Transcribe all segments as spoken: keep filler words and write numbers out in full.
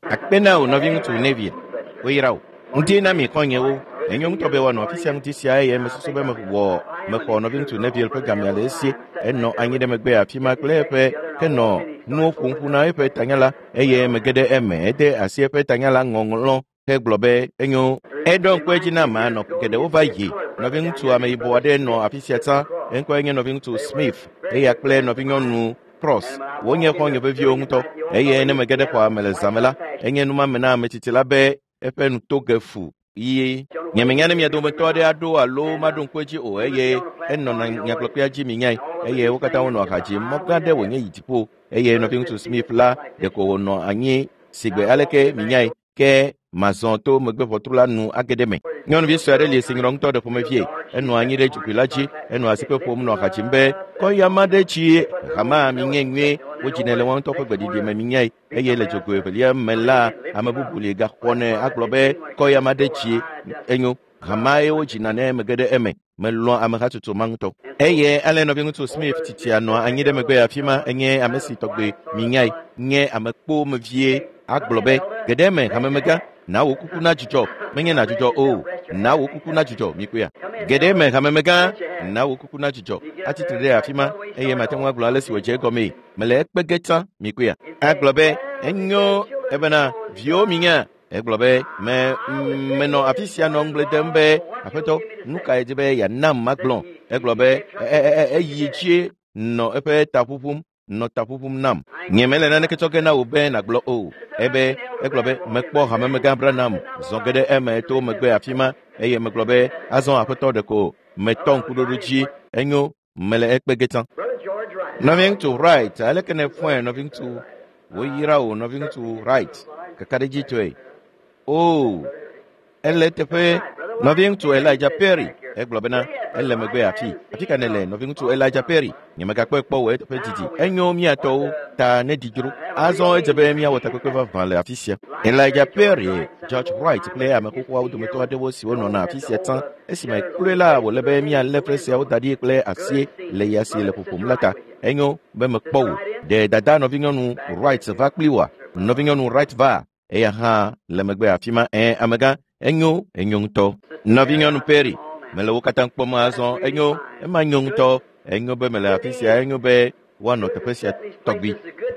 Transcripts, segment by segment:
Akpe na wò nɔviŋutsu Neville, woyra wò. Ŋuti na mi xɔ̃nyewo. Enyo ŋutɔ be woanɔ afi sia ŋuti sia eye mesusu be mewɔ mexɔ nɔviŋutsu Neville ƒe gamea le esi. Enɔ anyi ɖe megbe afi ma kple eƒe henɔ nuwo ƒom ƒu na eƒe tanyala eye mege ɖe eme. Ede asi eƒe tanyala ŋɔŋlɔ hegblɔ be enyo. Eɖo ŋku edzi na ame nɔ geɖewo va yi. Nɔviŋutsu ameyibɔ aɖe nɔ afi sia tsã. Eŋkɔe nye nɔviŋutsu Smith eya kple nɔvinyɔnu Cross. Wonye xɔ̃nye veviwo ŋutɔ eye ne mege ɖe xɔa me le zã me la, enye numame na ame tsitsi la be eƒe nu to ge fu ɣie. Nyemenya ne mia dometɔ aɖe aɖo alo maɖo ŋku edzi o eye enɔna nyagblɔkpea dzi minyae eye wo katã wonɔ aha dzim. Mɔ gã ɖe wònye yi dziƒo eye nɔviŋutsu Smith la ɖeko wònɔ anyi sigbe aleke minyae ke mazɔ to megbeʋɔtru la nu age ɖe me. Nyɔnuvi sue aɖe li si nyrɔ ŋutɔ ɖe ƒomevie. Enɔ anyi ɖe dzogoe la dzi, enɔ asikpe ƒom nɔ aha dzim be kɔyama ɖe tsi hama minye nyuie. Wodzinɛ le woa ŋutɔ ƒe gbeɖiɖi me minyae eye le dzogoe evelia me la ame bubu li gaxɔnɛ agblɔ be kɔyama ɖe tsi enyo. Hamae wodzina ne mege ɖe eme. Melɔ̃ amehatsotso ma ŋutɔ. Eye ale nɔviŋutsu Smith tsitsia nɔ anyi ɖe megbe afi ma enye ame si tɔgbe minyae nye ame kpomevie agblɔ be geɖe me hamemegã na wò kuku na dzudzɔ menye na dzudzɔ o na wò kuku na dzudzɔ mikpɔea geɖe me hamemegã na wò kuku na dzudzɔ atsitre ɖe afi ma eye mate ŋu agblɔ ale si wòdze egɔmee mele ekpe ge tsã mikpɔea agblɔ be enyo ebena viwo minya egblɔ be me menɔ afi sia nɔ ŋugble dem be aƒetɔ nu kae di be yeanam magblɔ egblɔ be eyi dzie nɔ eƒe ta ƒuƒum nɔ ta ƒuƒum nam nye mele naneke tsɔ ge na wò be nàgblɔ o ebe egblɔ be mekpɔ hamemegã Branham zɔ ge ɖe eme to megbe afi ma eye megblɔ be azɔ aƒetɔ ɖeko metɔ ŋkuɖoɖo dzi enyo mele ekpe ge tsã. Nɔviŋutsu Wright aleke ne fɔe nɔviŋutsu woyra wò nɔviŋutsu Wright kakaɖedzitɔe o ele teƒe nɔviŋutsu Elijah Perry egblɔ bena ele megbe afi afi ka nele nɔviŋutsu Elijah Perry nyemegakpɔe kpɔ wò eteƒe didi enyo miatɔwo ta ne dzidzro azɔ edze be miawɔ takpekpe vavã le afi sia. Elijah Perry, George Wright kple ame xoxoawo dometɔ aɖewo siwo nɔna afi sia tsã esime kloe la wòle be mialé fresiawo da ɖi kple asie le ya si le ƒoƒom la ta enyo be mekpɔ wò. Ɖe dada nɔvinyɔnu Wright va kpli wòa? Nɔvinyɔnu Wright va eya hã le megbe afi ma. Ɛ amegã enyo enyo ŋutɔ. Nɔvinyɔnu Perry mele wo katã kpɔm azɔ enyo ema nyo ŋutɔ enyo be mele afi sia enyo be woanɔ teƒe sia tɔgbi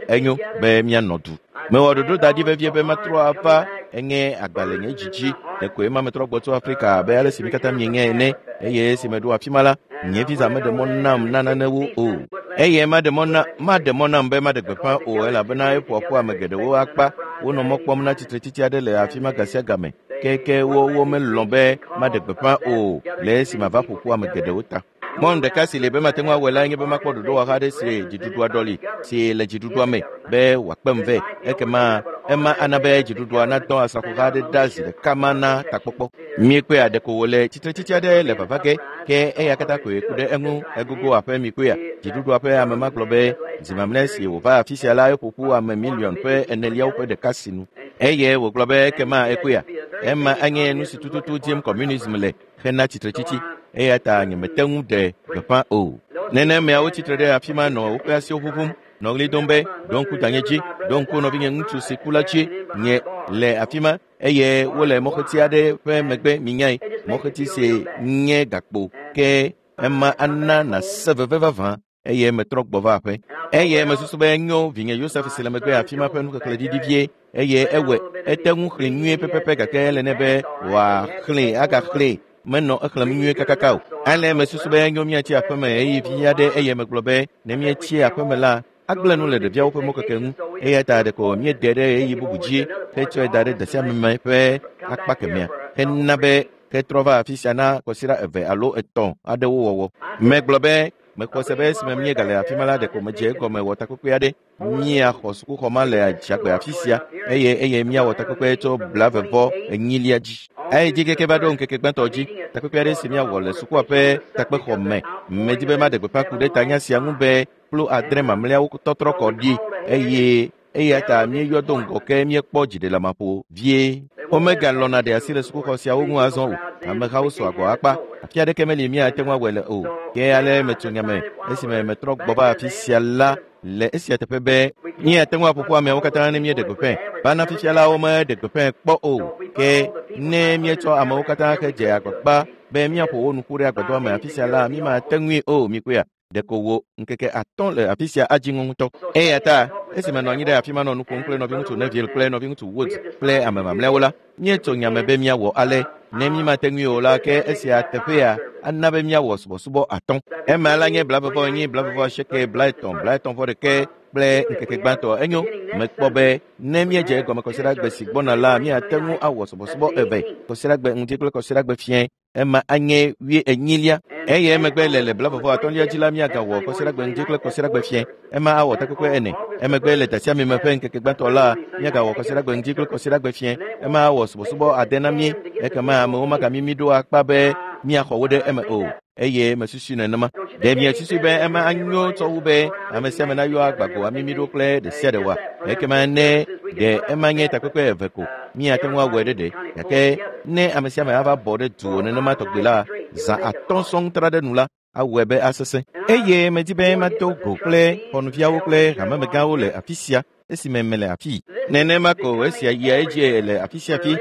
enyo be mianɔ du. Mewɔ ɖoɖo da ɖi vevie be matrɔ ava enye agbalẽ nye dzidzi ɖeko ema metrɔ gbɔ tso Afrika abe ale si mi katã mienye ene eye esi meɖo afi ma la nye visa meɖe mɔ nam na nanewo o eye maɖe mɔ na maɖe mɔ nam be maɖe gbeƒã o elabena eƒoa ƒu ame geɖewo akpa wonɔ mɔ kpɔm na tsitretsitsi aɖe le afi ma gasia game keke wo womelɔ̃ be maɖe gbeƒã o le esi mava ƒo ƒu ame geɖewo ta. Mɔnu ɖeka si le be mate ŋu awɔe la nye be makpɔ ɖoɖowɔha aɖe si dziɖuɖua ɖɔli si le dziɖuɖua me be wòakpem vɛ ekema ema ana be dziɖuɖua nadɔ asrafoha aɖe ɖa zi ɖeka ma na takpɔkpɔ. Miekpɔea ɖeko wòle tsitretsitsi aɖe le vava ge ke eya katã koe ku ɖe eŋu egogo aƒe mikpɔea dziɖuɖua ƒe ame ma gblɔ be zi mamlɛ si wòva afi sia la eƒo ƒu ame miliɔn ƒe eneliawo ƒe ɖeka sinu eye wògblɔ be ekema ekpɔea ema anye nu si tututu dim communism le hena tsitretsitsi eya ta nyemete ŋu ɖe gbeƒã o. Nenemeawo tsitre ɖe afi ma nɔ woƒe asiwo ʋuʋum nɔ ɣli dom be ɖo ŋku danye dzi ɖo ŋku nɔvinye ŋutsu si ku la dzi nye le afi ma eye wole mɔxeti aɖe ƒe megbe minyae mɔxeti si nye gakpo ke ema ana nàse veve vavã eye metrɔ gbɔ va aƒe eye mesusu be enyo vinye Yosef si le megbe afi ma ƒe nuxexlẽ ɖiɖi vie eye ewɔe ete ŋu xlẽ nyuie pɛpɛpɛ gake ele nɛ be wòaxlẽe agaxlẽe menɔ exlẽm nyuie kakaka o. Ale mesusu be enyo míatsi aƒeme eye vi aɖe eye megblɔ be ne míetsi aƒeme la agblẽ nu le ɖeviawo ƒe mɔkeke ŋu eya ta ɖeko míede ɖe ɣeyiɣi bubu dzi hetsɔe da ɖe dasiameme ƒe akpa kemɛa hena be hetrɔ va afi sia na kɔsiɖa eve alo etɔ̃ aɖewo wɔwɔ. Megblɔ be mexɔ se be esime míegale afi ma la ɖeko medze egɔme wɔ takpekpe aɖe míaxɔ sukuxɔ ma le adzagbe afi sia eye eye míawɔ takpekpe tso blaeve vɔ enyilia dzi. Eye dzi keke va ɖo ŋkeke gbãtɔ dzi takpekpe aɖe si míawɔ le sukua ƒe takpexɔ me medi be maɖe gbeƒã ku ɖe tanya sia ŋu be kplu adre mamlɛawo tɔtrɔ kɔ ɖi eye Eya ta míeyɔ do ŋgɔ ke míekpɔ dziɖelamaƒo vie. Womegalɔ̃na ɖe asi le sukuxɔ siawo ŋu azɔ o. Amehawo sɔ agbɔ akpa. Afi aɖeke meli míate ŋu awɔe le o. Ke ale metso nyame esime metrɔ gbɔ va afi sia la le esia teƒe be míate ŋu aƒoƒu ameawo katã ne míeɖe gbeƒãe. Vana fifia la womeɖe gbeƒãe kpɔ o. Ke ne míetsɔ amewo katã he dze agbagba be míaƒo wo nu ƒu ɖe agbadɔa me afi sia la, mímate ŋui o. Mikpɔea? Ɖeko wo ŋkeke atɔ̃ le afi sia adzi ŋu ŋutɔ. Eya ta esime nɔ anyi ɖe afi ma nɔ nu ƒom kple nɔviŋutsu Neville kple nɔviŋutsu Woods kple ame mamlɛawo la, míetso nyame be míawɔ ale. Ne mímate ŋui o la, ke esia teƒea ana be míawɔ subɔsubɔ atɔ̃. Ema la nye blaeve enyi, blaeve asieke, blaetɔ̃, blaetɔ̃ vɔ ɖeke kple ŋkeke gbãtɔ. Enyo, mekpɔ be ne míedze egɔme kɔsiɖagbe si gbɔna la, míate ŋu awɔ subɔsubɔ eve, kɔsiɖagbe ŋdi kple kɔsiɖagbe fiẽ. Ema anye wui enyilia. Eye emegbe le le blaeve atɔ̃lia dzi la, míagawɔ kɔsiɖagbe ŋdi kple kɔsiɖagbe fiẽ. Ema awɔ takpekpe ene. Emegbe le dasiamime ƒe ŋkeke gbãtɔ la, míagawɔ kɔsiɖagbe ŋdi kple kɔsiɖagbe fiẽ. Ema awɔ subɔsubɔ ade na mí. Ekema amewo magamimi ɖo akpa be míaxɔ wo ɖe eme o. Eye mesusu nenema. Ɖe miesusu be ema anyo tsɔ wu be ame sia ame nayɔ agbago amimi ɖo kple ɖe sia ɖe wa? Ekema ne ɖe ema nye takpekpe eve ko, míate ŋu awɔe ɖe ɖe. Gake ne ame sia ame ava bɔ ɖe duwò nenema tɔgbi la, zã atɔ̃ sɔŋ tra ɖe nu la, awɔe be asesẽ. Eye medi be mado go kple xɔnuviawo kple hamemegãwo le afi sia esime mele afii. Nenema ko esia yia edzi le afi sia fi.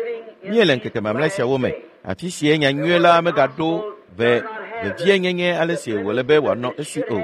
Míele ŋkeke mamlɛ siawo me. Afi sie nyanyui la megaɖo ve vevienyenye ale si wòle be wòanɔ esi o.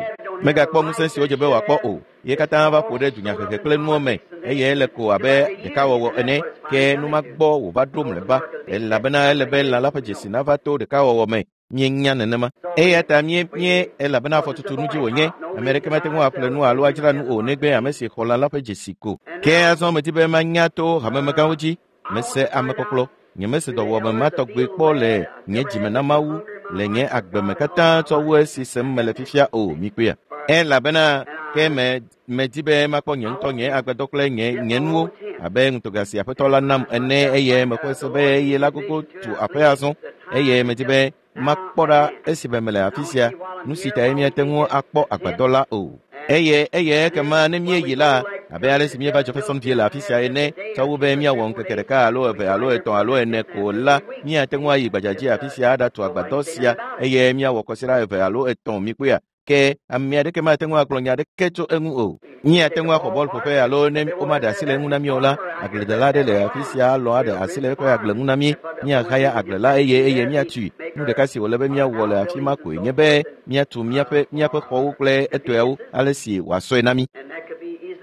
Megakpɔ ŋusẽ si wodze be wòakpɔ o. Ye katã va ƒo ɖe dunyahehe kple nuwo me eye ele ko abe ɖekawɔwɔ ene. Ke nu ma gbɔ wòva ɖo mlɔeba elabena ele be lã la ƒe dzesi nava to ɖekawɔwɔ me. Míenya nenema. Eya ta mí mí elabena afɔtutu nu dzi wònye. Ame aɖeke mate ŋu aƒle nu alo adzra nu o negbe ame si xɔ lã la ƒe dzesi ko. Ke azɔ medi be manya to hamemegãwo dzi. Mese amekpɔkplɔ. Nyemese dɔwɔame ma tɔgbe kpɔ le nye dzime na Mawu le nye agbe me katã tsɔ wu esi sem mele fifia o. Mikpɔea? Elabena ke me medi be makpɔ nye ŋutɔ nye agbadɔ kple nye nye nuwo abe ŋutega si aƒetɔ la nam ene eye mexɔe se be eye la gogo tu aƒe azɔ eye medi be makpɔ ɖa esime mele afi sia nu si tae míate ŋu akpɔ agbadɔ la o. Eye eye ekema ne míeyi la, abe ale si míeva Jeffersonville le afi sia ene, tsɔ wu be míawɔ ŋkeke ɖeka alo eve alo etɔ̃ alo ene ko la, míate ŋu ayi gbadzadzi afi sia aɖatu agbadɔ sia eye míawɔ kɔsiɖa eve alo etɔ̃. Mikpɔea? Ke ame aɖeke mate ŋu agblɔ nya aɖeke tso eŋu o. Míate ŋu axɔ bɔlƒoƒe alo ne womaɖe asi le eŋu na mí o la, agbledela aɖe le afi sia alɔ̃ aɖe asi le eƒe agble ŋu na mí. Míahaya agble la eye eye míatui. Nu ɖeka si wòle be míawɔ le afi ma koe nye be míatu míaƒe míaƒe xɔwo kple etɔeawo ale si wòasɔe na mí.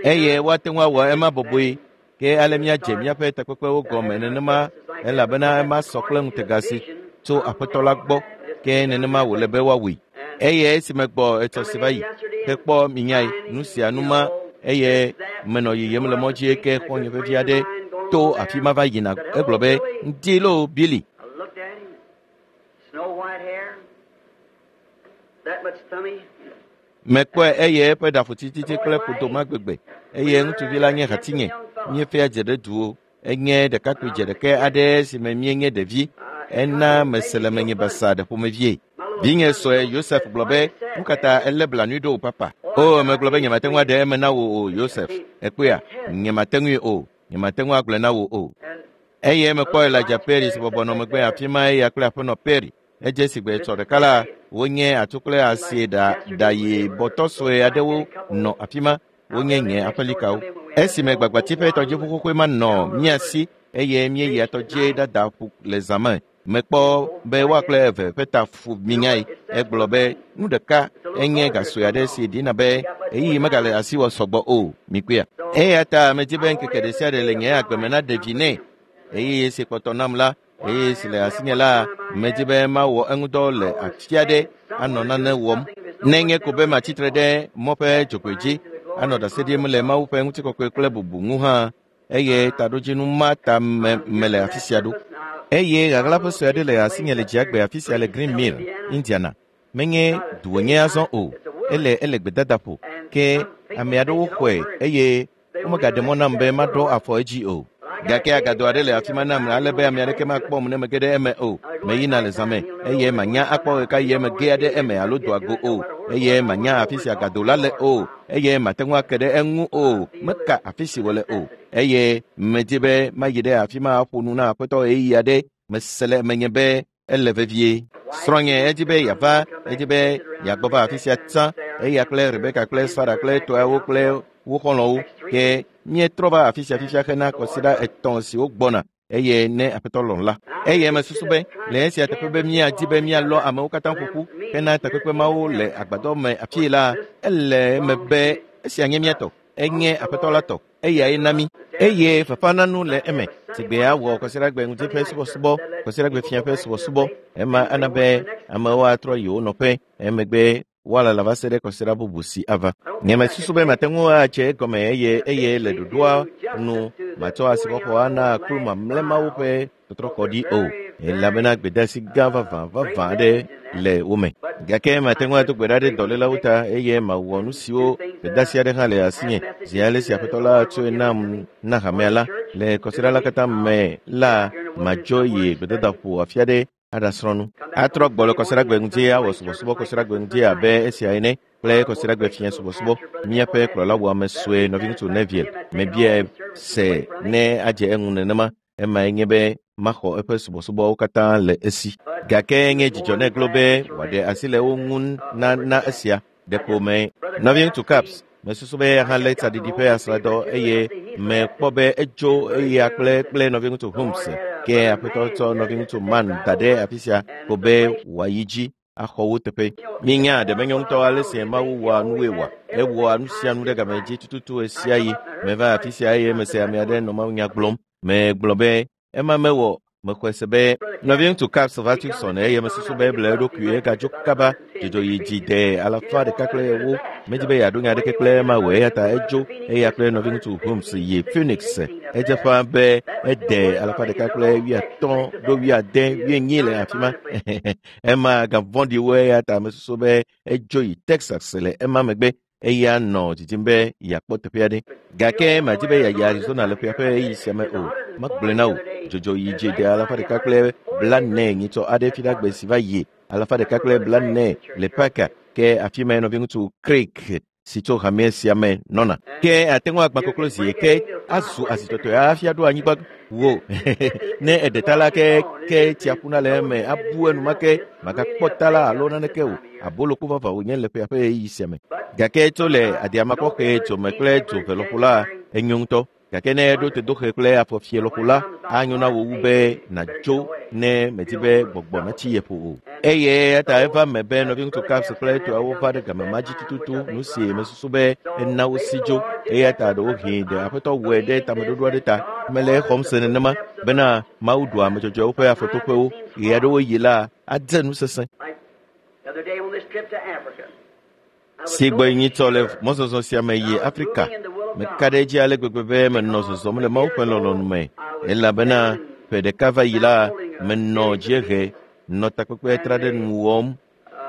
Eye woate ŋu awɔ ema bɔbɔe. Ke ale míadze míaƒe takpekpewo gɔme nenema elabena ema sɔ kple ŋutega si tso aƒetɔ la gbɔ. Ke nenema wòle be woawɔe. Eye esime gbɔ etsɔ si va yi hekpɔ minyae nu sia nu ma eye menɔ yiyim le mɔ dzi ke xɔ̃nye vevi aɖe to afi ma va yina. Egblɔ be ŋdi loo Billy. I looked at him. Snow white hair, that much tummy. Mekpɔe eye eƒe ɖafotititi kple ƒodo ma gbegbe eye ŋutsuvi la nye hatinye. Míefia dze ɖe duwo. Enye ɖekakpui dze ɖeke aɖe si me míenye ɖevi. Ena mese le menye basa ɖe ƒomevie. Vinye sɔe Yosef gblɔ be, nu ka ta elé blanui ɖo o papa? O, megblɔ be nyemate ŋu aɖe eme na wò o Yosef. Ekpɔea? Nyemate ŋui o. Nyemate ŋu agblɔe na wò o. Eye mekpɔ Elijah Perry si bɔbɔ nɔ megbe afi ma eya kple aƒenɔ Perry. Edze si gbe etsɔ ɖeka la, wonye atu kple asi ɖa ɖayi bɔtɔ sue aɖewo nɔ afi ma. Wonye nye aƒelikawo. Esime gbagbati ƒe tɔdziʋu xoxoe ma nɔ mía si eye míeyia tɔdzi ɖada ƒu le zã me. Mekpɔ be woa kple eve ƒe ta fu minyae. Egblɔ be nu ɖeka enye gasɔe aɖe si ɖina be ɣeyiɣi megale asiwò sɔgbɔ o. Mikpɔea? Eya ta medi be ŋkeke ɖe sia ɖe le nye agbe me naɖe vi nɛ. Ɣeyiɣi si kpɔtɔ nam la, ɣeyiɣi si le asinye la, medi be mawɔ eŋudɔ le afi aɖe anɔ nane wɔm. Nenye ko be matsitre ɖe mɔ ƒe dzogoe dzi anɔ ɖase ɖim le Mawu ƒe ŋutikɔkɔe kple bubu ŋu hã eye taɖodzinu ma ta me mele afi sia ɖo. Eye ɣaɣlaƒe sue aɖe le asinye le dziagbe afi sia le Green Mill, Indiana. Menye du wònye azɔ o. Ele ele gbedadaƒo. Ke ame aɖewo xɔe eye womegaɖe mɔ nam be maɖɔ afɔ edzi o. Gake agado aɖe le afi ma nam ale be ame aɖeke makpɔm ne mege ɖe eme o. Meyina le zã me eye manya akpɔ ɣekaɣi eme ge aɖe eme alo doa go o. eye manya afi si agado la le o eye mate ŋu ake ɖe eŋu o meka afi si wòle o eye medi be mayi ɖe afi ma aƒo nu na aƒetɔ ɣeyiɣi aɖe mese le menye be ele vevie. Srɔ̃nye edi be yeava edi be yeagbɔ va afi sia tsã eya kple Rebeka kple Sara kple tɔawo kple wo xɔlɔ̃wo ke míetrɔ va afi sia fifia hena kɔsiɖa etɔ̃ siwo gbɔna eye ne aƒetɔ lɔ̃ la. Eye mesusu be le esia teƒe be míadi be míalɔ amewo katã ƒoƒu hena takpekpe mawo le agbadɔ me afii la ele eme be esia nye mía tɔ enye aƒetɔ la tɔ eyae na mí eye fafananu le eme sigbe awɔ kɔsiɖagbe ŋuti ƒe subɔsubɔ kɔsiɖagbe fia ƒe subɔsubɔ ema ana be amewo atrɔ yi wo nɔƒe emegbe woalala va se ɖe kɔsiɖa bubu si ava. Nye mesusu be mate ŋu adze egɔme eye eye le ɖoɖoa nu matsɔ asixɔxɔ ana kplu mamlɛ mawo ƒe tɔtrɔkɔ ɖi o elabena gbedeasi gã vavã vavã aɖe le wo me. Gake mate ŋu ado gbe ɖa ɖe dɔlélawo ta eye mawɔ nu siwo gbedeasi aɖe hã le asinye zi ale si aƒetɔ la tsɔe nam na hamea la le kɔsiɖa la katã me la madzo yi gbedadaƒo afi aɖe aɖasrɔ̃ nu. Atrɔ gbɔ le kɔsiɖagbe ŋuti awɔ subɔsubɔ kɔsiɖagbe ŋuti abe esia ene kple kɔsiɖagbe fia subɔsubɔ. Míaƒe kplɔla wɔame sue nɔviŋutsu Neville mebiae se ne adze eŋu nenema emae nye be maxɔ eƒe subɔsubɔwo katã le esi. Gake nye dzidzɔ nɛ glo be wòaɖe asi le wo ŋu na na esia ɖeko me. Nɔviŋutsu Caps mesusu be eya hã lé tsaɖiɖi ƒe asrãdɔ eye mekpɔ be edzo eya kple kple nɔviŋutsu Holmes ke aƒetɔ tsɔ nɔviŋutsu Man da ɖe afi sia ko be wòayi dzi axɔ wo teƒe. Mínya ɖe menyo ŋutɔ ale si Mawu wɔa nuwoe wɔa. Ewɔa nu sia nu ɖe game dzi tututu ɣe sia ɣi. Meva afi sia eye mese ame aɖe nɔ mawunya gblɔm. Megblɔ be ema mewɔ mexɔe se be nɔviŋutsu Caps va Tucson eye mesusu be eble eɖokui egadzo kaba dzodzo yi dzi de alafa ɖeka kple ewo medi be yeaɖo nya aɖeke kple ema wɔ eya ta edzo eya kple nɔviŋutsu Holmes yi Phoenix. Edze ƒã be ede alafa ɖeka kple wuiatɔ̃ ɖo wuiade wuienyi le afi ma. Ema gavɔ̃ɖi wo eya ta mesusu be edzo yi Texas le ema megbe eya nɔ didim be yeakpɔ teƒe aɖe. Gake madi be yeayi Arizona le ƒea ƒe ɣeyiɣi sia me o. Magblɔe na wò dzodzo yi dzi de alafa ɖeka kple blaene nyitsɔ aɖe fiɖagbe si va yi alafa ɖeka kple blaene le Parker ke afi mae nɔviŋutsu Craig si tso hame sia me nɔna. Ke ate ŋu agbã koklo zi ke azu azitɔtɔe hafi aɖo anyigba wo. Ne eɖe ta la ke ke tsia ƒuna le eme abu enumake magakpɔ ta la alo naneke o. Abolokpo vavã wònye le ƒea ƒe ɣeyiɣi sia me. Gake tso le adiamakɔxe dzome kple dzove lɔƒo la enyo ŋutɔ. Gake ne eɖo tedoxe kple afɔfie lɔƒo la anyo na wò wu be nàdzo ne medi be gbɔgbɔ natsi ye ƒo o. Eye eya ta eva me be nɔviŋutsu Caps kple etɔawo va ɖe game ma dzi tututu nu si mesusu be ena wo si dzo. Eya ta ɖewohĩ ɖe aƒetɔ wɔe ɖe tameɖoɖo aɖe ta mele exɔm se nenema bena Mawu ɖua ame dzɔdzɔewo ƒe afɔtoƒewo ɣe aɖewo yi la adze nu sesẽ. The other day on this trip to Africa, I was Si so gbɔ nyitsɔ le sure mɔzɔzɔ sia me yi Afrika meka ɖe edzi ale gbegbe be menɔ zɔzɔm le Mawu ƒe lɔlɔ̃nu me elabena ƒe ɖeka va yi la menɔ dziehe nɔ takpekpe tra ɖe nu wɔm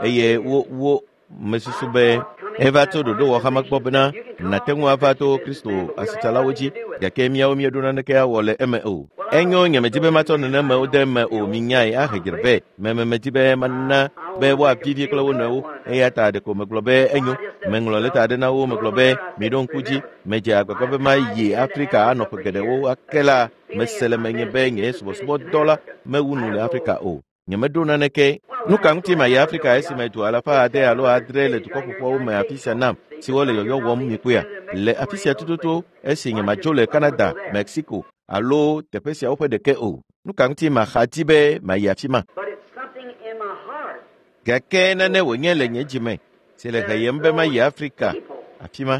eye wo wo mesusu be eva tso ɖoɖowɔxama gbɔ bena nàte ŋu ava to Kristo asitsalawo dzi gake míawo míeɖo naneke awɔ le eme o. Enyo nye medi be matsɔ nenemewo de eme o minyae ahe dzre vɛ meme medi be mana be woavivi kple wo nɔewo eya ta ɖeko megblɔ be enyo meŋlɔ lɛta aɖe na wo megblɔ be miɖo ŋku dzi medze agbagba be mayi Afrika anɔ ƒe geɖewo ake la mese le menye be nye subɔsubɔdɔ la mewu nu le Afrika o. Nyemeɖo naneke. Nu ka ŋuti mayi Afrika esime du alafa ade alo adre le dukɔ ƒoƒuawo me afi sia nam siwo le yɔyɔ wɔm mikpɔea? Le afi sia tututu esi nyemadzo le Canada, Mexico alo teƒe siawo ƒe ɖeke o. Nu ka ŋuti maxa di be mayi afi ma? But it's something in my heart. Gake nane wònye le nye dzime si le heyem be mayi Afrika afi ma.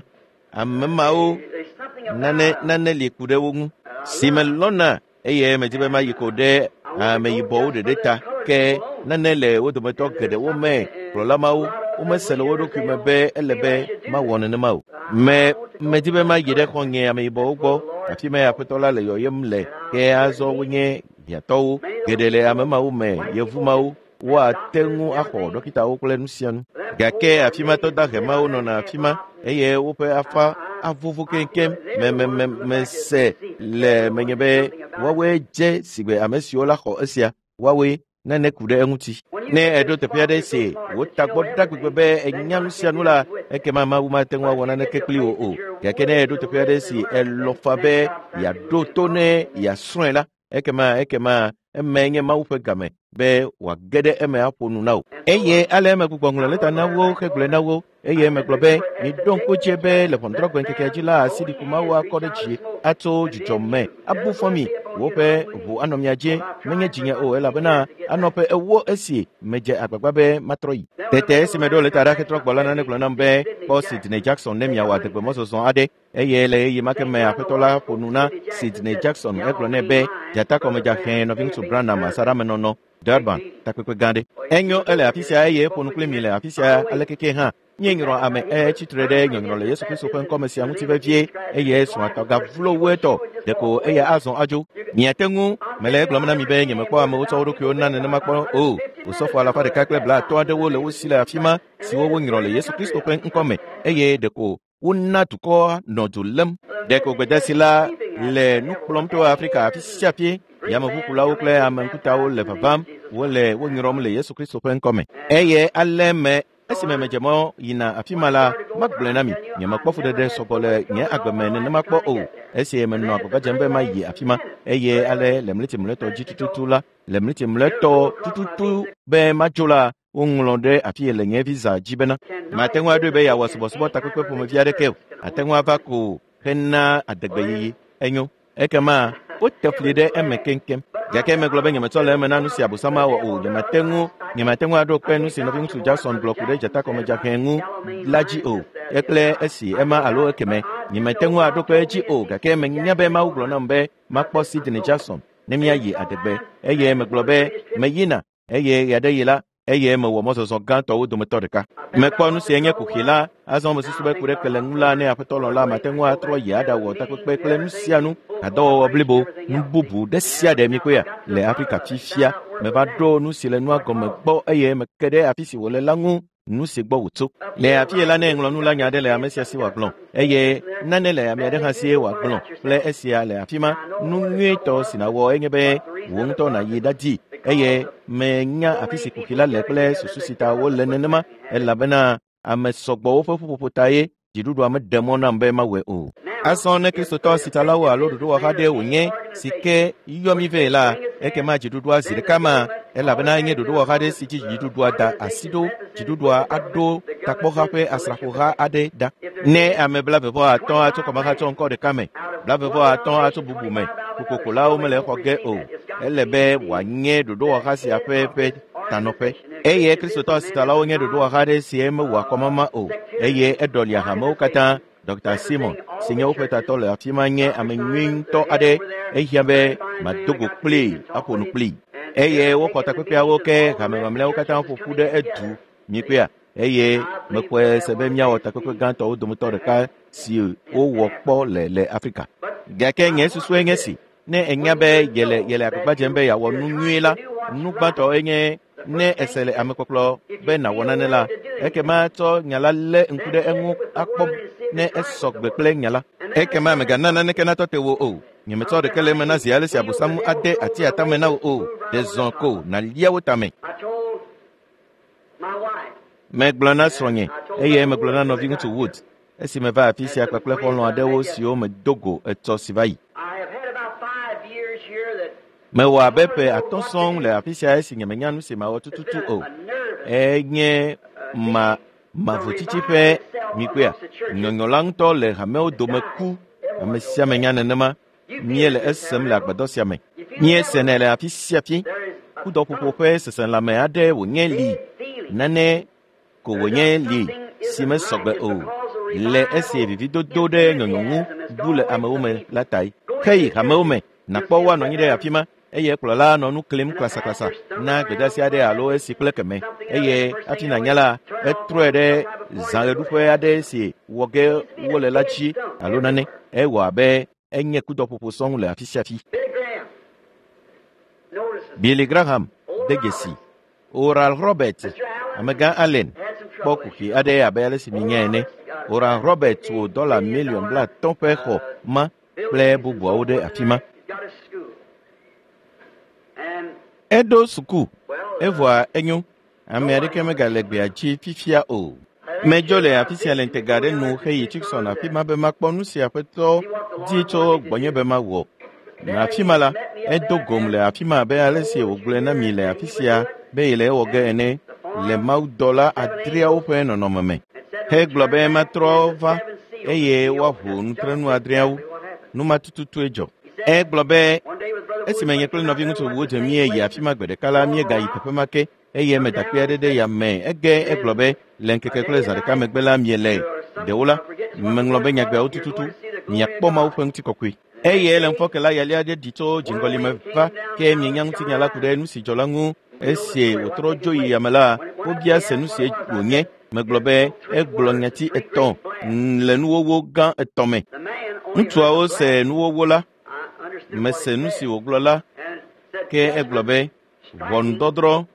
Ame mawo There's something about nane us. nane li ku ɖe wo ŋu si melɔ̃na eye medi be mayi ko ɖe ameyibɔwo ɖeɖe ta ke nane le wo dometɔ geɖewo me kplɔla mawo womese le wo ɖokui me be ele be mawɔ nenema o. Me medi be mayi ɖe xɔ̃nye ameyibɔwo gbɔ afi ma aƒetɔ la le yɔyem le ke azɔ wonye hiãtɔwo geɖe le ame mawo me yevu mawo woate ŋu axɔ ɖɔkitawo kple nu sia nu. Gake afi ma tɔ dahe mawo nɔna afi ma eye woƒe afa avovo keŋkeŋ me me me mese le menye be woawoe dze sigbe ame siwo la xɔ esia woawoe Nane ku ɖe eŋuti. Ne eɖo teƒe aɖe si wò tagbɔ ɖa gbegbe be enya nu sia nu la, ekema Mawu mate ŋu awɔ naneke kpli wò o. Gake ne eɖo teƒe aɖe si elɔ̃ fa be yeaɖo to ne yeasrɔ̃e la, ekema ekema eme nye Mawu ƒe game be wòage ɖe eme aƒo nu na wò. Eye ale megbugbɔ ŋlɔ lɛta na wo hegblɔe na wo eye megblɔ be miɖo ŋku dzi be le ʋɔnudrɔ̃gbe ŋkekea dzi la asiɖiku Mawu akɔ ɖe dzi atso dzudzɔ me abu fɔ mi woƒe ʋu anɔ mia dzi menye dzinye o elabena anɔ ƒe ewo esi medze agbagba be matrɔ yi. Tete esi meɖo lɛta ɖa hetrɔ gbɔ la nane gblɔ nam be kpɔ Sidney Jackson ne miawɔ adegbemɔzɔzɔ aɖe eye le ɣeyiɣi ma ke me aƒetɔ la ƒo nu na Sidney Jackson egblɔ nɛ be dzatakɔmedzaxɛ nɔviŋutsu Branham asaɖamenɔnɔ Durban takpekpe gã ɖe. Enyo ele afi sia eye eƒo nu kpli mi le afi sia alekeke hã. Míenyrɔ ame etsi tre ɖe nyɔnyrɔ le Yesu Kristo ƒe ŋkɔme sia ŋuti vevie eye srɔ̃a gavlo wu etɔ ɖeko eya azɔ adzo. Miate ŋu mele egblɔm na mi be nyemekpɔ amewo tsɔ wo ɖokuiwo na nenema kpɔ o. Osɔfo alafa ɖeka kple blaatɔ̃ aɖewo le wo si le afi ma siwo wonyrɔ le Yesu Kristo ƒe ŋkɔme eye ɖeko wona dukɔa nɔ du lém. Ɖeko gbedasi la le nu kplɔm tso Afrika afi sia afi. Yameʋukulawo kple ame ŋkutawo le vavam wole wo nyrɔm le Yesu Kristo ƒe ŋkɔme. Eye ale me esime medze mɔ yina afi ma la, magblɔe na mi, nyemekpɔ fuɖeɖe sɔgbɔ le nye agbe me nenema kpɔ o. Esi menɔ agbagba dzem be mayi afi ma eye ale le mleti mlɔetɔ dzi tututu la, le mleti mlɔetɔ tututu be madzo la, woŋlɔ ɖe afi yi le nye visa dzi bena mate ŋu aɖoe be yeawɔ subɔsubɔ takpekpe ƒomevi aɖeke o. Ate ŋu ava ko hena adegbeyiyi. Enyo. Ekema wote fli ɖe eme keŋkeŋ. Gake megblɔ be nyemetsɔ le eme na nu si Abosam awɔ o. Nyemate ŋu nyemate ŋu aɖo kpe nu si nɔviŋutsu Jackson gblɔ ku ɖe dzatakɔmedzaxɛ ŋu la dzi o. Ekple esi ema alo ekeme nyemate ŋu aɖo kpe edzi o. Gake menya be Mawu gblɔ nam be makpɔ Sidney Jackson ne míayi adegbe eye megblɔ be meyina eye ɣeaɖeɣi la eye mewɔ mɔzɔzɔ gãtɔwo dometɔ ɖeka. Mekpɔ nu si nye kuxi la, azɔ mesusu be ku ɖe kele ŋu la ne aƒetɔ lɔ̃ la mate ŋu atrɔ yi aɖawɔ takpekpe kple nu sia nu, hadɔwɔwɔ blibo, nu bubu ɖe sia ɖe mikpɔea le Afrika fifia. Meva ɖo nu si le nua gɔme gbɔ eye meke ɖe afi si wòle la ŋu nu si gbɔ wòtso. Le afi la ne ŋlɔ nu la nya aɖe le ame sia si wòagblɔ eye nane le ame aɖe hã si wòagblɔ kple esia le afi ma. Nu nyuietɔ si nàwɔ enye be wò ŋutɔ nàyi ɖadi eye menya afi si kuxi la le kple susu si ta wole nenema elabena ame sɔgbɔwo ƒe ƒuƒoƒo ta ye dziɖuɖua meɖe mɔ nam be mawɔe o. Azɔ ne Kristotɔ sitsalawo alo ɖoɖowɔha aɖe wònye si ke yɔ mi vɛ la, ekema dziɖuɖua zi ɖeka ma elabena enye ɖoɖowɔha aɖe si dzi dziɖuɖua da asi ɖo. Dziɖuɖua aɖo takpɔha ƒe asrafoha aɖe ɖa. Ne ame blaeve-vɔ-atɔ̃ atso kɔmahatsɔ ŋkɔ ɖeka me, blaeve-vɔ-atɔ̃ atso bubu me, kokokolawo mele xɔ ge o. Ele be wòanye ɖoɖowɔha sia ƒe ƒe tanɔƒe. Eye Kristotɔ sitsalawo nye ɖoɖowɔha aɖe si mewɔa kɔmama o eye eɖɔlia hamewo katã. Dr. Simon si nye woƒe tatɔ le afi ma nye ame nyui ŋutɔ aɖe. Ehiã be mado go kplii aƒo nu kplii. Eye woxɔ takpekpeawo ke hame mamlɛawo katã ƒo ƒu ɖe edu mikpɔea eye mexɔe se be míawɔ takpekpe gãtɔwo dometɔ ɖeka si wowɔ kpɔ le le Afrika. Gake nye susue nye si ne enya be yele yele agbagba dzem be yeawɔ nu nyui la, nu gbãtɔ enye ne ese le amekpɔkplɔ be nàwɔ nane la, ekema tsɔ nya la lé ŋku ɖe eŋu akpɔ ne esɔ gbe kple nya la. Ekema mègana naneke natɔ te wò o. Nyemetsɔ ɖeke le eme na zi ale si Abosam ade ati atame na wò o. Ɖe zɔ ko nàlia wo tame. I told my wife, Megblɔ na srɔ̃nye eye megblɔ na nɔviŋutsu Wood esi meva afi sia kpakple xɔlɔ̃ aɖewo siwo medo go etsɔ si va yi. I have had about five years here that Mewɔ abe ƒe atɔ̃ sɔŋ le afi sia esi nyemenya nu si mawɔ tututu o. a nervous Enye ma mavotsitsi ƒe mikpɔea nyɔnyɔ la ŋutɔ le hamewo dome ku. Ame sia ame nya nenema. Míele esem le agbadɔ sia me. Míesenɛ le afi sia fi. there is a Kudɔƒoƒo ƒe seselãme aɖe wònye li. feeling. Nane ko wònye li si mesɔgbe o. Le esi vividodo ɖe nyɔnyɔ ŋu bu le amewo me la tae. Heyi hamewo me nàkpɔ woanɔ anyi ɖe afi ma eye kplɔla nɔ nu klim klasaklasa na gbedeasi aɖe alo esi kple keme eye hafi nànya la etrɔe ɖe zãɣeɖuƒe aɖe si wɔ ge wole la dzi alo nane. Ewɔ abe enye kudɔƒoƒo sɔŋ le afi sia fi. Billy Graham notices Billy Graham de dzesi. Oral Robert, amegã Allen kpɔ kuxi aɖe abe ale si minya ene. Oral Robert wɔ dɔla miliɔn blaatɔ̃ ƒe xɔ ma kple bubuawo ɖe afi ma. He's got a school. And Eɖo suku well, Evɔa enyo, ame aɖeke megale gbea dzi fifia o. Medzo le afi sia le ŋutega aɖe nu heyi Tucson afi ma be makpɔ nu si Aƒetɔ di tso gbɔnye be mawɔ. Le afi ma la, edo gom le afi ma abe ale si wògblɔe na mi le afi sia be yele ewɔ ge ene le mawudɔla adreawo ƒe nɔnɔme me. Hegblɔ be matrɔ va eye woaʋu nutrenu adreawo. Nu ma tututue dzɔ. Egblɔ be esime nye kple nɔviŋutsu wodze míeyi afi ma gbe ɖeka la, míegayi teƒe ma ke eye medakpe aɖe ɖe yame. Ege egblɔ be le ŋkeke kple zã ɖeka megbe la miele ɖewo la, meŋlɔ be nyagbeawo tututu miakpɔ Mawu ƒe ŋutikɔkɔe. Eye le ŋufɔke la yali aɖe ɖi tso dziŋgɔli me va ke mienya ŋutinya la ku ɖe nu si dzɔ la ŋu. Esi wòtrɔ dzo yi yame la, wobia se nu si wònye. Megblɔ be egblɔ nyati etɔ̃ le nuwɔwɔ gã etɔ̃ me. Ŋutsuawo se nuwɔwɔ la, mese nu si wògblɔ la, ke egblɔ be ʋɔnudɔdrɔ̃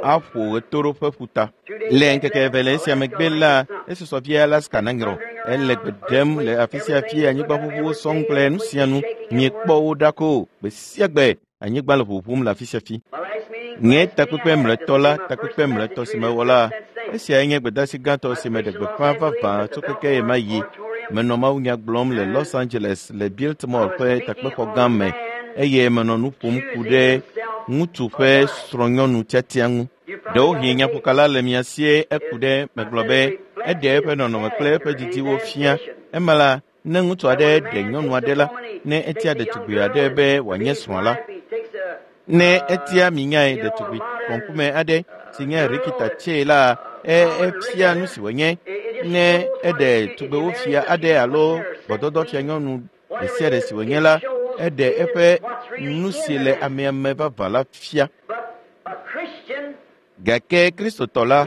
aƒo ɣetoɖoƒe ƒuta. Le ŋkeke eve le esia megbe la, esusɔ vie Alaska nanyrɔ. Ele gbe ɖem le afi sia afi anyigbaʋuʋuwo sɔŋ kple nu sia nu. Miekpɔ wo ɖa ko gbe sia gbe anyigba le ʋuʋum le afi sia afi. Nye takpekpe mlɔetɔ la, takpekpe mlɔetɔ si mewɔ la, esiae nye gbedeasi gãtɔ si meɖe gbeƒã vavã tso keke ɣe ma ɣi. Menɔ mawunya gblɔm le Los Angeles le Biltmore ƒe takpexɔ gã me eye menɔ nu ƒom ku ɖe ŋutsu ƒe srɔ̃nyɔnu tiatia ŋu. Ɖewohĩ nyaƒokala le mia sie eku ɖe megblɔ be eɖe eƒe nɔnɔme kple eƒe didiwo fia. Ema la, ne ŋutsu aɖe ɖe nyɔnu aɖe la, ne etia ɖetugbi aɖe be wòanye srɔ̃a la, ne etia minyae ɖetugbi kɔŋkume aɖe si nye Rikita Tse la, efia nu si wònye. Ne eɖe tugbewo fia aɖe alo gbɔdɔdɔ fia nyɔnu ɖe sia ɖe si wònye la, eɖe eƒe nu si le amea me vavã la fia. Gake Kristotɔ la,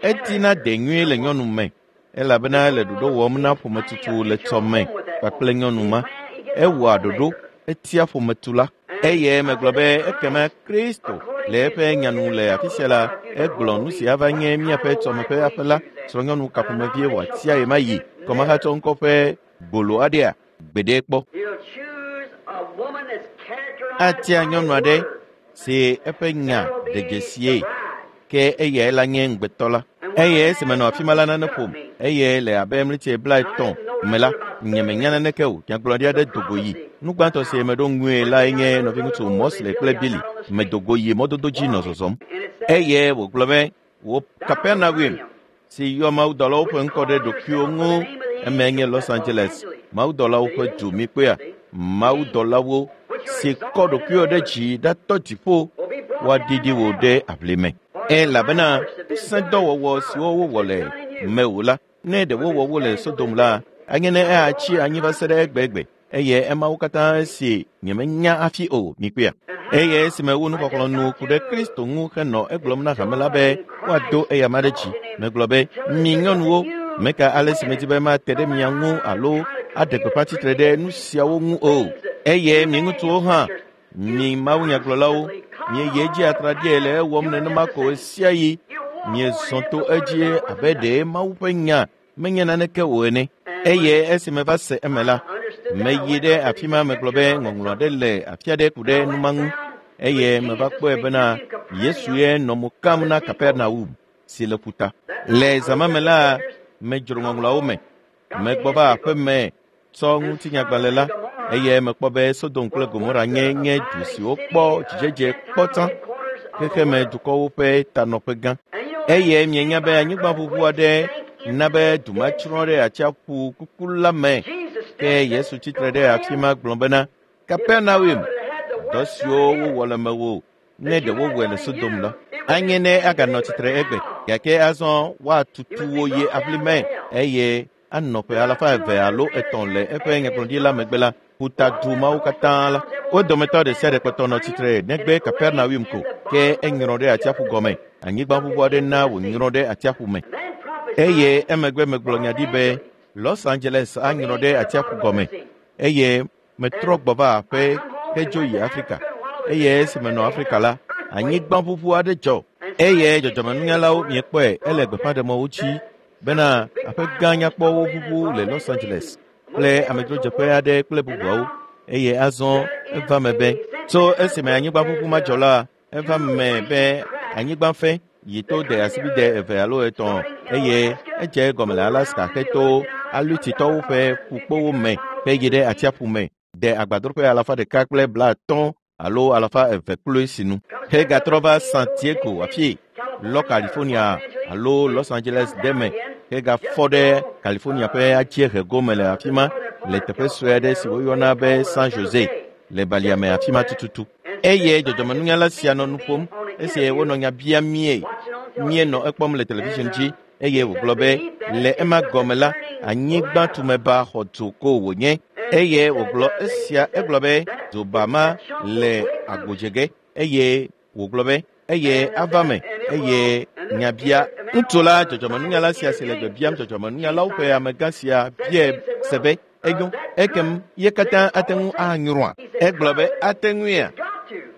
edina de nyuie le nyɔnu me elabena ele ɖoɖo wɔm na ƒometutu le tsɔme kpakple nyɔnu ma. Ewɔa ɖoɖo, etia ƒometula. Eye megblɔ be ekema Kristo le eƒe nyanu le afi sia la, egblɔ nu si ava nye míaƒe tsɔme ƒe aƒe la, srɔ̃nyɔnu ka ƒomevie wòatia ɣe ma ɣi, kɔmahatsɔ ŋkɔ ƒe gbolo aɖea gbeɖe kpɔ. Atia nyɔnu aɖe si eƒe nya ɖe dzesie ke eyae la nye ŋugbetɔ la. Eye esi menɔ afi ma la nane ƒom eye le abe mlitsi blaetɔ̃ me la, nyemenya naneke o. Nyagblɔɖi aɖe do go yi. Nu gbãtɔ si meɖo ŋue lae nye nɔviŋutsu Mosley kple Billy. Medo go yi mɔdodo dzi nɔ zɔzɔm. Eye wògblɔ be wò Kapernaum si yɔ mawudɔlawo ƒe ŋkɔ ɖe ɖokuiwo ŋu eme nye Los Angeles mawudɔlawo ƒe du mikpɔea mawudɔlawo si kɔ ɖokuiwo ɖe dzi ɖatɔ dziƒo woaɖiɖi wò ɖe aʋli me. Elabena ŋusẽdɔwɔwɔ siwo wowɔ le mewò la, ne ɖe wowɔ wo le Sodom la, anye ne eatsi anyi va se ɖe egbegbe eye emawo katã esi nyemenya hafi o mikpɔea. Eye esime wu nuxɔxlɔ̃ nu ku ɖe Kristo ŋu henɔ egblɔm na hame la be woado eyama ɖe dzi. Megblɔ be mi nyɔnuwo, meka ale si medi be mate ɖe mia ŋu alo aɖe gbeƒã tsitre ɖe nu siawo ŋu o. Eye mi ŋutsuwo hã, mi mawunyagblɔlawo, mieyi edzi atraɖie le ewɔm nenema ko ɣe sia ɣi. Miezɔ to edzi abe ɖe Mawu ƒe nya menye naneke o ene. Eye esi meva se eme la, meyi ɖe afi ma megblɔ be ŋɔŋlɔ aɖe le afi aɖe ku ɖe nu ma ŋu. Eye meva kpɔe bena Yesu ye nɔ mo kam na Kapernaum si le ƒuta. Le zã ma me la, medzro ŋɔŋlɔawo me. Megbɔ va aƒe me tsɔ ŋutinyagbalẽ la eye mekpɔ be Sodom kple Gomora nye nye du siwo kpɔ dzidzedze kpɔ tsã xexeme dukɔwo ƒe tanɔƒe gã. Eye mienya be anyigbaʋuʋu aɖe na be du ma tsrɔ̃ ɖe atsiaƒu kuku la me. Ke Yesu tsitre ɖe afi ma gblɔ bena Kapernaum, dɔ siwo wowɔ le mewò ne ɖe wowɔe le Sodom la, anye ne aganɔ tsitre egbe. Gake azɔ woatutu wo yi aʋli me eye anɔ ƒe alafa eve alo etɔ̃ le eƒe nyagblɔɖi la megbe la, ƒuta du mawo katã la, wo dometɔ ɖe sia ɖe kpɔtɔ nɔ tsitre negbe Kapernaum ko, ke enyrɔ ɖe atsiaƒu gɔme. Anyigbaʋuʋu aɖe na wònyrɔ ɖe atsiaƒu me. Eye emegbe megblɔ nya ɖi be Los Angeles anyrɔ ɖe atsiaƒu gɔme. Eye metrɔ gbɔ va aƒe hedzo yi Afrika. Eye esi menɔ Afrika la, anyigbaʋuʋu aɖe dzɔ. Eye dzɔdzɔmenunyalawo miekpɔe ele gbeƒãɖemɔwo dzi bena aƒe gã nyakpɔwo ʋuʋu le Los Angeles kple amedzrodzeƒe aɖe kple bubuawo. Eye azɔ eva me be tso esime anyigbaʋuʋu ma dzɔ la, eva me be Anyigba fẽ yi to de asibide eve alo etɔ̃ eye edze egɔme le Alaska heto Alutitɔwo ƒe ƒukpowo me heyi ɖe atsiaƒu me de agbadroƒe alafa ɖeka kple blaatɔ̃ alo alafa eve kloe sinu. Hegatrɔ va San Diego afie lɔ California alo Los Angeles ɖe me hegafɔ ɖe California ƒe adziehe gome le afi ma le teƒe sue aɖe si woyɔna be San Jose le balia me afi ma tututu. Eye dzɔdzɔmenunyala sia nɔ nu ƒom esi wonɔ nya biam mie. Míenɔ ekpɔm le television dzi eye wògblɔ be le ema gɔme la anyigba tumeba xɔ dzo ko wònye eye wògblɔ esia egblɔ be dzoba ma le agbodze eye wògblɔ be eye ava me eye nyabia ŋutsu la dzɔdzɔmenunyala sia si le gbe biam dzɔdzɔmenunyalawo ƒe amegã sia biae se be enyo ekem ye katã ate ŋu anyrɔa egblɔ be ate ŋuia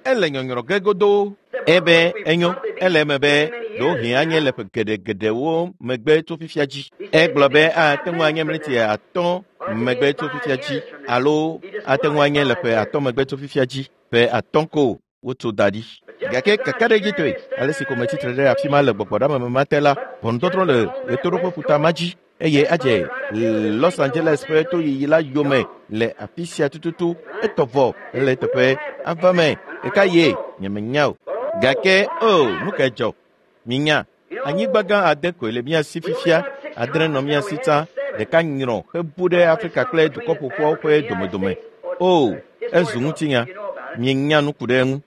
ele nyɔnyrɔ ge godoo ebe enyo ele eme be ɖewohĩ anye le ƒe geɖegeɖewo megbe tso fifia dzi egblɔ be ate ŋu anye mleti atɔ̃ megbe tso fifia dzi alo ate ŋu anye le ƒe atɔ̃ megbe tso fifia dzi ƒe atɔ̃ ko wotso da ɖi gake kakaɖedzitɔe ale si ko metsitre ɖe afi ma le gbɔgbɔɖame ma te la ʋɔnudɔdrɔ̃ le ɣetoɖoƒe ƒuta ma dzi eye adze Los Angeles ƒe toyiyi la yome le afi sia tututu etɔ vɔ le teƒe ava me ɖeka ye nyemenya o gake o nu ka dzɔ minya anyigba gã ade koe le mía si fifia adre nɔ mía si tsã ɖeka nyrɔ hebu ɖe Afrika kple dukɔ ƒoƒuawo ƒe domedome o ezu ŋutinya mienya nu ku ɖe eŋu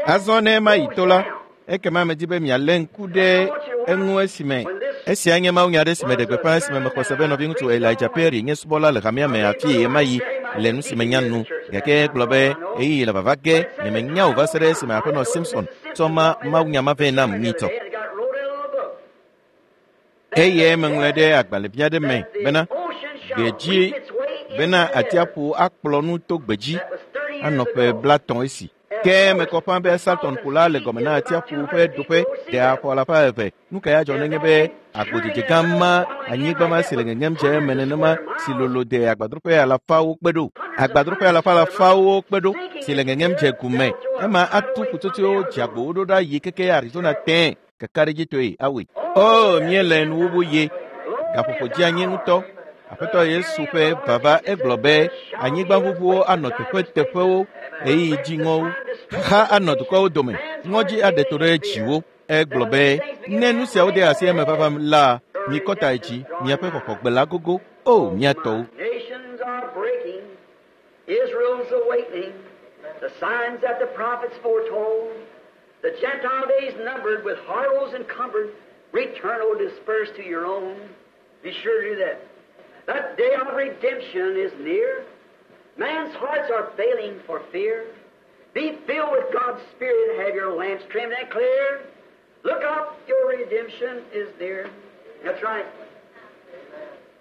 azɔ ne ema yi to la ekema medi be mialé ŋku ɖe eŋu esime esia nye mawunya aɖe si me ɖe gbeƒã esime mexɔ se be nɔviŋutsu Elijah Perry nye subɔla le hamea me afi ɣemaɣi le nu si menya nu gake egblɔ be ɣeyiɣi le vava ge nyemenya o va se ɖe esime aƒenɔ Simpson tsɔ ma mawunya ma vɛ nam nyitɔ eye meŋlɔe ɖe agbalẽvi aɖe me bena gbedzi bena atsiaƒu akplɔ nu to gbedzi anɔ ƒe blatɔ̃ esi ke mekɔ ƒã be Salton ƒu la le gɔme na atsiaƒu ƒe ɖoƒe ɖe afɔ alafa eve nu ka ya dzɔ nenye be agbodzedze gã ma anyigba ma si le ŋeŋem dze eme nenema si lolo de agbadroƒe alafawo kpe ɖo agbadroƒe alafa alafawo kpe ɖo si le ŋeŋem dze gume ema atu ƒutsotsoewo dzeagbowo ɖo ɖa yi keke Arizona tẽ kakaɖedzitɔe awoe o míele nuwuwu ye gaƒoƒo dzi anyi ŋutɔ Aƒetɔ Yesu ƒe vava egblɔ be anyigbaʋuʋuwo anɔ teƒeteƒewo ɣeyiɣi dziŋɔwo xaxa anɔ dukɔwo dome ŋɔdzi aɖe to ɖe dziwo egblɔ be ne nu siawo de asi eme vava la mikɔ ta dzi miaƒe xɔxɔgbe la gogo o mia tɔwo. Nations are breaking, Israel's awakening, the signs that the prophets foretold, the Gentile days numbered with horrors encumbered, return, O dispersed to your own. Be sure to do that. That day of redemption is near. Man's hearts are failing for fear. Be filled with God's Spirit, have your lamps trimmed and clear. Look up, your redemption is near. That's right.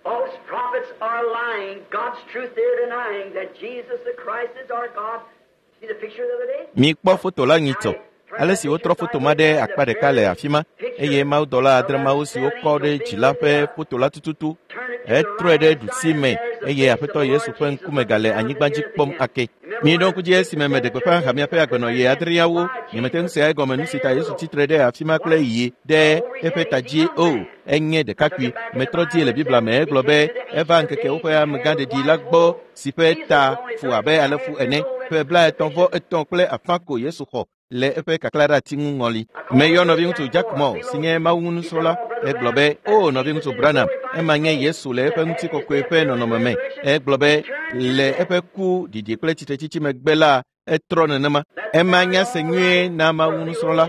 False prophets are lying, God's truth they're denying, that Jesus the Christ is our God. See the picture the other day? Mikpɔ foto la nyitsɔ ale si wotrɔ foto ma ɖe akpa ɖeka le afi ma eye mawudɔla adre mawo si wokɔ ɖe dzi la ƒe foto la tututu etrɔe ɖe ɖusi me eye aƒetɔ Yesu ƒe ŋkume gale anyigba dzi kpɔm ake. Miɖo ŋku dzi esime meɖe gbeƒã hamea ƒe agbenɔɣi adreawo nyemete ŋu sea egɔme nu si ta Yesu tsitre ɖe afi ma kple yi ɖe eƒe ta dzi o enye ɖekakpui metrɔ die le Biblia me egblɔ be eva ŋkeke woƒe amegãɖeɖi la gbɔ si ƒe ta fu abe alefu ene ƒe blaetɔ̃ vɔ etɔ̃ kple afã ko Yesu xɔ le eƒe kakla ɖe ati ŋu ŋɔli. Meyɔ nɔviŋutsu Jack Moore si nye Mawu ŋu egblɔ be o nɔviŋutsu Branham ema nye Yesu le eƒe ŋutikɔkɔe ƒe nɔnɔme me egblɔ be le eƒe ku ɖiɖi kple tsitretsitsi megbe la etrɔ nenema ema nya se nyuie na Mawu nusrɔ̃la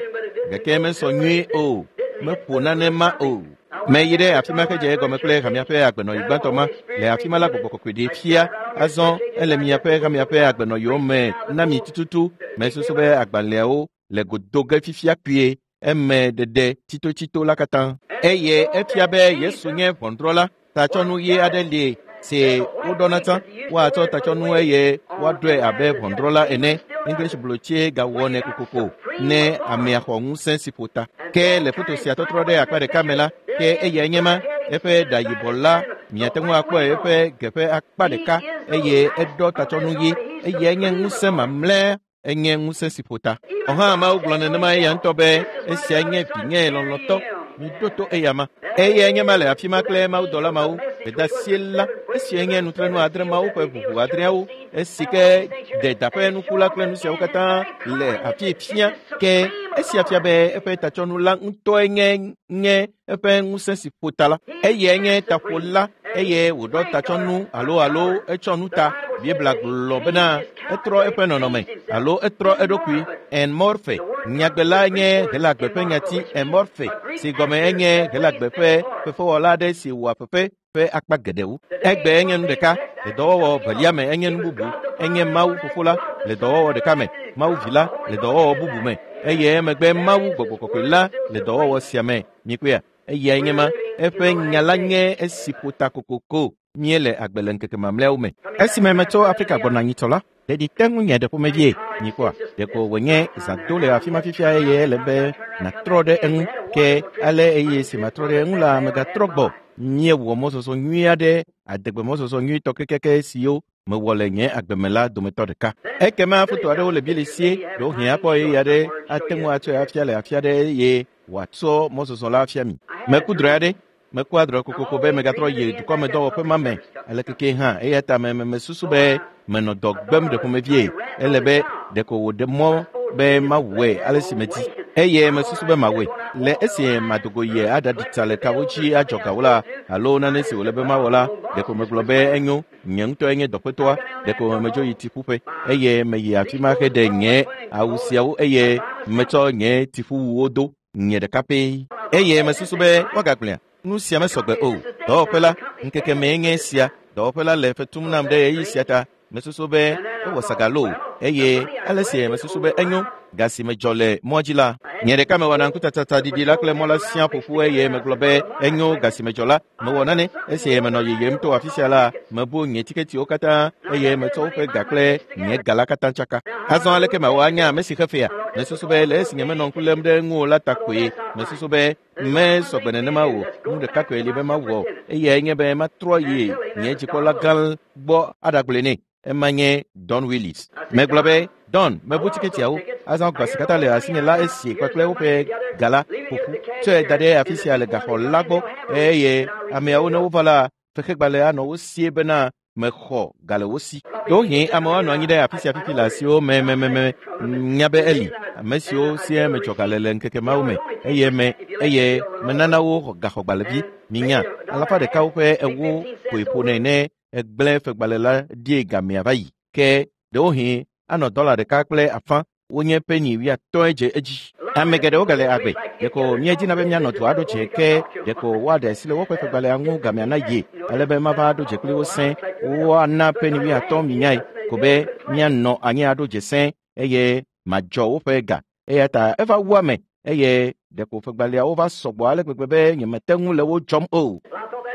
gake mesɔ nyuie o meƒo nanema o. Meyi ɖe afi ma hedze egɔme kple hamea ƒe agbenɔɣi gbãtɔ ma le afi ma la gbɔgbɔ kɔkɔe ɖee fia azɔ ele miaƒe hamea ƒe agbenɔɣiwo me na mi tututu mesusu be agbalẽawo le godo ge fifia kpuie eme ɖeɖe tsitotsito la katã eye efia be Yesu nye ʋɔnudrɔ̃la tatsɔnu ɣi aɖe li si woɖɔna tsã woatsɔ tatsɔnu eye woaɖɔe abe ʋɔnudrɔ̃la ene English blotsie gawɔnɛ kokoko ne amea xɔ ŋusẽ si ƒo ta ke le foto sia tɔtrɔ ɖe akpa ɖeka me la ke eyae nye ma eƒe ɖa yibɔ la miate ŋu akpɔe eƒe geƒe akpa ɖeka eye eɖɔ tatsɔnu ɣi eyae nye ŋusẽ mamlɛ Enye ŋusẽ si ƒo ta. Ɔhã Mawu gblɔ nenema eya ŋutɔ be esia nye vinye lɔlɔ̃tɔ. Miɖo to eyama. Eyae nye ma le afi ma kple mawudɔla mawo. Gbedeasie la, esia nye nutrenu adre mawo ƒe ʋuʋu adreawo. Esi ke ɖe daƒe nuku la kple nu siawo katã le afi fia. Ke esia fia be eƒe tatsɔnu la ŋutɔe nye nye eƒe ŋusẽ si ƒo ta la. Eyae nye taƒola eye wòɖɔ tatsɔnu alo alo etsɔ nu ta. Biblia gblɔ bena etrɔ eƒe nɔnɔme alo etrɔ eɖokui en morphe. Nyagbe la nye Helagbe ƒe nyati en morphe si gɔme enye Helagbe ƒe fefewɔla aɖe si wɔa fefe ƒe akpa geɖewo. Egbe enye nu ɖeka le dɔwɔwɔ velia me enye nu bubu. Enye Mawu Fofo la le dɔwɔwɔ ɖeka me, Mawu Vi la le dɔwɔwɔ bubu me eye emegbe Mawu Gbɔgbɔ Kɔkɔe la le dɔwɔwɔ sia me. Mikpɔea? Eyae nye ma. Eƒe nya la nye esi ƒo ta kokoko. Míele agbe le ŋkeke mamlɛawo me. Esime metso Afrika gbɔna nyitsɔ la, ɖeɖi te ŋunye ɖe ƒomevie. Mikpɔa? Ɖeko wònye zã do le afi ma fifia eye ele be nàtrɔ ɖe eŋu. Ke ale eye si matrɔ ɖe eŋu la, megatrɔ gbɔ. Míewɔ mɔzɔzɔ nyui aɖe, adegbe mɔzɔzɔ nyuitɔ kekeake siwo mewɔ le nye agbe me la dometɔ ɖeka. Ekema foto aɖewo le Bili sie, ɖewohĩ akpɔ ɣeyiɣi aɖe ate ŋu atsɔe afia le afi aɖe eye wòatsɔ mɔzɔzɔ la afia mi. Meku drɔ̃e aɖe. Mekua drɔ̃e kokoko be megatrɔ yi dukɔmedɔwɔƒe ma me ale keke hã. Eya ta me mesusu be menɔ dɔ gbem ɖe ƒomevie. Ele be ɖeko wòɖe mɔ be mawɔe ale si medi. Eye mesusu be mawɔe. Le esi madogo yi aɖaɖi tsa le kawo dzi adzɔ gawo la alo nane si wòle be mawɔ la, ɖeko megblɔ be enyo, nye ŋutɔe nye dɔƒetɔa. Ɖeko medzo yi tsiƒuƒe eye meyi afi ma heɖe nye awu siawo eye metsɔ nye tsiƒuwuwo do nye ɖeka pɛ. Eye mesusu be woagagblẽa. Nu sia mesɔgbe o. Dɔwɔƒe la, ŋkeke mee nye esia. Dɔwɔƒe la le fetum nam ɖe ɣeyiɣi sia ta. Mesusu be ewɔ sagalo eye ale si mesusu be enyo ga si medzɔ le mɔa dzi la. Nye ɖeka mewɔna ŋkutsatsaɖiɖi la kple mɔ la siaa ƒoƒu eye megblɔ be enyo ga si medzɔ la. Mewɔ nane esi menɔ yiyim to afi sia la, mebu nye tiketiwo katã eye metsɔ woƒe ga kple nye ga la katã tsaka. Azɔ aleke mawɔ anya ame si xe fea? Mesusu be le esi nyemenɔ ŋku lém ɖe eŋu o la ta koe. Mesusu be mesɔgbe nenema o. Nu ɖeka koe li be mawɔ eyae nye be matrɔ yi nye dzikpɔla gã gbɔ aɖagblɔe nɛ. Ema nye Don Willis. Megblɔ be, Don, mebu tiketiawo. Azɔ ga si katã le asinye la esi kpakple woƒe ga la ƒoƒu. Tsɔe da ɖe afi sia le gaxɔ la gbɔ eye ameawo ne wova la, fexegbalẽ anɔ wo sie bena mexɔ ga le wo si. Ɖewohĩ amewo anɔ anyi ɖe afi sia fifi le asiwo me me me me nya be eli. Ame siwo sie medzɔ ga le le ŋkeke mawo me eye me eye menana wo gaxɔgbalẽvi. Minya alafa ɖekawo ƒe ewo koe ƒonɛ ne egblẽ fegbalẽ la die gamea va yi. Ke ɖewohĩ anɔ dɔla ɖeka kple afã wonye peni wuiatɔ̃e dze edzi. Ame geɖewo gale agbe. Ɖeko míedina be míanɔ du aɖo dze ke ɖeko woaɖe asi le woƒe fegbalẽa ŋu gamea na ye ale be mava aɖo dze kpli wo sẽ. Woana peni wuiatɔ̃ minyae ko be míanɔ anyi aɖo dze sẽ eye madzɔ woƒe ga. Eya ta eva wu ame eye ɖeko fegbalẽawo va sɔgbɔ ale gbegbe be nyemete ŋu le wo dzɔm o.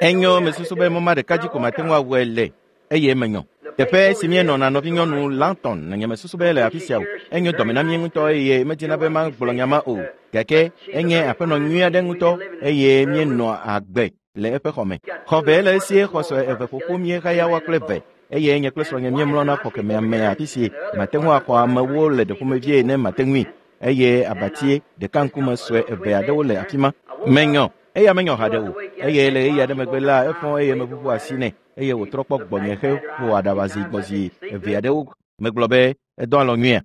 Enyo mesusu be mɔ ma ɖeka dzi ko mate ŋu awɔe le eye menyɔ. Teƒe si míenɔna nɔvinyɔnu Langton nye mesusu be le afi sia o. Enyo dɔme na mí ŋutɔ eye medina be magblɔ nya ma o. Gake enye aƒenɔ nyui aɖe ŋutɔ eye míenɔa agbe le eƒe xɔme. Xɔ ve le esie xɔ sue eve ƒoƒu míehaya woa kple ve eye nye kple srɔ̃nye míemlɔna xɔ kemɛa me afi si mate ŋu axɔ amewo le ɖeƒomevie ne mate ŋui. Eye abatie ɖeka ŋkume sue eve aɖewo le afi ma. Menyɔ. Eya menyɔ haɖe o. Eye le ɣeyiɣi aɖe megbe la, efɔ eye meʋuʋu asi nɛ eye wòtrɔ kpɔ gbɔnye heƒo aɖaʋa zi gbɔzi eve aɖewo. Megblɔ be edɔ alɔ nyuia.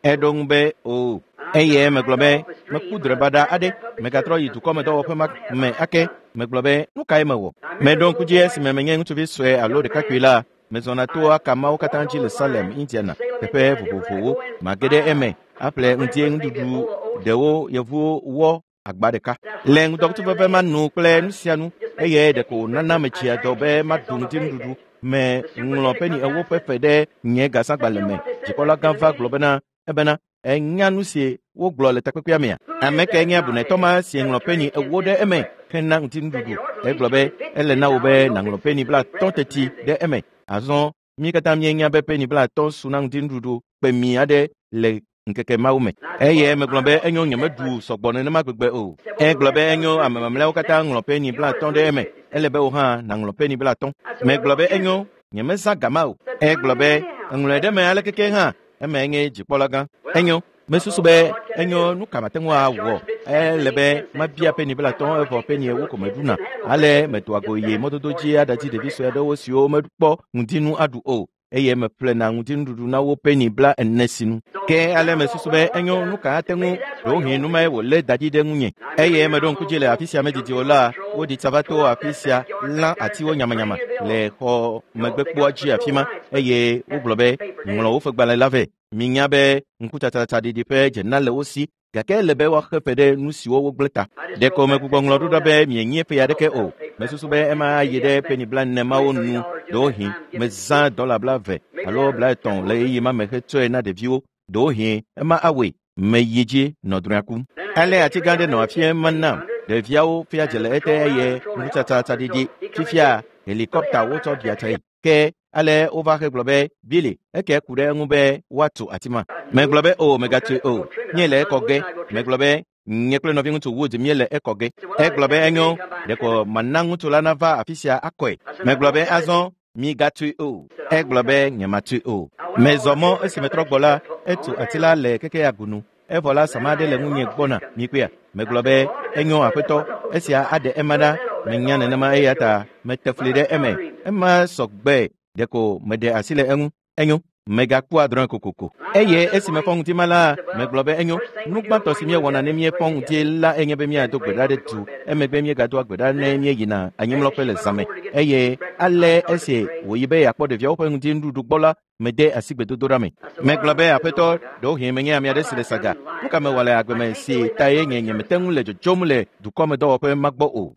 Eɖo ŋu be o. Eye megblɔ be meku drɔ̃e baɖa aɖe. Megatrɔ yi dukɔmedɔwɔƒe ma me ake. Megblɔ be nu kae mewɔ? Meɖo ŋku dzi esime menye ŋutsuvi sue alo ɖekakpui la, mezɔna to akamawo katã dzi le Salem, Indiana, teƒe vovovowo. Mage ɖe eme aƒle ŋdie nuɖuɖu ɖewo yevuwo wɔ agba ɖeka. Le ŋdɔkutuveve ma nu kple nu sia nu eye ɖeko wònana metsia dɔ be maɖu ŋdi nuɖuɖu. Me ŋlɔ peni ewo ƒe fe ɖe nye gasagbalẽ me. Dzikpɔla gã va gblɔ bena ebena enya nu si wogblɔ le takpekpea mea. Ame kae nye abunetɔ ma si ŋlɔ peni ewo ɖe eme hena ŋdi nuɖuɖu. Egblɔ be ele na wò be nàŋlɔ peni blaatɔ̃ teti ɖe eme. Azɔ mí katã míenya be peni blaatɔ̃ su na ŋdi nuɖuɖu kpemi aɖe le ŋkeke mawo me. Eye megblɔ be enyo nyemeɖu sɔgbɔ nenema gbegbe o. Egblɔ be enyo ame mamlɛawo katã ŋlɔ peni blaatɔ̃ ɖe eme. Ele be wò hã nàŋlɔ peni blaatɔ̃. Megblɔ be enyo nyemezã gama o. Egblɔ be eŋlɔe ɖe eme ale keke hã. Eme nye dzikpɔlagã. Enyo, mesusu be enyo nu ka mate ŋu awɔ. Ele be mabia peni blatɔ̃ evɔ peni ewo ko meɖuna. Ale medoa go yi mɔdodo dzi aɖadi ɖevi sue aɖewo siwo mekpɔ ŋdinu aɖu o eye meƒlena ŋutinuɖuɖu na wo peni bla ene sinu. Ke ale mesusu be enyo nu ka ate ŋu ɖewohĩ nu mae wòlé da ɖi ɖe ŋunye. Eye meɖo ŋku dzi le afi sia medidi o la, woɖi tsa va to afi sia lã atiwo nyamanyama le xɔ megbekpoa dzi afi ma eye wogblɔ be ŋlɔ woƒe gbalẽ la vɛ. Minya be ŋkutsatsaɖiɖi ƒe dzena le wo si gake ele be woaxe fe ɖe nu siwo wogblẽ ta. Ɖeko megbugbɔ ŋlɔ ɖo ɖa be mienyi ƒe aɖeke o. Mesusu be ema ayi ɖe peni bla ene mawo nu ɖewohĩ mezã dɔla bla eve alo bla etɔ̃ le ɣeyiɣi ma me hetsɔe na ɖeviwo. Ɖewohĩ ema awɔe meyi dzi nɔ drɔ̃ea kum. Ale ati gã aɖe nɔ afia ma nam. Ɖeviawo fia dze le ete eye ŋkutsatsaɖiɖi fifia helikɔpta wotsɔ ɖia tsae. Ke ale wova hegblɔ be Billy eke ku ɖe eŋu be woatu ati ma. Megblɔ be o megatui o. Nye le ekɔ ge. Megblɔ be nye kple nɔviŋutsu Wood míele ekɔ ge. Egblɔ be enyo ɖeko mana ŋutsu la nava afi sia akɔe. Megblɔ be azɔ migatui o. Egblɔ be nyematui o. Mezɔ mɔ esi metrɔ gbɔ la, etu ati la le keke agunu. Evɔ la sama aɖe le ŋunye gbɔna mikpea. Megblɔ be enyo aƒetɔ esia aɖe ema ɖa. Menya nenema eya ta mete fli ɖe eme. Ema sɔgbe ɖeko meɖe asi le eŋu. Enyo megakpɔa drɔ̃e kokoko. Eye esi mefɔ ŋdi ma la, megblɔ be enyo nu gbãtɔ si míewɔna ne míefɔ ŋdi la enye be míado gbe ɖa ɖe du. Emegbe míegadoa gbe ɖa ne míeyina anyimlɔƒe le zãme. Eye ale esi wòyi be yeakpɔ ɖeviawo ƒe ŋdinuɖuɖu gbɔ la, mede asi gbedodoɖa me. Megblɔ be aƒetɔ, ɖewohĩ menye ame aɖe si le saga. Nu ka mewɔ le agbe me si ta ye nye nyemete ŋu le dzodzom le dukɔmedɔwɔƒe ma gbɔ o.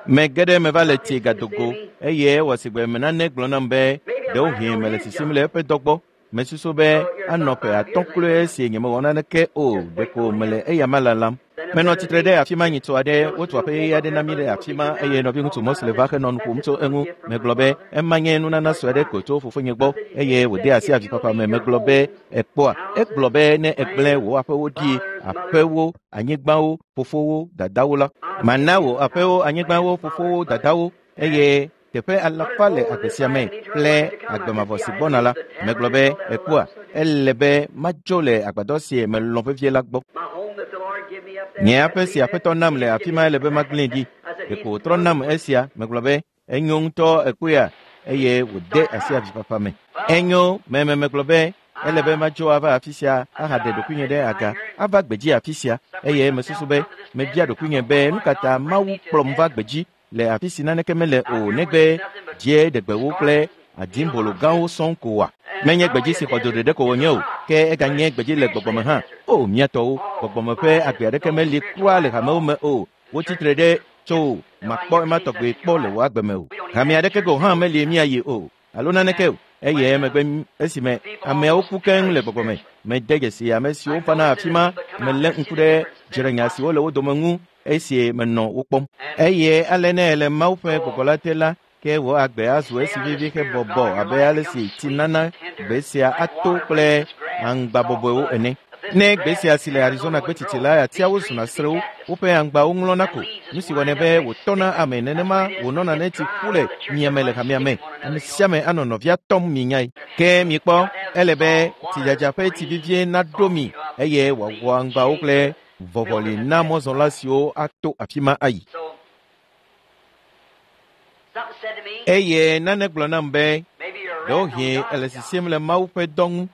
Mege ɖe me va le tsi gadogo eye ewɔ sigbe me nane gblɔ nam be ɖewohĩ mele sisim le eƒe dɔ gbɔ. Mesusu be anɔ ƒe atɔ̃ kloe esi nyemewɔ naneke o ɖeko mele eyama lalam. Menɔ tsitre ɖe afi ma nyitɔ aɖe wotu aƒe yeye aɖe na mí ɖe afi ma eye nɔviŋutsu Mose va henɔ nu ƒom tso eŋu. Megblɔ be ema nye nunana sue aɖe ko tso fofonye gbɔ eye wòde asi avifafa me. Megblɔ be ekpɔa. Egblɔ be ne egblẽ wò aƒewo ɖi, aƒewo, anyigbawo, fofowo, dadawo la, mana wò aƒewo, anyigbawo, fofowo, dadawo eye teƒe alafa le agbe sia me kple agbe mavɔ si gbɔna la. Megblɔ be ekpɔa, ele be madzo le agbadɔ si melɔ̃ vevie la gbɔ. Nye aƒe si aƒetɔ nam le afi ma ele be magblẽe ɖi. Ɖeko wòtrɔ nam esia. Megblɔ be enyo ŋutɔ ekpɔea eye wòde asi avifafa me. Enyo meme megblɔ be ele be madzo ava afi sia ahaɖe ɖokuinye ɖe aga ava gbedzi afi sia eye mesusu be mebia ɖokuinye be nu ka ta Mawu kplɔm va gbedzi le afi si naneke mele o negbe dzieɖegbewo kple adimbolo gãwo sɔŋ ko wa. Menye gbedzi si xɔ dzo ɖeɖe ko wònye o, ke eganye gbedzi le gbɔgbɔme hã. O mía tɔwo, gbɔgbɔme ƒe agbe aɖeke meli kura le hamewo me o. Wotsitre ɖe tso makpɔ ema tɔgbe kpɔ le wò agbe me o. Hame aɖeke gɔ̃ hã meli míayi o alo naneke o. Eye emegbe esime ameawo ku keŋ le gbɔgbɔme, mede dzesi ame siwo vana afi ma. Melé ŋku ɖe dzrenya siwo le wo dome ŋu esi menɔ wo kpɔm. Eye ale ne ele Mawu ƒe gbɔgbɔ la te la, ke wò agbe azu esi vivi hebɔbɔ abe ale si tsi nana gbe sia ato kple aŋgba bɔbɔewo ene. Ne gbe sia si le Arizona gbetsitsi la, atiawo zuna srewo, woƒe aŋgbawo ŋlɔna ko. Nu si wɔnɛ be wòtɔna ame nenema wònɔna ne tsi ƒu le miame le hamea me. Ame sia ame anɔ nɔvia tɔm minyae. Ke mikpɔ, ele be tsidzadza ƒe tsi vivie naɖo mi eye wòawɔ aŋgbawo kple vɔvɔli na mɔzɔla siwo ato afi ma ayi. Eye nane gblɔ nam be ɖewohĩ ele sisim le Mawu ƒe dɔ ŋu.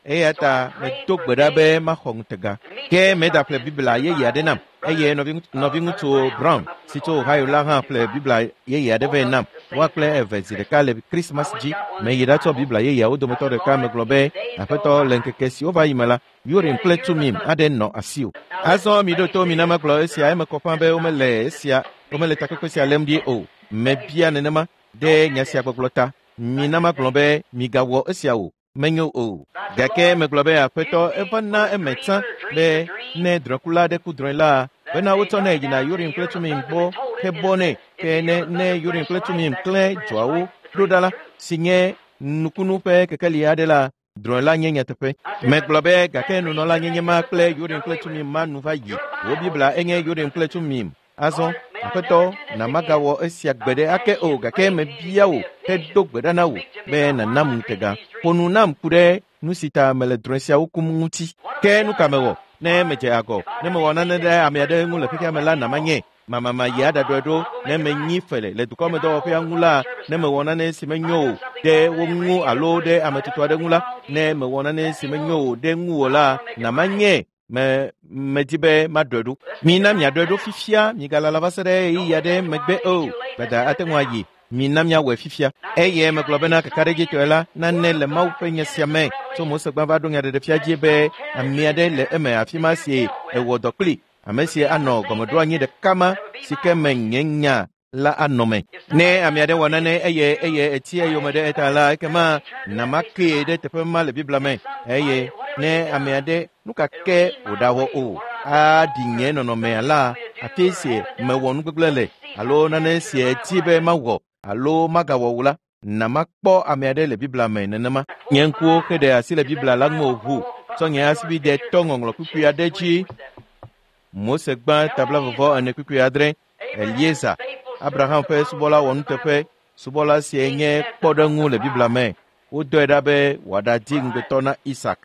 Eya ta medo gbe ɖa be maxɔ ŋutega. Ke meɖaƒle Biblia yeye aɖe nam eye nɔviŋutsu Brown si tso Ohio la hã ƒle Biblia yeye aɖe vɛ nam. Woa kple eve zi ɖeka le Krismas dzi. Meyi ɖatsɔ Biblia yeyeawo dometɔ ɖeka. Megblɔ be aƒetɔ le ŋkeke siwo va yi me la, Urim kple Tumim aɖe nɔ asiwò. Azɔ miɖo to mina magblɔ esia eme kɔ ƒã be womele esia womele takpekpe sia lém ɖi o. Mebia nenema ɖe nya sia gbɔgblɔ ta. Mina magblɔ be migawɔ esia o. Menyo o. Gake megblɔ be aƒetɔ eva na eme tsã be ne drɔ̃kula aɖe ku drɔ̃e la, bena wotsɔnɛ yina Urim kple Tumim gbɔ hebɔ nɛ. Ke ne ne Urim kple Tumim klẽ dzoawo ɖo ɖa la, si nye nukunu ƒe kekeli aɖe la, drɔ̃e la nye nyateƒe. Megblɔ be gake nunɔla nyenye ma kple Urim kple Tumim ma nu va yi. Wò Biblia enye Urim kple Tumim. Azɔ aƒetɔ na magawɔ esia gbe ɖe ake o gake mebia wò hedo gbe ɖa na wò be nànam ŋutega. Ƒo nu nam ku ɖe Nu si ta mele drɔ̃e siawo kum ŋuti. Ke nu ka mewɔ? Ne medze agɔ, ne mewɔ nane ɖe ame aɖe ŋu le xexea me la, na manye. Mamama yi aɖaɖɔe ɖo ne menyi fele le dukɔmedɔwɔƒea ŋu la, ne mewɔ nane si menyo o ɖe wo ŋu alo ɖe ame tutu aɖe ŋu la, ne mewɔ nane si menyo o ɖe ŋuwò la, na manye. Me medi be maɖɔe ɖo. Mina miaɖɔe ɖo fifia, migalala va se ɖe ɣeyiɣi aɖe megbe o. Gbada ate ŋu ayi. Mina miawɔe fifia. Eye megblɔ bena kakaɖedzitɔe la, nane le Mawu ƒe nya sia me tso Mose gbã va ɖo nyaɖeɖefia dzi be ame aɖe le eme afi ma si ewɔ dɔ kpli. Ame si anɔ gɔmeɖoanyi ɖeka ma si ke me nye nya la anɔ me. Ne ame aɖe wɔ nane eye eye eti eyome ɖe eta la, ekema nama kee ɖe teƒe ma le Biblia me. Eye ne ame aɖe nu ka ke wòɖawɔ o, aɖi nye nɔnɔmea la, afi si mewɔ nu gbegblẽ le alo nane si eti be mawɔ alo magawɔ o la, na makpɔ ame aɖe le Biblia me nenema. Nye ŋkuwo xe ɖe asi le Biblia la ŋu ʋu tsɔ nye asibide tɔ ŋɔŋlɔ kpukpui aɖe dzi. Mose gbã tabla vɔvɔ ene kpukpui adre. Eliezer, Abraham ƒe subɔla wɔnuteƒe, subɔla sie nye kpɔɖeŋu le Biblia me. Wodɔe ɖa be wòaɖadi ŋugbetɔ na Isak.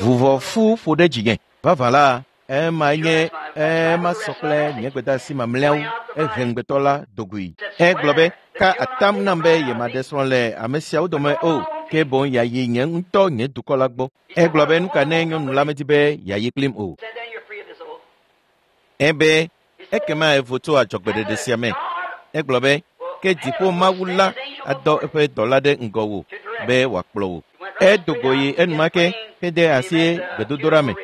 Vuvɔfu ƒo ɖe dzinye. Vavã la, ema nye ema sɔ kple nye gbedeasi mamlɛawo. Ehe ŋugbetɔ la dogoe. Egblɔ be, ka atam nam be yemaɖe srɔ̃ le ame siawo dome o, ke boŋ yeayi nye ŋutɔ nye dukɔ la gbɔ. Egblɔ be nu ka ne nyɔnu la medi be yeayi kplim o. Ebe ekema evo tso adzɔgbeɖeɖe sia me. Egblɔ be ke dziƒo Mawu la adɔ eƒe dɔla ɖe ŋgɔwò be wòakplɔ wò. Edo go yi enumake hede asi gbedodoɖa me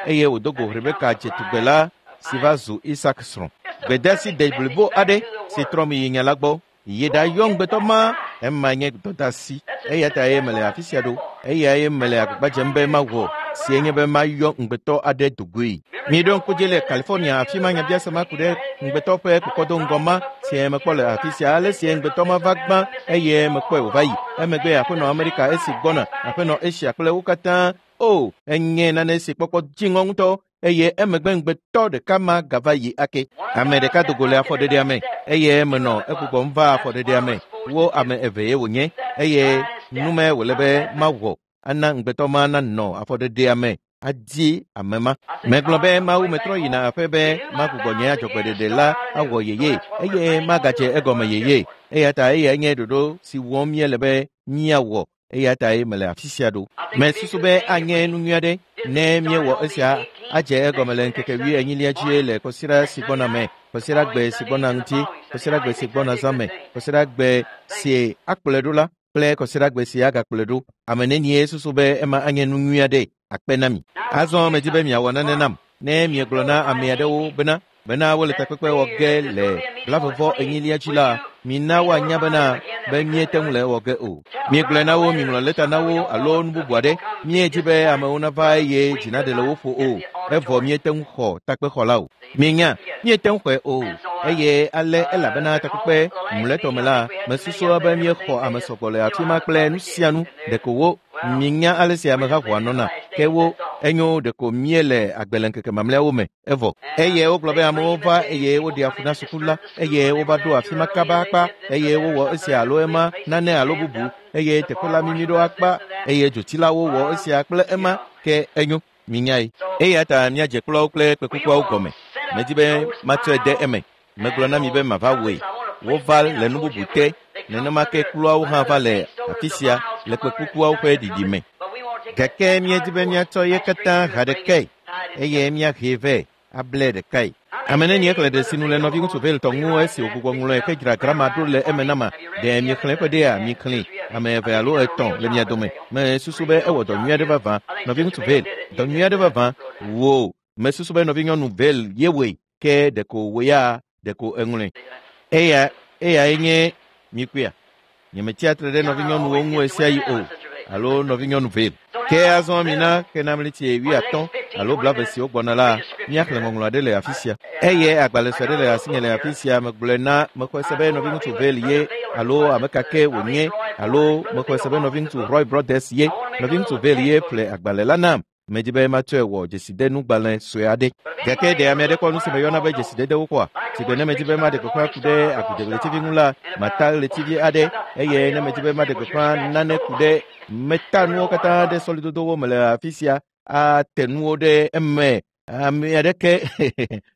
eye wòdo go Rebeka dzetugbe la si va zu Isak srɔ̃. Gbedeasi de blibo aɖe si trɔ mi yi nya la gbɔ. Yi ɖayɔ ŋugbetɔ ma, ema nye dɔdeasi. Eya ta ye mele afi sia ɖo. Eyae mele agbagba dzem be mawɔ si nye be mayɔ ŋugbetɔ aɖe dogoe. Miɖo ŋku dzi le California afi ma nyabiase ma ku ɖe ŋugbetɔ ƒe kɔkɔdo ma si mekpɔ le afi sia. Ale si ŋugbetɔ ma va gbã eye mekpɔe wòva yi. Emegbe aƒenɔ Amerika esi gbɔna, aƒenɔ Asia kple wo katã. O, enye nane si kpɔkpɔ dziŋɔ ŋutɔ eye emegbe ŋugbetɔ ɖeka ma gava yi ake. Ame ɖeka do go le afɔɖeɖea me eye menɔ egbugbɔm va afɔɖeɖea me. Wo ame eve ye wònye eye nume wòle be mawɔ ana ŋugbetɔ ma nanɔ afɔɖeɖea me adi ame ma. Megblɔ be Mawu metrɔ yina aƒe be magbugbɔ nye adzɔgbeɖeɖe la awɔ yeye eye magadze egɔme yeye. Eya ta eyae nye ɖoɖo si wɔm míele be míawɔ. Eya tae mele afi sia ɖo. Mesusu be anye nu nyui aɖe ne míewɔ esia adze egɔme le ŋkeke wuienyilia dzi le kɔsiɖa si gbɔna me, kɔsiɖagbe si gbɔna ŋuti, kɔsiɖagbe si gbɔna zã me, kɔsiɖagbe si akplɔe ɖo la kple kɔsiɖagbe si agakplɔe ɖo. Ame nenie susu be ema anye nu nyui aɖe akpe na mi. Azɔ medi be miawɔ nane nam. Ne miegblɔ na ame aɖewo bena bena wole takpekpe wɔ ge le blavevɔ enyilia dzi la, mina woanya bena be míete ŋu le ewɔ ge o. Miegblɔe na wo, miŋlɔ lɛta na wo alo nu bubu aɖe. Míedi be amewo nava eye dzi naɖe le wo ƒo o. Evɔ míete ŋu xɔ takpexɔ la o. Mienya, míete ŋu xɔe o. Eye ale elabena takpekpe mlɔetɔ me la, mesusua be míexɔ ame sɔgbɔ le afi ma kple nu sia nu ɖeko wo. Mienya ale si ameha ʋɔa nɔna ke wo enyo ɖeko míele agbe le ŋkeke mamlɛawo me evɔ. Eye wogblɔ be amewo va eye woɖe afu na suku la eye wova ɖo afi ma kaba akpa eye wowɔ esia alo ema nane alo bubu eye teƒe la mimi ɖo akpa eye dzotsilawo wɔ esia kple ema ke enyo minyae. Eya ta míadze kplɔawo kple kpekukuawo gɔme. Medi be matsɔe de eme. Megblɔ na mi be mava wɔe. Wova le nu bubu te. Nenema ke kplɔawo hã va le afi sia le kpekukuawo ƒe ɖiɖi me. Gake míedi be míatsɔ ye katã ha ɖekae eye míahee vɛ able ɖekae. Ame nenie xlẽ ɖe sinu le nɔviŋutsu Veltɔ ŋu esi wògbugbɔ ŋlɔe ke dzra grama ɖo le eme nama. Ɖe miexlẽ eƒe ɖea mixlẽ ame eve alo etɔ̃ le mia dome. Mesusu be ewɔ dɔ nyui aɖe vavã. Nɔviŋutsu Vel, dɔ nyui aɖe vavã. Wo, mesusu be nɔvinyɔnu Vel ye wɔe ke ɖeko wò ya ɖeko eŋlɔe. Eya eyae nye mikpɔea. Nyemetsia tre ɖe nɔvinyɔnuwo ŋu ɣesiaɣi o alo nɔvinyɔnu Vel. Ke azɔ mina xenamleti wuiatɔ̃ alo blave siwo gbɔna la, míaxlẽ ŋɔŋlɔ aɖe le afi sia. Eye agbalẽ sue aɖe le asinye le afi sia megblɔe na mexɔe se be nɔviŋutsu Vel ye alo ame ka ke wònye alo mexɔe se be nɔviŋutsu Roy Brothers ye. Nɔviŋutsu Vel ye ƒle agbalẽ la nam. Medi be matsɔe wɔ dzesidenugbalẽ sue aɖe. Gake ɖe ame aɖe kpɔ nu si meyɔna be dzesidedewo kpɔa? Sigbe ne medi be maɖe gbeƒã ku ɖe agudzɔɣletivi ŋu la, mata ɣletivi aɖe eye ne medi be maɖe gbeƒã nane ku ɖe meta nuwo katã ɖe sɔlidodowo me le afi sia ate nuwo ɖe eme. Ame aɖeke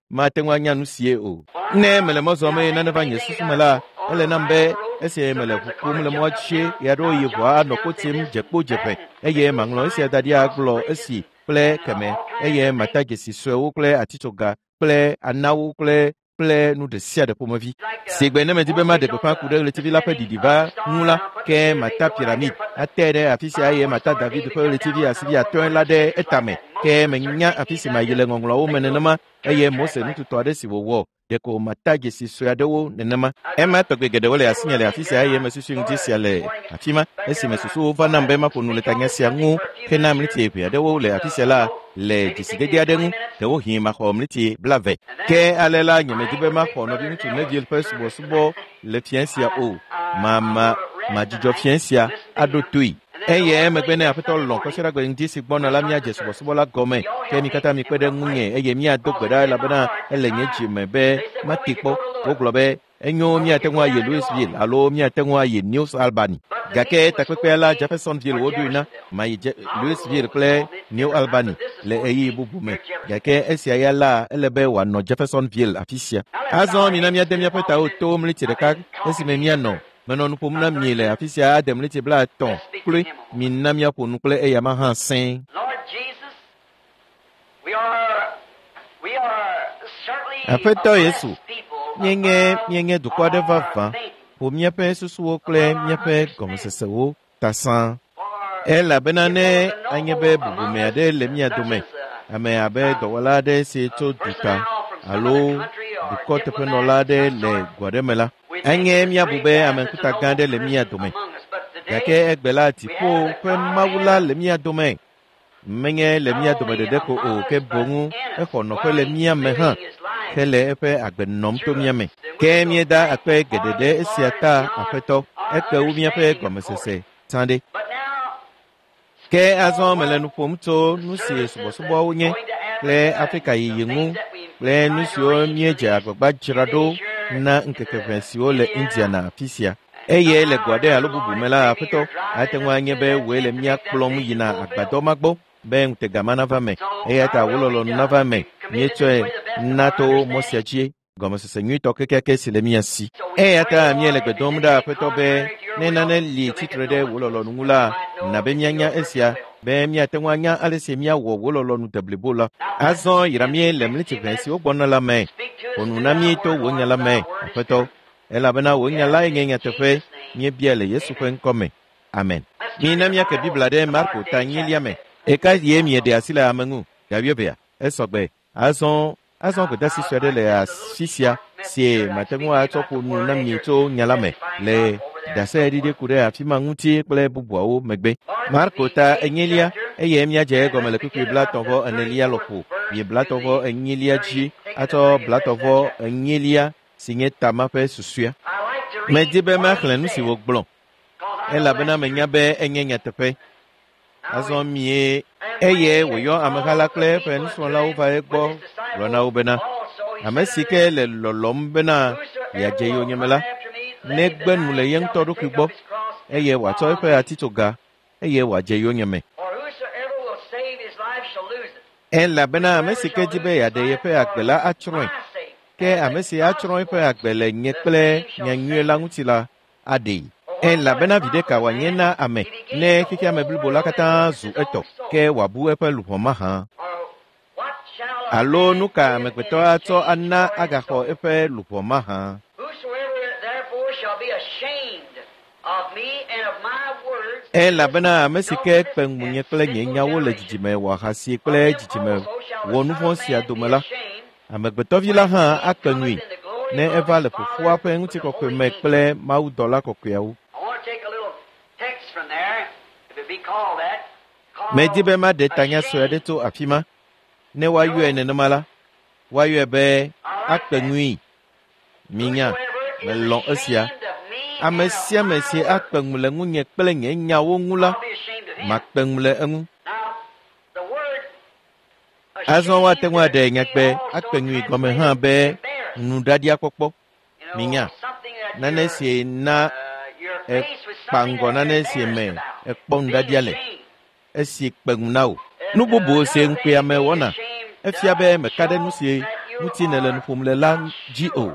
mate ŋu anya nu sie o. Ne mele mɔ zɔm eye nane va nye susu me la, ele nam be esi mele ʋu kum le mɔa dzi ɣeaɖewo yi ʋua anɔ kpo tim dze kpo dzeƒe eye maŋlɔ esia da ɖi agblɔ esi kple keme eye mata dzesi suewo kple atitsoga kple anawo kple kple nu ɖe sia ɖe ƒomevi. Sigbe ne medi be maɖe gbeƒã ku ɖe ɣletivi la ƒe ɖiɖi va ŋu la, ke mata piramid ate ɖe afi sia eye mata David ƒe ɣletivi asivi atɔ̃e la ɖe etame. Ke menya afi si mayi le ŋɔŋlɔawo me nenema eye Mose nututɔ aɖe si wòwɔ ɖeko mata dzesi sue aɖewo nenema. Ema tɔgbe geɖewo le asinye le afi sia eye mesusu ŋdi sia le afi ma esime susuwo va nam be maƒo nu le tanya sia ŋu hena mliti eve aɖewo le afi sia la le dzesidede aɖe ŋu ɖewohĩ maxɔ mliti blave. Ke ale la nyemedi be maxɔ nɔviŋutsu Neville ƒe subɔsubɔ le fiẽ sia o. Mama madzudzɔ fiẽ sia aɖo toe. Eye emegbe ne Aƒetɔ lɔ̃ kɔsiɖagbe ŋdi si gbɔna la míadze subɔsubɔ la gɔme. Ke mi katã mikpe ɖe ŋunye eye míado gbe ɖa elabena ele nye dzi me be mate kpɔ. Wogblɔ be enyo míate ŋu ayi Louisville alo míate ŋu ayi New Albany. Gake takpekpea la Jeffersonville woɖoe na mayi Louisville kple New Albany le ɣeyiɣi bubu me. Gake esia ya la ele be wòanɔ Jeffersonville afi sia. Azɔ mina míade míaƒe tawo to mliti ɖeka esime míanɔ menɔ nu ƒom na mi le afi sia ade mliti blaetɔ̃ kloe. Mina míaƒo nu kple eyama hã sẽe. Aƒetɔ Yesu, míenye míenye dukɔ aɖe vavã ƒo míaƒe susuwo kple míaƒe gɔmesesewo ta sãa. Elabena ne anye be bubume aɖe le mía dome, ame abe dɔwɔla aɖe si tso duta alo dukɔteƒenɔla aɖe le go aɖe me la, anye míabu be ame ŋkuta gã aɖe le mía dome. Gake egbe la dziƒo ƒe Mawu la le mía dome. Menye le mía dome ɖeɖe ko o, ke boŋ exɔ nɔƒe le mía me hã hele eƒe agbe nɔm to mía me. Ke míeda akpe geɖe ɖe esia ta Aƒetɔ, ekpe wu míaƒe gɔmesese sã ɖe. Ke azɔ mele nu ƒom tso nu si subɔsubɔawo nye kple Afrika yiyi ŋu kple nu siwo míedze agbagba dzra ɖo na ŋkeke ʋɛ siwo le Indiana afi sia. Eye le go aɖe alo bubu me la, Aƒetɔ, ate ŋu anye be wòe le mía kplɔm yina agbadɔ ma gbɔ be ŋutega ma nava me. Eya ta wò lɔlɔ̃nu nava me. Míetsɔe na to mɔ sia dzi gɔmesese nyuitɔ kekeake si le mía si. Eya ta míele gbe dom ɖa Aƒetɔ be ne nane li tsitre ɖe wò lɔlɔ̃nu ŋu la, na be míanya esia be míate ŋu anya ale si míawɔ wò lɔlɔ̃nu deblibo la. Azɔ yra mí le mliti ʋɛ siwo gbɔna la me. Ƒo nu na mí to wò nya la me, Aƒetɔ. Elabena wò nya lae nye nyateƒe. Míebia le Yesu ƒe ŋkɔ me. Amen. Mina míake Biblia ɖe Marko ta enyilia me. Eka ye mieɖe asi le ame ŋu? Ga wuievea. Esɔgbe. Azɔ azɔ gbedeasi sue aɖe le afi sia si mate ŋu atsɔ ƒo nu na mi tso nya la me le ɖaseɖiɖi ku ɖe afi ma ŋuti kple bubuawo megbe. Marko ta enyilia eye míadze egɔme le kpukpui blaetɔ̃ vɔ enelia lɔƒo yi blaetɔ̃ vɔ enyilia dzi atsɔ blaetɔ̃ vɔ enyilia si nye tama ƒe susɔea. Medi be maxlẽ nu si wògblɔ elabena menya be enye nyateƒe. Azɔ mie eye wòyɔ ameha la kple eƒe nusrɔ̃lawo va egbɔ gblɔ na wo bena, ame si ke le lɔlɔ̃m bena yeadze yonyeme la, negbe nu le ye ŋutɔ ɖokui gbɔ eye wòatsɔ eƒe atitsoga eye wòadze yonyeme. Elabena ame si ke di be yeaɖe yeƒe agbe la atsrɔ̃e. Ke ame si atsrɔ̃ eƒe agbe le nye kple nyanyui la ŋuti la aɖee. Elabena viɖe ka wòanye na ame ne xexeame blibo la katã zu etɔ, ke wòabu eƒe luʋɔ mahã? Alo nu ka amegbetɔ atsɔ ana agaxɔ eƒe luʋɔ mahã? Elabena ame si ke kpe ŋunye kple nye nyawo le dzidzime wɔahasi kple dzidzime wɔnuvɔ̃ sia dome la, amegbetɔvi la hã akpe ŋui ne eva le fofoa ƒe ŋutikɔkɔe me kple mawudɔla kɔkɔeawo. Medi be maɖe tanya sue aɖe tso afi ma. Ne woayɔe nenema la, woayɔe be akpe ŋui. Minya, melɔ̃ esia. Ame sia ame si akpe ŋu le ŋunye kple nye nyawo ŋu la, makpe ŋu le eŋu. Azɔ woate ŋu aɖe nyagbe akpe ŋui gɔme hã be nuɖaɖia kpɔkpɔ. Minya, nane si na ekpa ŋgɔ nane si me ekpɔ nuɖaɖia le, esi kpe ŋu na wò. Nu bubu si ŋukpeame wɔna, efia be meka ɖe nu si ŋuti nèle nu ƒom le la dzi o.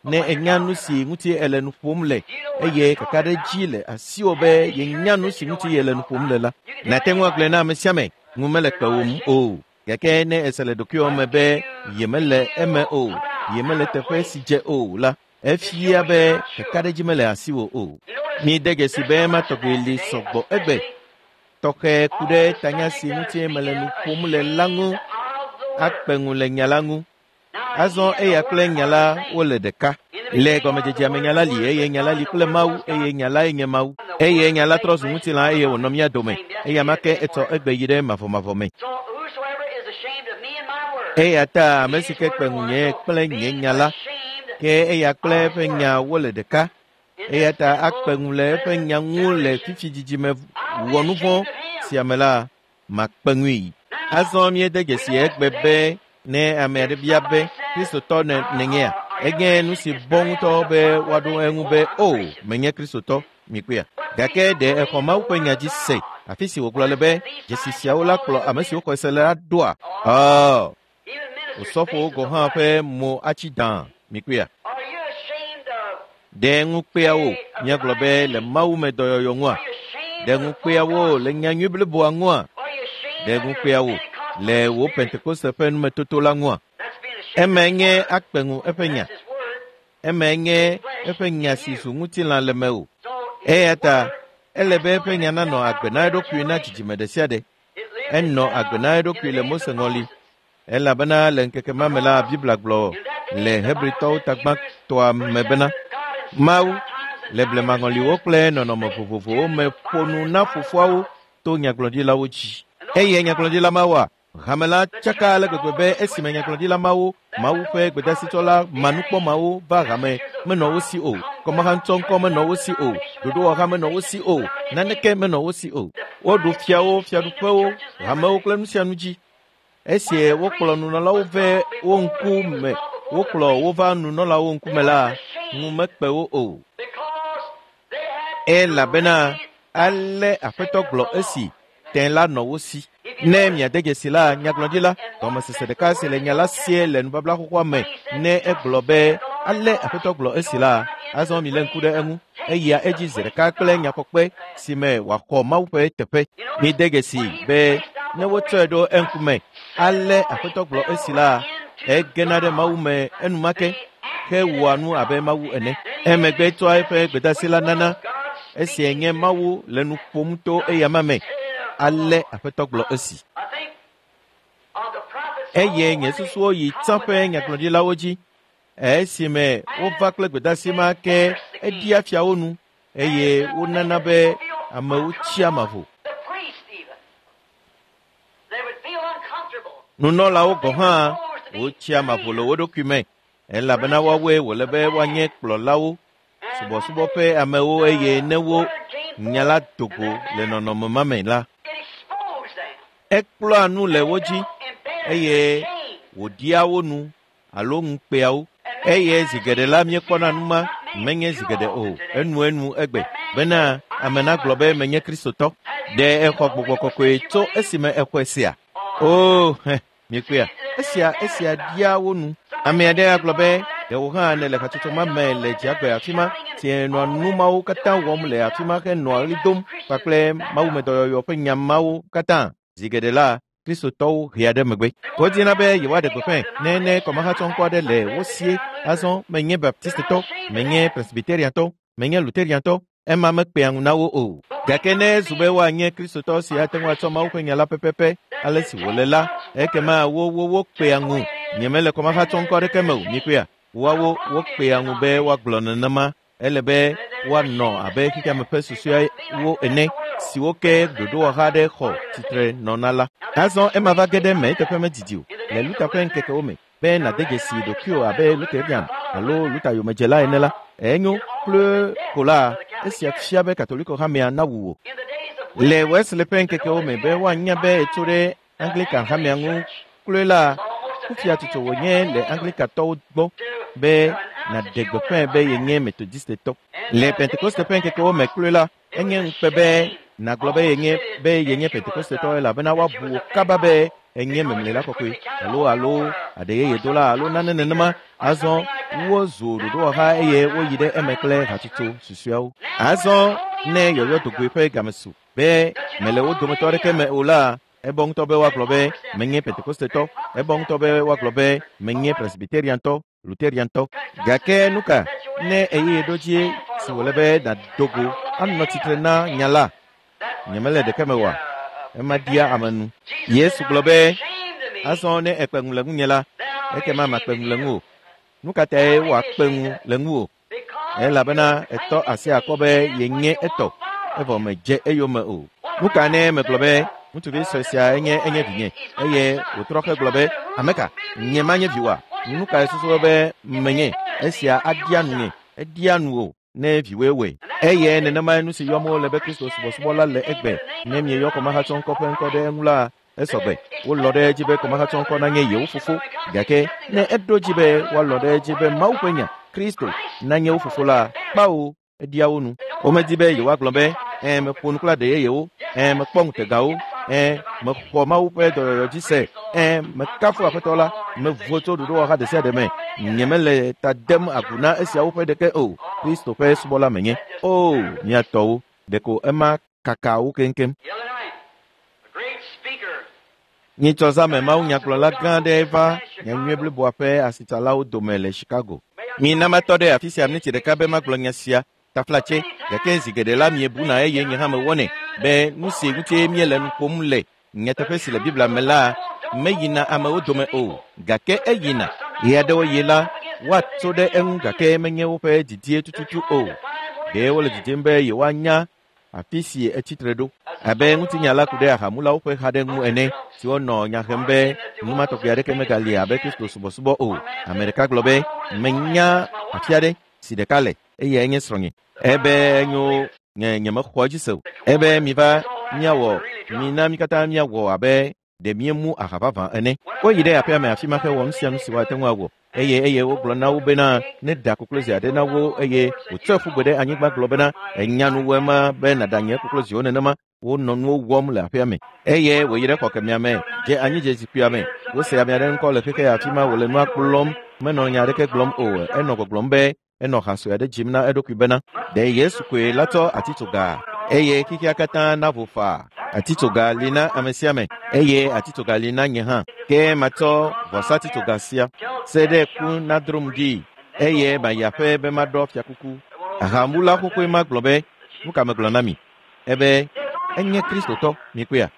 Ne ènya nu si ŋuti èle nu ƒom le eye kakaɖedzi le asiwò be yenya nu si ŋuti yele nu ƒom le la, nàte ŋu agblɔe na ame sia ame, ŋu mele kpewòm o. Gake ne èse le ɖokuiwò me be yemele eme o, yemele teƒe si dze o la, efia be kakaɖedzi mele asiwò o. Míede dzesi be ema tɔgbi li sɔgbɔ egbe. Tɔxɛ ku ɖe tanya si ŋuti mele nu ƒom le la ŋu, akpe ŋu le nya la ŋu. Azɔ eya kple nya la wole ɖeka. Le gɔmedzedzea me nya la li eye nya la li kple Mawu eye nya lae nye Mawu. Eye nya la trɔ zu ŋutilã eye wònɔ mía dome. Eya ma ke etsɔ egbe yi ɖe mavɔmavɔ me. Eya ta ame si ke kpe ŋunye kple nye nya la, ke eya kple eƒe nya wole ɖeka. Eya ta akpe ŋu le eƒe nya ŋu le fifi dzidzime wɔ nu vɔ̃ sia me la, makpe ŋui. Azɔ míede dzesi egbe be ne ame aɖe bia be Kristotɔ nènyea, enye nu si bɔ ŋutɔ be woaɖo eŋu be o, menye Kristotɔ, mikpɔea. Gake ɖe exɔ Mawu ƒe nya dzi se, afi si wògblɔ le be dzesi siawo la kplɔ ame siwo xɔe se la ɖoa? Ɔ, osɔfowo gɔ̃ hã ƒe mo atsi dã, mikpɔea. Ɖe ŋukpea wo míagblɔ be le Mawu me dɔyɔyɔ ŋua? Ɖe ŋukpea wo le nyanyui bliboa ŋua? Ɖe ŋukpea wo le wò Pentekoste ƒe numetoto la ŋua? Eme nye akpe ŋu eƒe nya. Eme nye eƒe nya si zu ŋutilã le mewò. Eya ta ele be eƒe nya nanɔ agbe na eɖokui na dzidzime ɖe sia ɖe. Enɔ agbe na eɖokui le Mose ŋɔli. Elabena le ŋkeke ma me la, Biblia gblɔ le Hebritɔwo tagbãtɔa me bena, Mawu le blemaŋɔliwo kple nɔnɔme vovovowo me ƒo nu na fofoawo to nyagblɔɖilawo dzi. Eye nyagblɔɖila mawoa, hame la tsaka ale gbegbe be esime nyagblɔɖila mawo, Mawu ƒe gbedasitsɔla manukpɔmawo va hame menɔ wo si o, kɔmahatsɔŋkɔ menɔ wo si o, ɖoɖowɔha menɔ wo si o, naneke menɔ wo si o. Woɖu fiawo, fiaɖuƒewo, hamewo kple nu sia nu dzi. Esi wokplɔ nunɔlawo vɛ wo ŋkume, wokplɔ wo va nunɔlawo ŋkume la, ŋu mekpe wo o. Elabena ale Aƒetɔ gblɔ esi tẽ la nɔ wo si. Ne miade dzesi la, nyagblɔɖila, gɔmesese ɖeka si le nya la sie le nubabla xoxoa me, ne egblɔ be ale Aƒetɔ gblɔ esi la, azɔ milé ŋku ɖe eŋu. Eya edzi zi ɖeka kple nyakpɔkpe si me wòaxɔ Mawu ƒe teƒe. Mide dzesi be ne wotsɔe ɖo eŋkume, ale Aƒetɔ gblɔ esi la, egena ɖe Mawu me enumake hewɔa nu abe Mawu ene. Emegbe tsɔa eƒe gbedasi la nana. Esia nye Mawu le nu ƒom to eyama me. Ale Aƒetɔ gblɔ esi. Eye nye susuwo yi tsã ƒe nyagblɔɖilawo dzi. Esime wova kple gbedasi ma ke eɖia fiawo nu eye wonana be amewo tsia mavo. Nunɔlawo gɔ̃ hã wotsia mavo le wo ɖokui me elabena woawoe wòle be woanye kplɔlawo, subɔsubɔ ƒe amewo eye ne wo nya la do go le nɔnɔme ma me la, ekplɔa nu le wo dzi eye wòɖia wo nu alo ŋukpea wo. Eye zi geɖe la míekpɔna nu ma, menye zi geɖe o, enuenu egbe bena ame nagblɔ be menye Kristotɔ. Ɖe exɔ gbɔgbɔ kɔkɔe tso esime exɔe sea? Oo, hɛ, miekpɔea? Esia esia ɖia wo nu. Ame aɖe agblɔ be ɖe wò hã nèle hatsotso ma me le dziagbe afi ma, si nɔa nu mawo katã wɔm le afi ma henɔa ɣli dom kpakple mawumedɔyɔyɔ ƒe nya mawo katã. Zi geɖe la, Kristotɔwo hea ɖe megbe. Wodina be yewoaɖe gbeƒãe ne ne kɔmahatsɔŋkɔ aɖe le wo sie. Azɔ menye Baptistetɔ, menye Presbyteriantɔ, menye Lutheriantɔ, ema mekpea ŋu na wo o. Gake ne ezu be woanye Kristotɔ si ate ŋu atsɔ Mawu ƒe nya la pɛpɛpɛ ale si wòle la, ekema wo wo wokpea ŋu. Nyemele kɔmahatsɔŋkɔ aɖeke me o, mikpɔea? Woawo wokpea ŋu be woagblɔ nenema. Ele be woanɔ abe xexeame ƒe susuawo ene siwo ke ɖoɖowɔha aɖe xɔ tsitre nɔna la. Azɔ ema va ge ɖe eme eteƒe medidi o le Luther ƒe ŋkekewo me be nàde dzesi ɖokuiwò abe Lutherian alo Luther yomedzela ene la, enyo kple ko la, esia fia be Katoliko hamea nawu wò. Le Wesley ƒe ŋkekewo me be woanya be etso ɖe Anglican hamea ŋu Kloe la, kufia tutu wònye le Anglikatɔwo gbɔ be nàɖe gbeƒãe be yenye Metodistetɔ. Le Pentekoste ƒe ŋkekewo me kloe la, enye ŋukpe be nàgblɔ be yenye be yenye Pentekostetɔ elabena woabu wò kaba be enye memlela kɔkɔe alo alo aɖe yeye dola alo nane nenema. Azɔ wozu ɖoɖowɔha eye woyi ɖe eme kple hatsotso susɔeawo. Azɔ ne yɔyɔ dogoe ƒe game su be mele wo dometɔ aɖeke me o la, ebɔ ŋutɔ be woagblɔ be menye Pentekostetɔ, ebɔ ŋutɔ be woagblɔ be menye Presbyteriantɔ, Luteriantɔ. Gake nu ka ne ɣeyiɣi ɖo dzi si wòle be nàdo go anɔ tsitre na nya la, nyemele ɖeke me oa? Ema ɖia ame nu. Yesu gblɔ be, azɔ ne èkpe ŋu le ŋunye la, ekema makpe ŋu le ŋuwò. Nu ka tae wòakpe ŋu le ŋuwò? Elabena etɔ asi akɔ be yenye etɔ, evɔ medze eyome o. Nu ka ne megblɔ be ŋutsuvi sue sia enye enye vinye eye wòtrɔ hegblɔ be ame ka nye manye viwòa? Nu kae susu be menye? Esia aɖia nu nye, eɖia nu o ne viwoe wɔe. Eye nenemae nu si yɔm wole be Kristo subɔsubɔ la le egbe. Ne mieyɔ kɔmahatsɔŋkɔ ƒe ŋkɔ ɖe eŋu la, esɔgbe. Wolɔ̃ ɖe edzi be kɔmahatsɔŋkɔ nanye yewo fofo. Gake ne eɖo dzi be woalɔ̃ ɖe edzi be Mawu ƒe nya, Kristo, nanye wo fofo la, kpawo eɖia wo nu. Womedi be yewoagblɔ be, ẽ, meƒo nu kple aɖe yeyewo, ẽ, mekpɔ ŋutegawo, ẽ, mexɔ Mawu ƒe dɔyɔyɔ dzi se, ẽ, mekafu Aƒetɔ la, mevo tso ɖoɖowɔha ɖe sia ɖe me, nyemele ta dem agu na esiawo ƒe ɖeke o. Kristo ƒe subɔla menye. O, mia tɔwo, ɖeko ema kaka wo keŋkeŋ. The other night, a great speaker Nyitsɔ zã me mawunyagblɔla gã aɖe va nyanyui bliboa ƒe asitsalawo dome le Chicago. Mina matɔ ɖe afi sia miniti ɖeka be magblɔ nya sia taflatse, gake zi geɖe la miebuna eye nye hã mewɔnɛ be nu si ŋuti míele nu ƒom le nyateƒe si le Biblia me la meyina amewo dome o, gake eyina. Ɣeaɖewoɣi la, woatso ɖe eŋu gake menye woƒe didie tututu o. Ɖe wole didim be yewoanya afi si etsitre ɖo. Abe ŋutinya la ku ɖe ahamulawo ƒe ha ɖe ŋu ene, siwo nɔ nya hem be nu ma tɔgbi aɖeke megali abe Kristo subɔsubɔ o. Ame ɖeka gblɔ be, menya afi aɖe si ɖeka le, eyae nye srɔ̃nye. Ebe enyo nye nyemexɔ edzi se o. Ebe miva míawɔ, mina mí katã míawɔ abe ɖe míemu aha vavã ene. Woyi ɖe aƒea me afi ma hewɔ nu sia nu si woate ŋu awɔ. Eye eye wogblɔ na wo bena ne da koklozi aɖe na wo eye wòtsɔe ƒu gbe ɖe anyigba gblɔ bena enya nu wɔe ma be nàɖa nye kokloziwo nenema. Wonɔ nuwo wɔm le aƒea me. Eye wòyi ɖe xɔ kemɛa me, dze anyi dze zikpuia me. Wose ame aɖe ŋkɔ le xexe afi ma wòle nua kplɔm, menɔ nya aɖeke gblɔm o. Enɔ gbɔgblɔm be enɔ ha sue aɖe dzim na eɖokui bena ɖe Yesu koe la tsɔ atitsoga eye xexea katã navo faa. Atitsoga li na ame sia ame eye atitsoga li na nye hã. Ke matsɔ vɔsatitsoga sia se ɖe ku nadrom ɖi eye mayi aƒe be maɖɔ fiakuku. Ahamula xoxoe ma gblɔ be, nu ka megblɔ na mi? Ebe enye Kristotɔ, mikpɔea?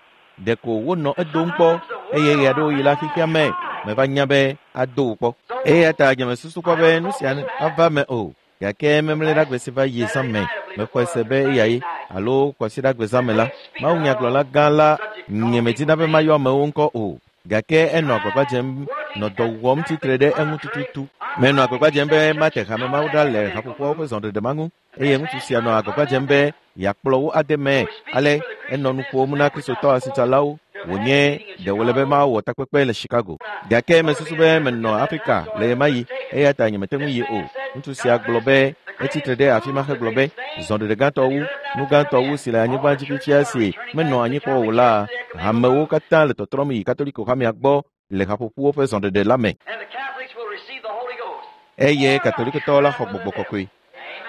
Ɖeko wonɔ edom kpɔ eye ɣeaɖewoɣi la xexea me meva nya be ado wò kpɔ. Eya ta nyemesusu kpɔ be nu sia ava me o. Gake memleɖagbe si va yi zã me, mexɔe se be eyae alo kɔsiɖagbe zã me la, mawunyagblɔla gã la nyemedina be mayɔ amewo ŋkɔ o. Gake enɔ agbagba dzem nɔ dɔ wɔm tsitre ɖe eŋu tututu. Menɔ agbagba dzem be mate hame mawo ɖa le haƒoƒoawo ƒe zɔɖeɖe ma ŋu eye ŋutsu sia nɔ agbagba dzem be yeakplɔ wo ade me. Ale enɔ nu ƒom na Kristotɔ asitsalawo wònye ɖe wòle be mawɔ takpekpe le Chicago. Gake mesusu be menɔ Afrika le ɣemaɣi eya ta nyemete ŋu yi o. Ŋutsu sia gblɔ be etsitre ɖe afi ma hegblɔ be zɔɖeɖe gãtɔ wu, nu gãtɔ wu si le anyigba dzi fifia si menɔ anyi kpɔ o la, hamewo katã le tɔtrɔm yi Katoliko hamea gbɔ le haƒoƒuwo ƒe zɔɖeɖe la me. and the Catholics will receive the Holy Ghost. Eye Katolikotɔwo la xɔ gbɔgbɔ kɔkɔe.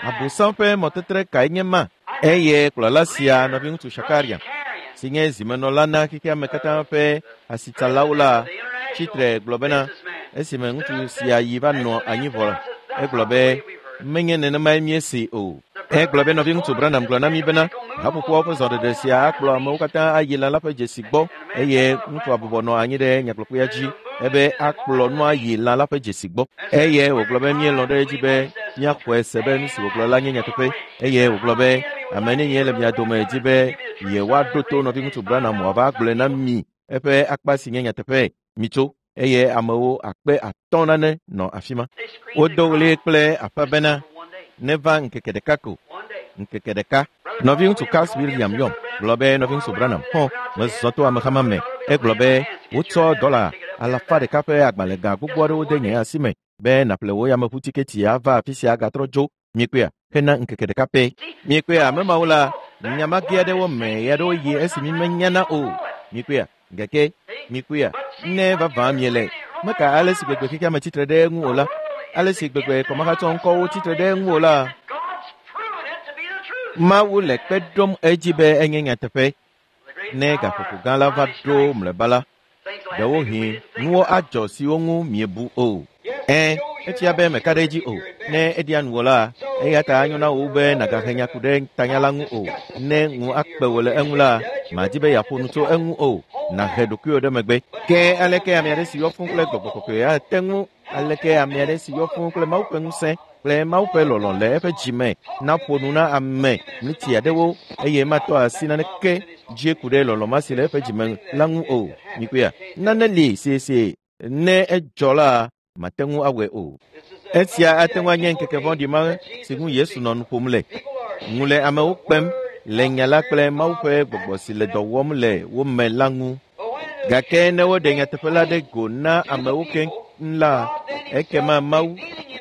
Abosam ƒe mɔtetre kae nye ma? Eye kplɔla sia nɔviŋutsu Shakarian si nye zimenɔla na xexea me katã ƒe asitsalawo la tsitre gblɔ bena esime ŋutsu sia yi va nɔ anyi vɔ egblɔ be menye nenemae míese o. Egblɔ be nɔviŋutsu Branham gblɔ na mí bena haƒoƒoawo ƒe zɔɖeɖe sia akplɔ amewo katã ayi lã la ƒe dzesi gbɔ eye ŋutsua bɔbɔ nɔ anyi ɖe nyagblɔkpea dzi ebe akplɔ nua yi lã la ƒe dzesi gbɔ. Eye wògblɔ be míelɔ̃ ɖe edzi be míaxɔe se be nu si wògblɔ la nye nyateƒe eye wògblɔ be ame nenie le mia dome dzi be yewoaɖo to nɔviŋutsu Branham wòava gblɔe na mi eƒe akpa si nye nyateƒe mitso eye amewo akpe atɔ̃ nane nɔ afi ma. They screamed Wodo ɣli kple aƒe bena for one day. neva ŋkeke ɖeka ko, One day. ŋkeke ɖeka. Nɔviŋutsu Carl William yɔm gblɔ be nɔviŋutsu Branham xɔ mezɔ to amexama me. Egblɔ be wotsɔ dɔla alafa ɖeka ƒe agbalẽga gbogbo aɖewo de nye asi me be nàƒle wò yameʋutiketi ava afi sia agatrɔ dzo miekpea hena ŋkeke ɖeka pɛ. Miekpea ame mawo la nyamage aɖewo me ɣe aɖewo yi esi mi menyana o. Miekpea gake miekpea ne vavã miele meka ale si gbegbe xexea me tsitre ɖe eŋu o la, ale si gbegbe kɔmahatsɔ ŋkɔwo tsitre ɖe eŋu o la, Mawu le kpe ɖom edzi be enye nyateƒe. Ne gaƒoƒo gã la va ɖo mlɔeba la, ɖewohĩ nuwo adzɔ siwo ŋu miebu o. Ẽ, efia be meka ɖe edzi o. Ne eɖia nuwò la, eya ta anyo na wò be nàgahe nya ku ɖe tanya la ŋu o. Ne ŋu akpe wò le eŋu la, màdi be yeaƒo nu tso eŋu o. Nàhe ɖokuiwò ɖe megbe. Ke aleke ame aɖe si yɔ fũu kple gbɔgbɔ kɔkɔe ate ŋu aleke ame aɖe si yɔ fũu kple Mawu ƒe ŋusẽ kple Mawu ƒe lɔlɔ̃ le eƒe dzime naƒo nu na ame mliti aɖewo eye matɔ asi naneke dzie ku ɖe lɔlɔ̃ ma si le eƒe dzime la ŋu o. Mikpɔea, nane li siesie ne edzɔ la, mate ŋu awɔe o. Esia ate ŋu anye ŋkeke vɔ̃ɖi ma si ŋu Yesu nɔ nu ƒom le. Ŋu le amewo kpem le nya la kple Mawu ƒe gbɔgbɔ si le dɔ wɔm le wo me la ŋu. Gake ne woɖe nyateƒe la ɖe go na amewo keŋ la, ekema Mawu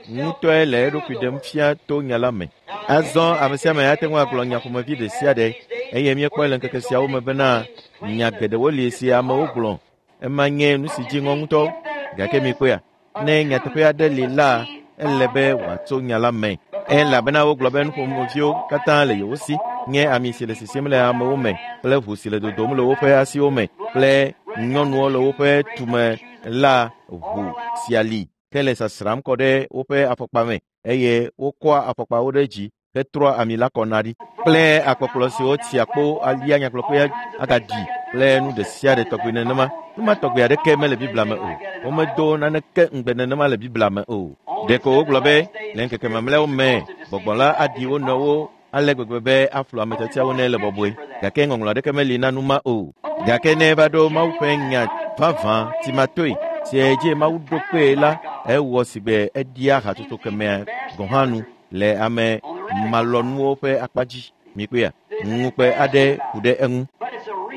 ŋutɔe le eɖokui ɖem fia to nya la me. Azɔ ame sia ame ate ŋu agblɔ nya ƒomevi ɖe sia ɖe eye míekpɔe le ŋkeke siawo me bena nya geɖewo li si amewo gblɔ. Ema nye nu si dzi ŋɔ ŋutɔ. Gake mikpɔea, ne nyateƒe aɖe li la, ele be wòatso nya la me. Elabena wogblɔ be nuƒomeviwo katã le yewo si nye ami si le sisim le amewo me kple ʋu si le dodom le woƒe asiwo me kple nyɔnuwo le woƒe tume la ʋu sia li ke le sasram kɔ ɖe woƒe afɔkpa me eye wokɔa afɔkpawo ɖe dzi hetrɔa ami la kɔna ɖi kple akpɔkplɔ siwo tsia kpo alia nyakplɔkpe agaɖi kple nu ɖe sia ɖe tɔgbi nenema. Nu ma tɔgbi aɖeke mele Biblia me o. Womedo naneke ŋugbe nenema le Biblia me o. Ɖeko wogblɔ be le ŋkeke mamlɛawo me gbɔgbɔ la aɖi wo nɔewo ale gbegbe be aflu ame tiatiawo ne le bɔbɔe. Gake ŋɔŋlɔ aɖeke meli na nu ma o. Gake ne eva ɖo Mawu ƒe nya vavã timatoe si dzi Mawu ɖo kpee la, ewɔ sigbe eɖia hatsotso kemea gɔ̃ hã nu le ame malɔnuwo ƒe akpa dzi. Mikpɔea, ŋukpe aɖe ku ɖe eŋu.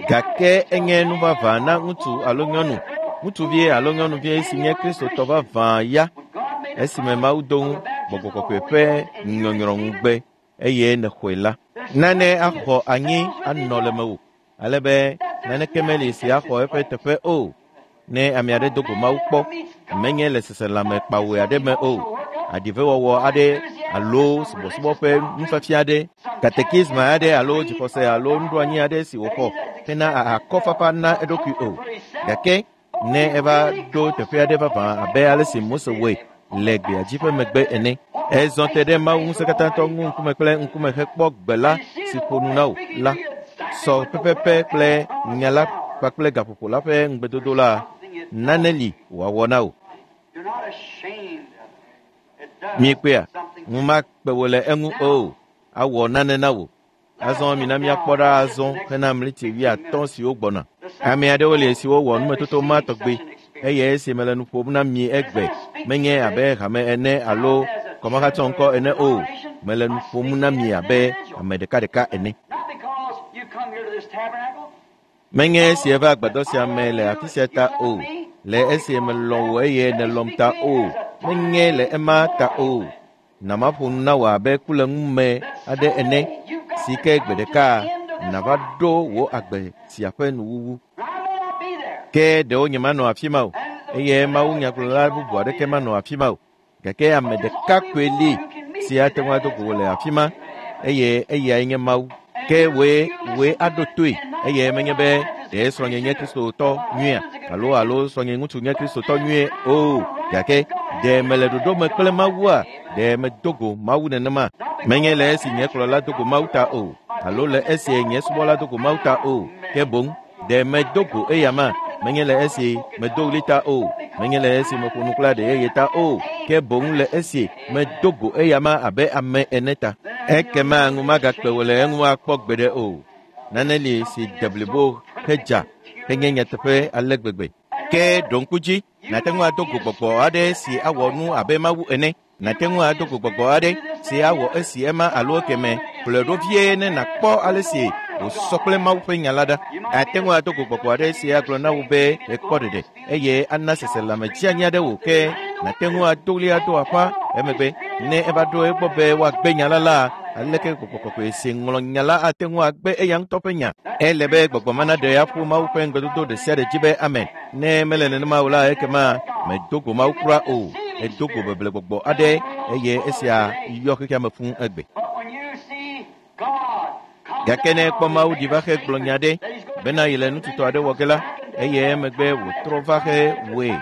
Gake enye nu vavã na ŋutsu alo nyɔnu, ŋutsuvi alo nyɔnuvi si nye Kristotɔ vavã ya esime Mawu do ŋu gbɔgbɔ kɔkɔe ƒe nyɔnyrɔ ŋugbe eye nèxɔe la, nane axɔ anyi anɔ le mewò ale be naneke meli si axɔ eƒe teƒe o. Ne ame aɖe do go Mawu kpɔ, menye le seselãme kpawoe aɖe me o, aɖivewɔwɔ aɖe alo subɔsubɔ ƒe nufiafia aɖe, katekisma aɖe alo dzixɔse alo nuɖoanyi aɖe si wòxɔ hena akɔfafa na eɖokui o. Gake ne eva ɖo teƒe aɖe vavã abe ale si Mose wɔe le gbeadzi ƒe megbe ene, ezɔ te ɖe Mawu ŋusẽkatãtɔ ŋu ŋkume kple ŋkume hekpɔ gbe la si ƒo nu na wò la, sɔ pɛpɛpɛ kple nya la kpakple gaƒoƒo la ƒe ŋugbedodo la, nane li wòawɔ na wò. Miekpɔea, ŋu makpe wò le eŋu o, awɔ nane na wò. Azɔ mina míakpɔ ɖa azɔ hena mliti wuiatɔ̃ siwo gbɔna. Ame aɖewo li siwo wɔ numetoto ma tɔgbi eye esi mele nu ƒom na mi egbe, menye abe hame ene alo kɔmahatsɔ ŋkɔ ene o. Mele nu ƒom na mi abe ame ɖekaɖeka ene. Menye esi eva agbadɔ sia me le afi sia ta o, le esi melɔ̃ wò eye nèlɔ̃m ta o, menye le ema ta o. Na maƒo nu na wò abe ku le ŋume aɖe ene si ke gbe ɖeka nàva ɖo wò agbe sia ƒe nuwuwu. Ke ɖewo nyemanɔ afi ma o eye Mawu nyagblɔla bubu aɖeke manɔ afi ma o. Gake ame ɖeka koe li si ate ŋu ado go wò le afi ma eye eyae nye Mawu. Ke wòe wòe aɖo toe eye menye be ɖe srɔ̃nye nye Kristotɔ nyuia alo alo srɔ̃nye ŋutsu nye Kristotɔ nyuie o. Gake ɖe mele ɖoɖo me kple Mawua? Ɖe medo go Mawu nenema? Menye le esi nye kplɔla do go Mawu ta o, alo le esi nye subɔla do go Mawu ta o. Ke boŋ ɖe medo go eya ma? Menye le esi medo ɣli ta o, menye le esi meƒo nu kple aɖe yeye ta o, ke boŋ le esi medo go eya ma abe ame ene ta. Ekema ŋu magakpe wò le eŋu akpɔ gbeɖe o. Nane li si de blibo hedza henye nyateƒe ale gbegbe. Ke ɖo ŋku dzi, nàte ŋu ado go gbɔgbɔ aɖe si awɔ nu abe Mawu ene. Nàte ŋu ado go gbɔgbɔ aɖe si awɔ esi ema alo ekeme. Ƒle ɖo vie ne nàkpɔ ale si Wòsɔ kple Mawu ƒe nya la ɖa. Ate ŋu ado go gbɔgbɔ aɖe si agblɔ na wò be èkpɔ ɖeɖe eye ana seselãme dzianyi aɖe wò ke nàte ŋu ado ɣli ado aƒa emegbe ne eva ɖo egbɔ be woagbe nya la la aleke gbɔgbɔ kɔkɔe si ŋlɔ nya la ate ŋu agbe eya ŋutɔ ƒe nya. Ele be gbɔgbɔ ma naɖe aƒu Mawu ƒe ŋugbedodo ɖe sia ɖe dzi be amen. Ne mele nenema o la ekema medo go Mawu kura o. Edo go beble gbɔgbɔ aɖe eye esia yɔ xexea me fũu egbe. Gake ne ekpɔ Mawu ɖi va xe gblɔ nya ɖe bena yele nututɔ aɖe wɔ ge la eye emegbe wòtrɔ va xe wɔe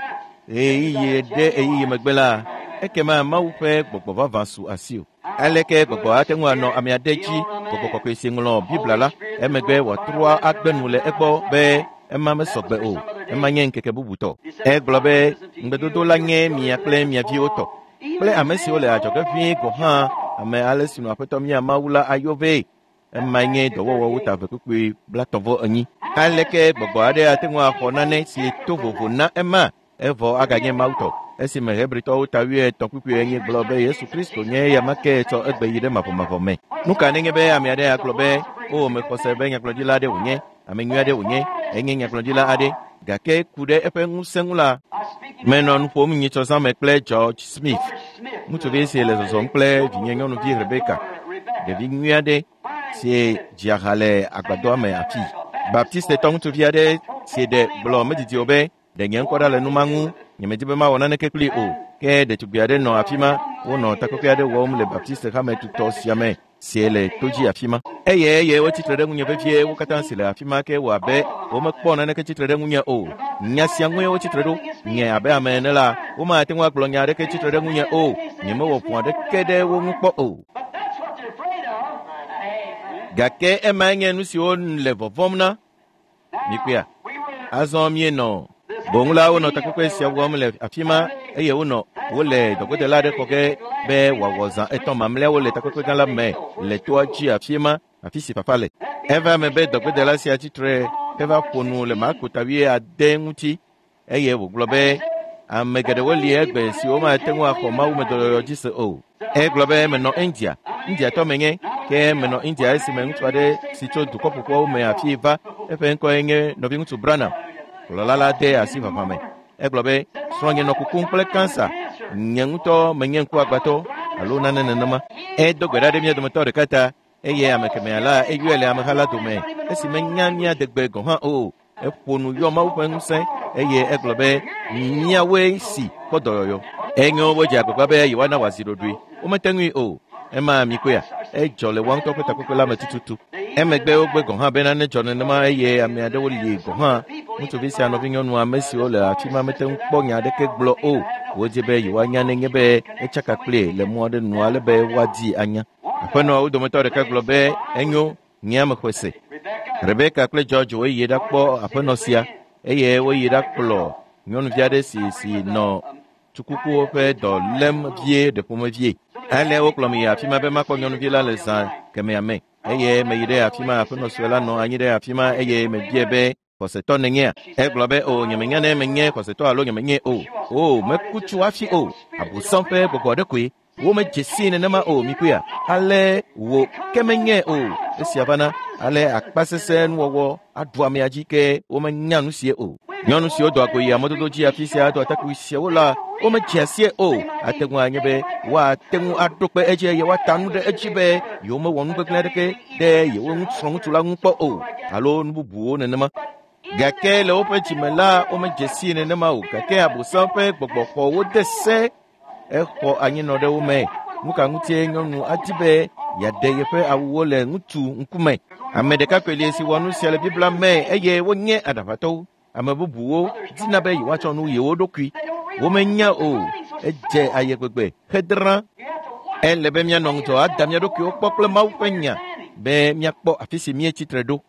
ɣeyiɣi ɖe ɣeyiɣi megbe la ekema Mawu ƒe gbɔgbɔ vavã su asiwò. Aleke gbɔgbɔ ate ŋu anɔ ame aɖe dzi gbɔgbɔ kɔkɔe si ŋlɔ Biblia la emegbe wòatrɔ agbe nu le egbɔ be ema mesɔgbe o, ema nye ŋkeke bubutɔ. Egblɔ be ŋugbedodo la nye mia kple mia viwo tɔ kple ame siwo le adzɔge vie gɔ̃ hã ame ale si nɔ Aƒetɔ mía Mawu la ayɔ vɛ. Ema nye dɔwɔwɔwo ta eve kpukpui blaetɔ̃ vɔ enyi. Aleke gbɔgbɔ aɖe ate ŋu axɔ nane si to vovo na ema evɔ aganye Mawu tɔ? Esime Hebritɔwo ta wuietɔ̃ kpukpui enyi gblɔ be Yesu Kristo nye eya ma ke tsɔ egbe yi ɖe mavɔmavɔ me. Nu ka nenye be ame aɖe agblɔ be o mexɔ se be nyagblɔɖila aɖe wònye, ame nyui aɖe wònye, enye nyagblɔɖila aɖe, gake ku ɖe eƒe ŋusẽ ŋu la, menɔ nu ƒom nyitsɔzã me kple George Smith, ŋutsuvi si le zɔzɔm kple vinye nyɔnuvi Rebecca, ɖevi nyui aɖe si dzia ha le agbadɔa me afii. Baptistetɔ ŋutsuvi aɖe si ɖe gblɔ medidi o be ɖe nye ŋkɔ ɖa le nu ma ŋu, nyemedi be mawɔ naneke kplii o. Ke ɖetugbi aɖe nɔ afi ma, wonɔ takpekpe aɖe wɔm le Baptiste hame tutɔ sia me si le to dzi afi ma. Eye eye wotsitre ɖe ŋunye vevie, wo katã si le afi ma ke wɔ abe womekpɔ naneke tsitre ɖe ŋunye o. Nya sia ŋue wotsitre ɖo. Nye abe ame ene la, womate ŋu agblɔ nya aɖeke tsitre ɖe ŋunye o. Nyemewɔ vɔ̃ aɖeke ɖe wo ŋu kpɔ o. Gake emae nye nu siwo le vɔvɔ̃m na. Mikpɔea? Azɔ míenɔ boŋ la wonɔ takpekpe sia wɔm le afi ma eye wonɔ wole dɔgbedela aɖe xɔ ge be wòawɔ zã etɔ̃ mamlɛawo le takpekpe gã la me le toa dzi afi ma afi si fafa le. Eva eme be dɔgbedela sia tsitre heva ƒo nu le Marko ta wuiade ŋuti eye wògblɔ be ame geɖewo li egbe siwo mate ŋu axɔ Mawu me dɔyɔyɔ dzi se o. Egblɔ be menɔ India, Indiatɔ menye, ke menɔ India esime ŋutsu aɖe si tso dukɔ ƒoƒuawo me afii va, eƒe ŋkɔe nye nɔviŋutsu Branham. Kplɔla la de asi vava me. Egblɔ be srɔ̃nye nɔ kukum kple kansa, nye ŋutɔ menye ŋkuagbãtɔ alo nane nenema. Edo gbe ɖa ɖe mía dometɔ ɖeka ta eye ame kemɛa la eyɔe le ameha la dome esi menya mía degbe gɔ̃ hã o. Eƒo nu yɔ Mawu ƒe ŋusẽ eye egblɔ be míawoe si kpɔ dɔyɔyɔ. Enyo wodze agbagba be yewoana wòazi ɖoɖoe. Womete ŋui o. Ema mikpɔea? Edzɔ le woa ŋutɔ ƒe takpekpe la me tututu. Emegbe wogbe gɔ̃ hã be nane dzɔ nenema eye ame aɖewo li gɔ̃ hã. Ŋutsuvi sia nɔvinyɔnu ame siwo le afi ma mete ŋu kpɔ nya aɖeke gblɔ o. Wodzi be yewoanya nenye be etsaka kplie le mɔ aɖe nu ale be woadi anya. Aƒenɔawo dometɔ ɖeka gblɔ be enyo nye ame xɔe se. Rebecca kple George woyi ɖakpɔ aƒenɔ sia eye woyi ɖakplɔ nyɔnuvi aɖe si si nɔ tsukukuwo ƒe dɔ lém vie ɖe ƒomevie. Ale wokplɔm yi afi ma be makpɔ nyɔnuvi la le zã kemɛa me eye meyi ɖe afi ma aƒenɔ sue la nɔ anyi ɖe afi ma eye mebia be xɔsetɔ nènyea? Egblɔ be o nyemenya ne menye xɔsetɔ alo nyemenye o. O meku tso hafi o. Abosam ƒe gbɔgbɔ aɖe koe. Womedze sii nenema o mikpɔea? Ale wò ke menye o. Esia vana ale akpasesẽ nuwɔwɔ aɖu amea dzi ke womenya nu sie o. Nyɔnu siwo doa go yia mɔdodo dzi afi sia do atakpui siawo la womedzea sie o. Ate ŋu anye be woate ŋu aɖo kpe edzi eye woata nu ɖe edzi be yewomewɔ nu gbegblẽ aɖeke ɖe yewo srɔ̃ŋutsu la ŋu kpɔ o alo nu bubuwo nenema. Gake le woƒe dzime la womedze sii nenema o. Gake Abosam ƒe gbɔgbɔ xɔ wo de se. Exɔ anyinɔ ɖe wo me. Nu ka ŋutie nyɔnu adi be yeaɖe yeƒe awuwo le ŋutsu ŋkume? Ame ɖeka koe li si wɔ nu sia le Biblia me eye wonye aɖaʋatɔwo. Ame bubuwo dina be yewoatsɔ nu yewo ɖokui. Womenya o. Edze aye gbegbe hedrã. Ele be míanɔ ŋudzɔ ada mía ɖokuiwo kpɔ kple Mawu ƒe nya be míakpɔ afi si míetsitre ɖo.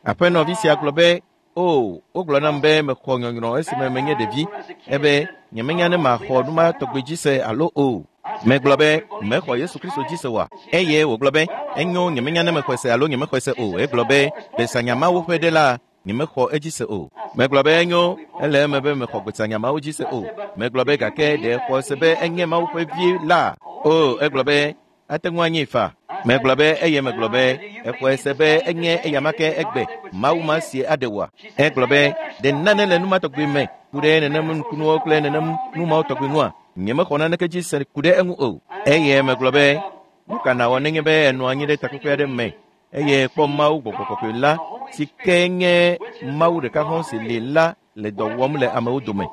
Aƒenɔvi sia gblɔ be o wogblɔ nam be mexɔ nyɔnyrɔ esime menye ɖevi ebe nyemenya ne maxɔ nu ma tɔgbi dzi se alo o. Megblɔ be mexɔ Yesu Kristo dzi se oa? Eye wògblɔ be enyo nyemenya ne mexɔe se alo nyemexɔe se o. Egblɔ be gbesanyamawo ƒe ɖe la nyemexɔ edzi se o. Megblɔ be enyo ele eme be mexɔ gbesanyamawo dzi se o. Megblɔ be gake ɖe xɔ se be enye Mawu ƒe vi la? O egblɔ be ate ŋu anyi fa. Megblɔ be eye megblɔ be exɔe se be enye eyama ke egbe Mawu ma sie aɖe woa. Egblɔ be ɖe nane le nu ma tɔgbi me ku ɖe nenem nukunuwo kple nenem nu mawo tɔgbi ŋua? Nyemexɔ naneke dzi se ku ɖe eŋu o. Eye megblɔ be nu ka nawɔ nenye be enɔ anyi ɖe takpekpe aɖe me eye kpɔ Mawu gbɔgbɔ kɔkɔe la si ke nye Mawu ɖeka hɔ̃ si li la le dɔ wɔm le amewo dome.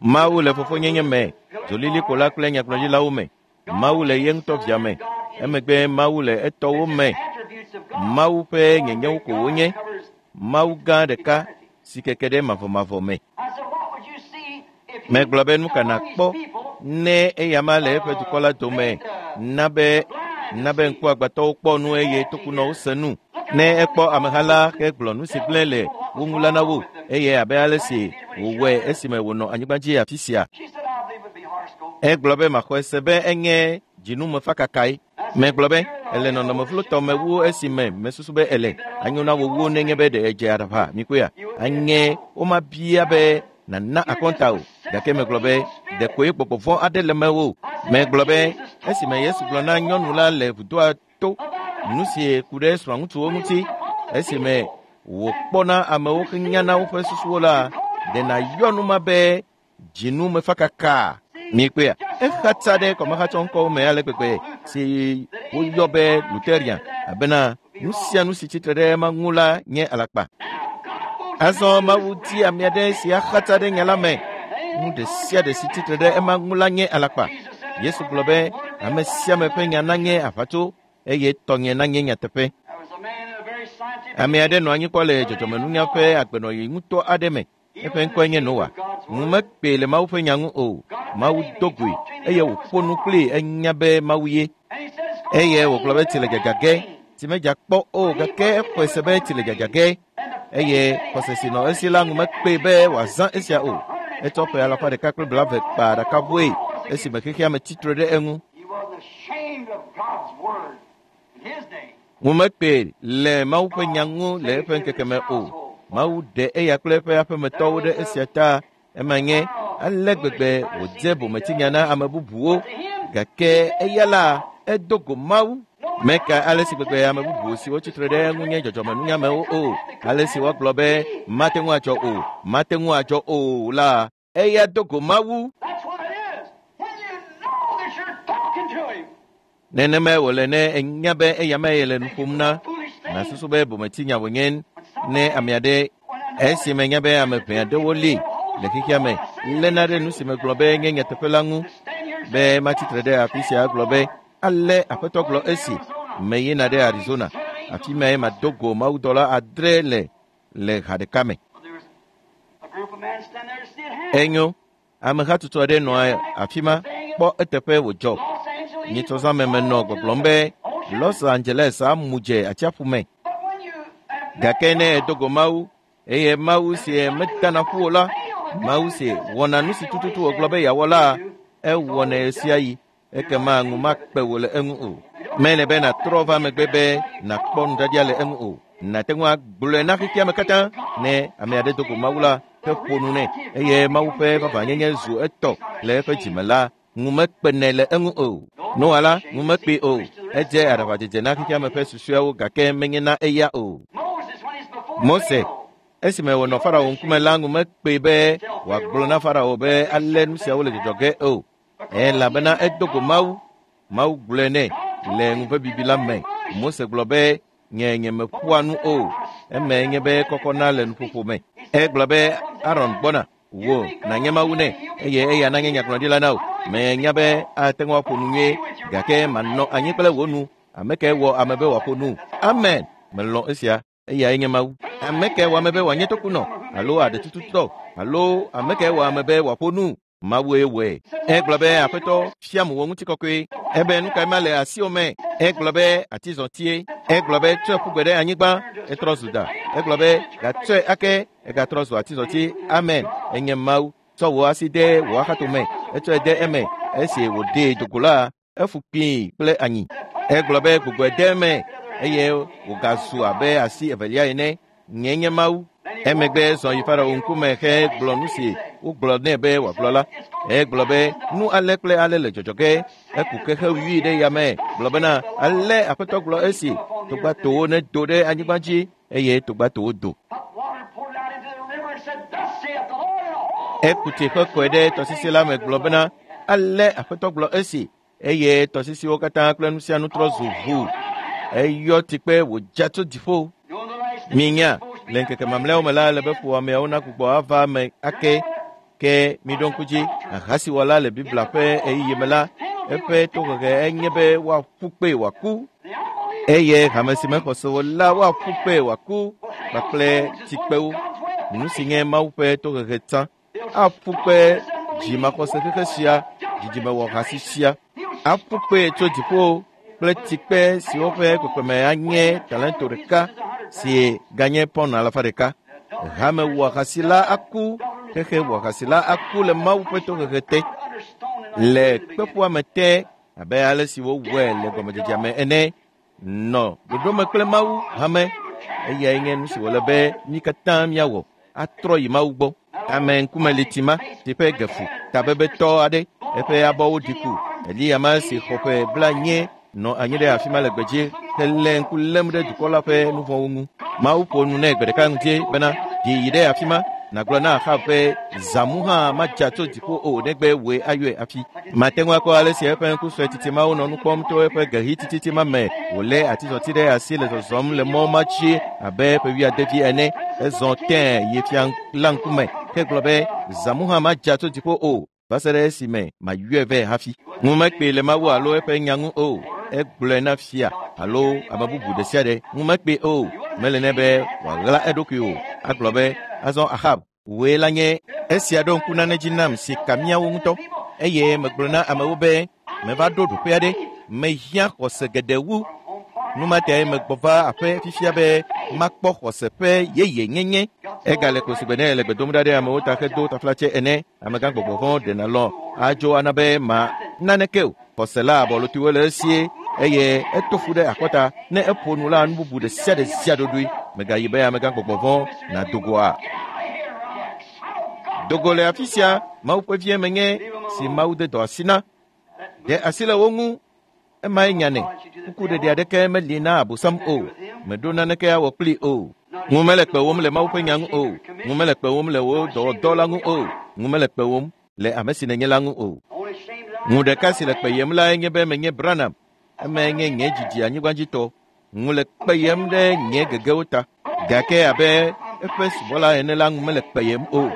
Mawu le fofonyenye me, dzolilikpo la kple nyagblɔɖilawo me. Mawu le ye ŋutɔ via me. Emegbe Mawu le etɔwo me. Mawu ƒe nyenyewo ko wonye. Mawu gã ɖeka si keke ɖe mavɔmavɔ me. Megblɔ be nu ka nakpɔ ne eyama le eƒe dukɔ la dome na be na be ŋkuagbãtɔwo kpɔ nu eye tokunɔwo se nu. Ne ekpɔ ameha la hegblɔ nu si gblẽ le wo ŋu la na wo eye abe ale si wòwɔe esime wònɔ anyigba dzi afi sia. Egblɔ be maxɔe se be enye dzinumefakakae. Megblɔ be ele nɔnɔme vlotɔ me wu esime mesusu be ele anyo na wo wu nenye be ɖe edze aɖaʋa mikpɔea. Anye womabia be nana akɔnta o. Gake megblɔ be ɖekoe gbɔgbɔ vɔ̃ aɖe le mewò. Megblɔ be esime Yesu gblɔ na nyɔnu la le vudoa to nu si ku ɖe srɔ̃ŋutsuwo ŋuti esime wòkpɔna amewo henyana woƒe susuwo la, ɖe nàyɔ nu ma be dzinumefakaka. Mikpɔea, exatsa ɖe kɔmehatsɔŋkɔwo me ale gbegbe si woyɔ be Lutheran abena nu sia nu si tsitre ɖe ema ŋu la nye alakpa. Azɔ Mawu di ame aɖe si axatsa ɖe nya la me. Nu ɖe sia ɖe si tsitre ɖe ema ŋu la nye alakpa. Yesu gblɔ be ame sia ame ƒe nya nanye aʋatso eye tɔnye nanye nyateƒe. Ame aɖe nɔ anyi kpɔ le dzɔdzɔmenunya ƒe agbenɔɣi ŋutɔ aɖe me. Eƒe ŋkɔe nye Noa. Ŋu mekpee le Mawu ƒe nya ŋu o. Mawu do goe eye wòƒo nu kplii enya be Mawu ye. Eye wògblɔ be tsi le dzadza ge. Tsi medza kpɔ o gake exɔe se be tsi le dzadza ge. Eye xɔse si nɔ esi la ŋu mekpee be wòazã esia o. Etsɔ ƒe alafa ɖeka kple blaeve kpa ɖakaʋɔe esime xexea me tsitre ɖe eŋu. Ŋu mekpee le Mawu ƒe nya ŋu le eƒe ŋkeke me o. Mawu ɖe eya kple eƒe aƒemetɔwo ɖe esia ta. Ema nye ale gbegbe wòdze bometsinya na ame bubuwo gake eya la edo go Mawu. Meka ale si gbegbe ame bubu siwo tsitre ɖe eŋu nye dzɔdzɔmenunyamewo o. Ale si woagblɔ be mate ŋu adzɔ o, mate ŋu adzɔ o la, eya do go Mawu. Nenemae wòle ne enya be eya mee le nu ƒom na. Nasusu be bometsinya wònye ne ame aɖe esime nya be ame ʋɛ aɖewo li le xexea me léna ɖe nu si megblɔ be nye nyateƒe la ŋu be matsitre ɖe afi sia gblɔ be ale aƒetɔ gblɔ esi meyina ɖe Arizona afi mae mado go mawudɔla adre le le ha ɖeka me. Enyo, amehatsotso aɖe nɔ afi ma kpɔ eteƒe wòdzɔ. Nyitsɔzãme menɔ gbɔgblɔm be Los Angeles amu dze atsiaƒu me. Gake ne edo go Mawu eye Mawu si medana ƒu o la, Mawu si wɔna nu si tututu wògblɔ be yeawɔ la, ewɔnɛ ɣe sia ɣi. Ekema ŋu makpe wò le eŋu o. Mele be nàtrɔ va megbe be nàkpɔ nudzadzia le eŋu o. Nàte ŋu agblɔe na xexea me katã ne ame aɖe do go Mawu la heƒo nu nɛ eye Mawu ƒe vavãnyenye zu etɔ le eƒe dzime la, ŋu mekpenɛ le eŋu o. Noa la, ŋu mekpee o. Edze aɖaʋadzedze na xexea me ƒe susuewo gake menye na eya o. Mose esime wònɔ Farao ŋkume la ŋu mekpee be wòagblɔ na Farao be ale nu siawo le dzɔdzɔ ge o. Elabena edo go Mawu. Mawu gblɔe nɛ le ŋuvebibi la me. Mose gblɔ be nye nyemeƒoa nu o. Eme nye be kɔkɔna le nuƒoƒo me. Egblɔ be Aron gbɔna wò nànye Mawu nɛ eye eya nanye nyagblɔɖila na wò. Menya be ate ŋu aƒo nu nyuie gake manɔ anyi kple wò nu. Ame kae wɔ ame be wòaƒo nu? Amen. Melɔ̃ esia. Eyae nye Mawu. Ame kae wɔ ame be wòanye tokunɔ alo aɖetututɔ alo ame kae wɔ ame be wòaƒo nu? Mawue wɔe. Egblɔ be aƒetɔ fiam wò ŋutikɔkɔe. Ebe nu kae ma le asiwò me? Egblɔ be atizɔtie. Egblɔ be tsɔe ƒu gbe ɖe anyigba. Etrɔ zu da. Egblɔ be gatsɔe ake. Egatrɔ zu atizɔti. Amen. Enye Mawu. Tsɔ wò asi de wò axatome. Etsɔe de eme. Esi wòɖee do go la, efu kpii kple anyi. Egblɔ be gbugbɔe de eme eye wògazu abe asi evelia ene. Nye nye Mawu. Emegbe zɔ yi Farao ŋkume hegblɔ nu si wogblɔ nɛ be wòagblɔ la. Egblɔ be nu ale kple ale le dzɔdzɔ ge. Eku kexe wui ɖe yame gblɔ bena ale aƒetɔ gblɔ esi togbatowo nedo ɖe anyigba dzi eye togbatowo do. Eku tsi ƒe kɔe ɖe tɔsisi la me gblɔ bena ale aƒetɔ gblɔ esi eye tɔsisiwo katã kple nu sia nu trɔ zu ʋu. Eyɔ tsikpe wòdza tso dziƒo. Minya le ŋkeke mamlɛawo me la ele be ƒoameawo nagbugbɔ ava eme ake. Ke miɖo ŋku dzi ahasiwɔla le Biblia ƒe ɣeyiɣi me la eƒe tohehe enye be woaƒu kpee wòaku eye hame si mexɔse o la woaƒu kpee wòaku kpakple tsikpewo. Nu si nye Mawu ƒe tohehe tsã aƒu kpe dzimaxɔse xexe sia dzidzimewɔhasi sia aƒu kpee tso dziƒo kple tsikpe siwo ƒe kpekpeme anye talento ɖeka si ganye pɔn alafa ɖeka. Hame wɔhasi la aku xexe wɔhasi la aku le Mawu ƒe tohehe te le kpeƒoame te abe ale si wowɔe le gɔmedzedzea me ene. Nɔ ɖoɖome kple Mawu hame eyae nye nu si wòle be mí katã míawɔ atrɔ yi Mawu gbɔ. Ame ŋkume li tima si ƒe gefu tabebetɔ aɖe eƒe abɔwo ɖi ku. Eliya ma si xɔ ƒe blaenyi nɔ anyi ɖe afi ma le gbedzi hele ŋku lém ɖe dukɔ la ƒe nu vɔ̃wo ŋu. Mawu ƒo nu nɛ gbe ɖeka ŋuti bena ɖi yi ɖe afi ma nàgblɔ na Ahab be zãmu hã madza tso dziƒo o negbe wòe ayɔe hafi. Mate ŋu akpɔ ale si eƒe ŋku sue titi mawo nɔ nu kpɔm to eƒe gehi tititi ma me wòlé atizɔti ɖe asi le zɔzɔm le mɔ ma dzi abe ƒe wuiadevi ene. Ezɔ tẽe yi fia la ŋkume hegblɔ be zãmu hã madza tso dziƒo o va se ɖe esime mayɔe vɛ hafi. Ŋu mekpee le Mawu alo eƒe nya ŋu o. Egblɔe na fia alo ame bubu ɖe sia ɖe. Ŋu mekpee o. Mele nɛ be wòaɣla eɖokui o. Agblɔ be azɔ Ahab wòe la nye esia ɖo ŋku nane dzi nam si ka míawo ŋutɔ eye megblɔ na amewo be meva ɖo ɖoƒe aɖe mehiã xɔse geɖe wu. Nu ma tae megbɔ va aƒe fifia be makpɔ xɔse ƒe yeye nyenye. Egale ko sigbe ne le gbe dom ɖa ɖe amewo ta hedo taflatse ene. Amegã gbɔgbɔ vɔ̃ ɖena lɔ adzo ana be ma naneke o. Xɔse la abɔlotiwo le esie eye eto fu ɖe akɔta ne eƒo nu la nu bubu ɖe sia ɖe sia ɖoɖoe. Megayi be amegã gbɔgbɔ vɔ̃ nado goa. Dogo le afi sia Mawu ƒe vie menye si Mawu de dɔ asi na. Ɖe asi le wo ŋu. Emae nya nɛ. Kukuɖeɖe aɖeke meli na Abosam o. Meɖo naneke awɔ kplii o. Ŋu mele kpewòm le Mawu ƒe nya ŋu o. Ŋu mele kpewòm le wò dɔwɔdɔ la ŋu o. Ŋu mele kpewòm le ame si nènye la ŋu o. Ŋu ɖeka si le kpeyem lae nye be menye Branham. Emae nye nye dzidzi anyigbadzitɔ. Ŋu le kpeyem ɖe nye gegewo ta. Gake abe eƒe subɔla ene la ŋu mele kpeyem o.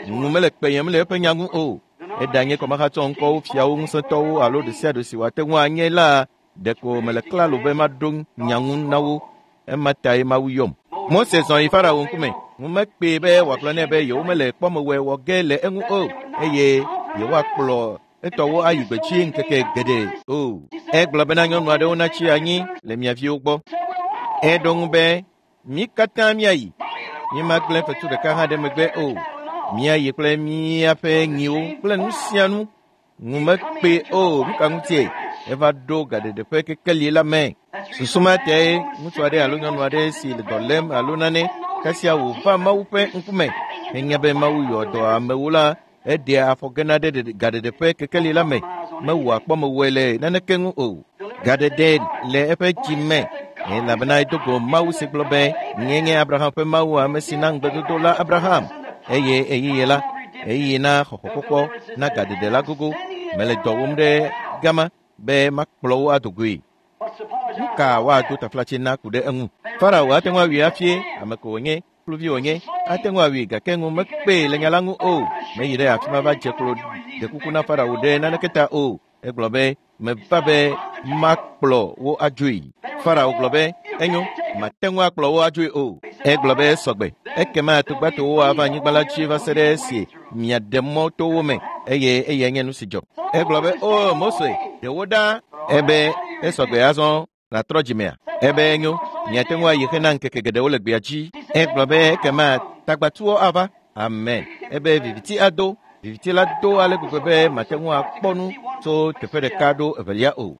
Ŋu mele kpeyem le eƒe nya ŋu o. Eɖanye kɔmahatsɔ ŋkɔwo fiawo ŋusẽtɔwo alo ɖe sia ɖe si wòate ŋu anye la ɖeko mele klalo be maɖo nya ŋu na wo. Ema tae Mawu yɔm. Mose zɔ yi Farao ŋkume. Ŋu mekpee be wòagblɔ nɛ be yewomele kpɔmewɔe wɔ ge le eŋu o eye yewoakplɔ etɔwo ayi gbedzi ŋkeke geɖe o. Egblɔ bena nyɔnu aɖewo natsi anyi le mia viwo gbɔ. Eɖo ŋu be mí katã míayi. Mímagblẽ fetu ɖeka hã ɖe megbe o. Míayi kple míaƒe nyiwo kple nu sia nu. Ŋu mekpee o. Nu ka ŋutie? Eva ɖo gaɖeɖe ƒe kekeli la me. Susu ma tae ŋutsu aɖe alo nyɔnu aɖe si le dɔ lém alo nane kasia wòva Mawu ƒe ŋkume. Enya be Mawu yɔ dɔ amewo la eɖea afɔ gena ɖe gaɖeɖe ƒe kekeli la me. Mewɔa kpɔmewɔe le naneke ŋu o. Gaɖeɖe le eƒe dzi me elabena edo go Mawu si gblɔ be nye nye Abraham ƒe Mawu ame si na ŋugbedodo la Abraham. Eye ɣeyiɣi la ɣeyiɣi na xɔxɔkpɔkpɔ na gaɖeɖe la gogo. Mele dɔ wɔm ɖe gama be makplɔ wo ado goe. Nu ka woado taflatse na ku ɖe eŋu? Farao ate ŋu awui hafie ame ko wònye kluvi wònye ate ŋu awui gake ŋu mekpee le nya la ŋu o. Meyi ɖe afi ma va dze klo ɖe kuku na Farao ɖe naneke ta o. Egblɔ be meva be makplɔ wo adzoe. Farao gblɔ be enyo mate ŋu akplɔ wo adzoe o. Egblɔ be sɔgbe ekema togbatowo ava anyigba la dzi va se ɖe esi miaɖe mɔ to wo me eye eyae nye nu si dzɔ. Egblɔ be o Mose ɖe wo ɖa. Ebe esɔgbe azɔ nàtrɔ dzimea. Ebe enyo miate ŋu ayi hena ŋkeke geɖewo le gbea dzi. Egblɔ be ekema tagbatuwo ava. Amen. Ebe viviti ado. Viviti la do ale gbegbe be mate ŋu akpɔ nu tso teƒe ɖeka ɖo evelia o.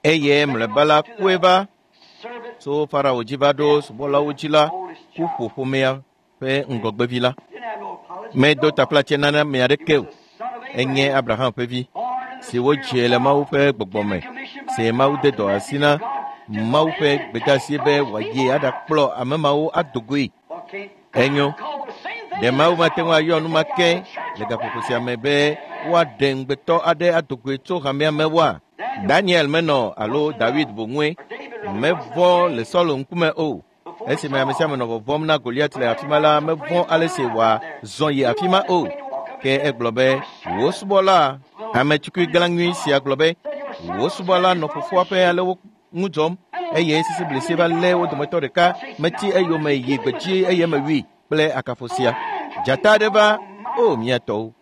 Eye mlɔeba la kue va tso Farao dzi va ɖo subɔlawo dzi la ku ƒo ƒomea ƒe ŋgɔgbevi la. Medo taflatse nana ame aɖeke o. Enye Abraham ƒe vi si wodzi le Mawu ƒe gbɔgbɔ me, si Mawu de dɔ asi na Mawu ƒe gbedeasi be wòayi aɖakplɔ ame mawo ado goe. Enyo. Ɖe Mawu mate ŋu ayɔ nu ma ke le gaƒoƒo sia me be woaɖe ŋugbetɔ aɖe ado goe tso hamea me woa? Daniel menɔ alo David boŋue mevɔ̃ le Saul ŋkume o. Esime ame sia ame nɔ vɔvɔ̃m na Goliat le afi ma la, mevɔ̃ ale si wòazɔ yi afi ma o. Ke egblɔ be, wò subɔla, ame tukui gã nyui sia gblɔ be, wò subɔla nɔ fofoa ƒe alewo ŋu dzɔm eye sisiblisi va lé wo dometɔ ɖeka metsi eyome yi gbedzi eye mewui kple akafo sia. Dzata aɖe va, o mía tɔwo.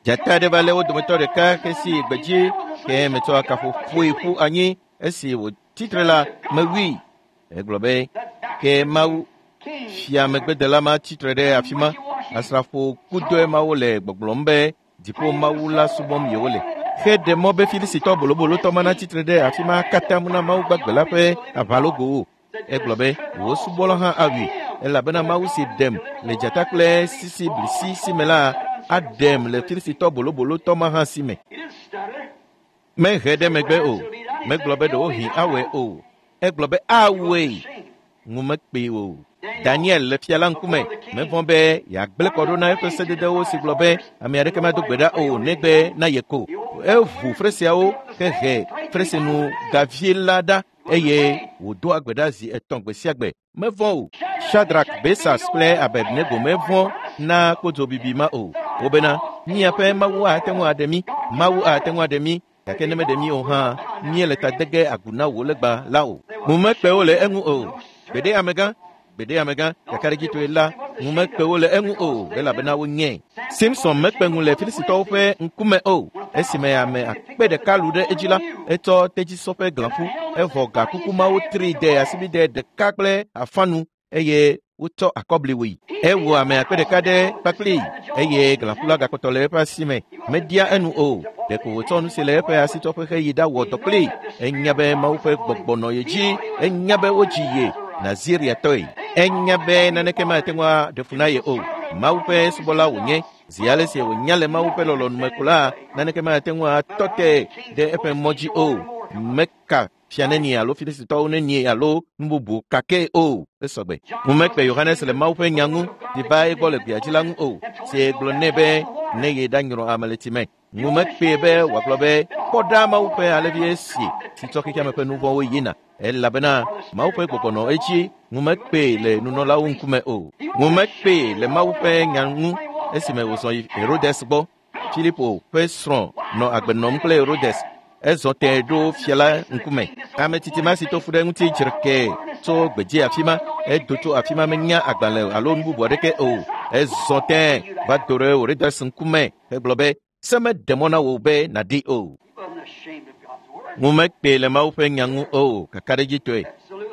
Dzata aɖe va lé wo dometɔ ɖeka hesi yi gbedzi ke metsɔ akafo ƒoe ƒu anyi esi wòtsitre la mewui. Egblɔ be, ke Mawu fia megbedela ma tsitre ɖe afi ma. Asrafo kudɔe mawo le gbɔgblɔm be dziƒo Mawu la subɔm yewole. Xe ɖe mɔ be Filisitɔ bolobolotɔ ma natsitre ɖe afi ma katã mu na Mawu gbagbe la ƒe aʋalogowo. Egblɔ be, wò subɔla hã awui, elabena Mawu si ɖem le dzata kple sisiblisi si me la aɖem le Filisitɔ bolobolotɔ ma hã si me. Mehe ɖe megbe o. Megblɔ be ɖewohĩ awɔe o. Egblɔ be awɔe. Ŋu mekpee o. Daniel le fia la ŋkume mevɔ̃ be yeagblẽ kɔ ɖo na eƒe sededewo si gblɔ be ame aɖeke mado gbe ɖa o negbe na ye ko. Eʋu fresiawo hehe fresinu gavie la ɖa eye wòdoa gbe ɖa zi etɔ̃ gbe sia gbe. Mevɔ̃ o. Shadrach, Mesach kple Abednego mevɔ̃ na kpodzobibi ma o. Wobena míaƒe Mawu ate ŋu aɖe mí, Mawu ate ŋu aɖe mí, gake ne meɖe mí o hã, míele ta de ge agu na wò legba la o. Ŋu mekpe wo le eŋu o. Gbeɖe amegã, gbeɖe amegã, kakaɖedzitɔe la, ŋu mekpe wo le eŋu o, elabena wonyae. Simson mekpe ŋu le Filisitɔwo ƒe ŋkume o. Esime ame akpe ɖeka lu ɖe edzi la, etsɔ tedzisɔ ƒe glãƒu, evɔ gakuku mawo tri de asibide ɖeka kple afanu eye wotsɔ akɔbli wui. Ewɔ ame akpe ɖeka ɖe kpakpli eye glãƒu la gakpɔtɔ le eƒe asi me. Media enu o. Ɖeko wòtsɔ nu si le eƒe asitsɔƒe heyi ɖawɔ dɔ kpli. Enya be Mawu ƒe gbɔgbɔ nɔ ye dzi. Enya be wodzi ye Naziriatɔe. Enya be naneke mate ŋu aɖe fu na ye o. Mawu ƒe subɔla wònye. Zi ale si wònya le Mawu ƒe lɔlɔ̃nu me ko la, naneke mate ŋu atɔ te ɖe eƒe mɔ dzi o. Meka fia nenie alo Filisitɔwo nenie alo nu bubu kake o. Esɔgbe. Ŋu mekpe Yohanes le Mawu ƒe nya ŋu si va egbɔ le gbea dzi la ŋu o. Si gblɔ nɛ be ne ye ɖanyrɔ ame le tsi me. Ŋu mekpee be wòagblɔ be kpɔ ɖa Mawu ƒe alẽvi esi si tsɔ xexeame ƒe nu vɔ̃wo yina. Elabena Mawu ƒe gbɔgbɔ nɔ edzi. Ŋu mekpee le nunɔlawo ŋkume o. Ŋu mekpee le Mawu ƒe nya ŋu esime wòzɔ yi Herodes gbɔ. Filipo ƒe srɔ̃ nɔ agbe nɔm kple Herodes. Ezɔ tẽ ɖo fia la ŋkume. Ame tsitsi ma si to fu ɖe ŋuti dzreke tso gbedzi afi ma. Edo tso afi ma menya agbalẽ alo nu bubu aɖeke o. Ezɔ tẽ va do ɖe Herodes ŋkume hegblɔ be se meɖe mɔ na wò be nàɖi o. Ŋu mekpee le Mawu ƒe nya ŋu o, kakaɖedzitɔe.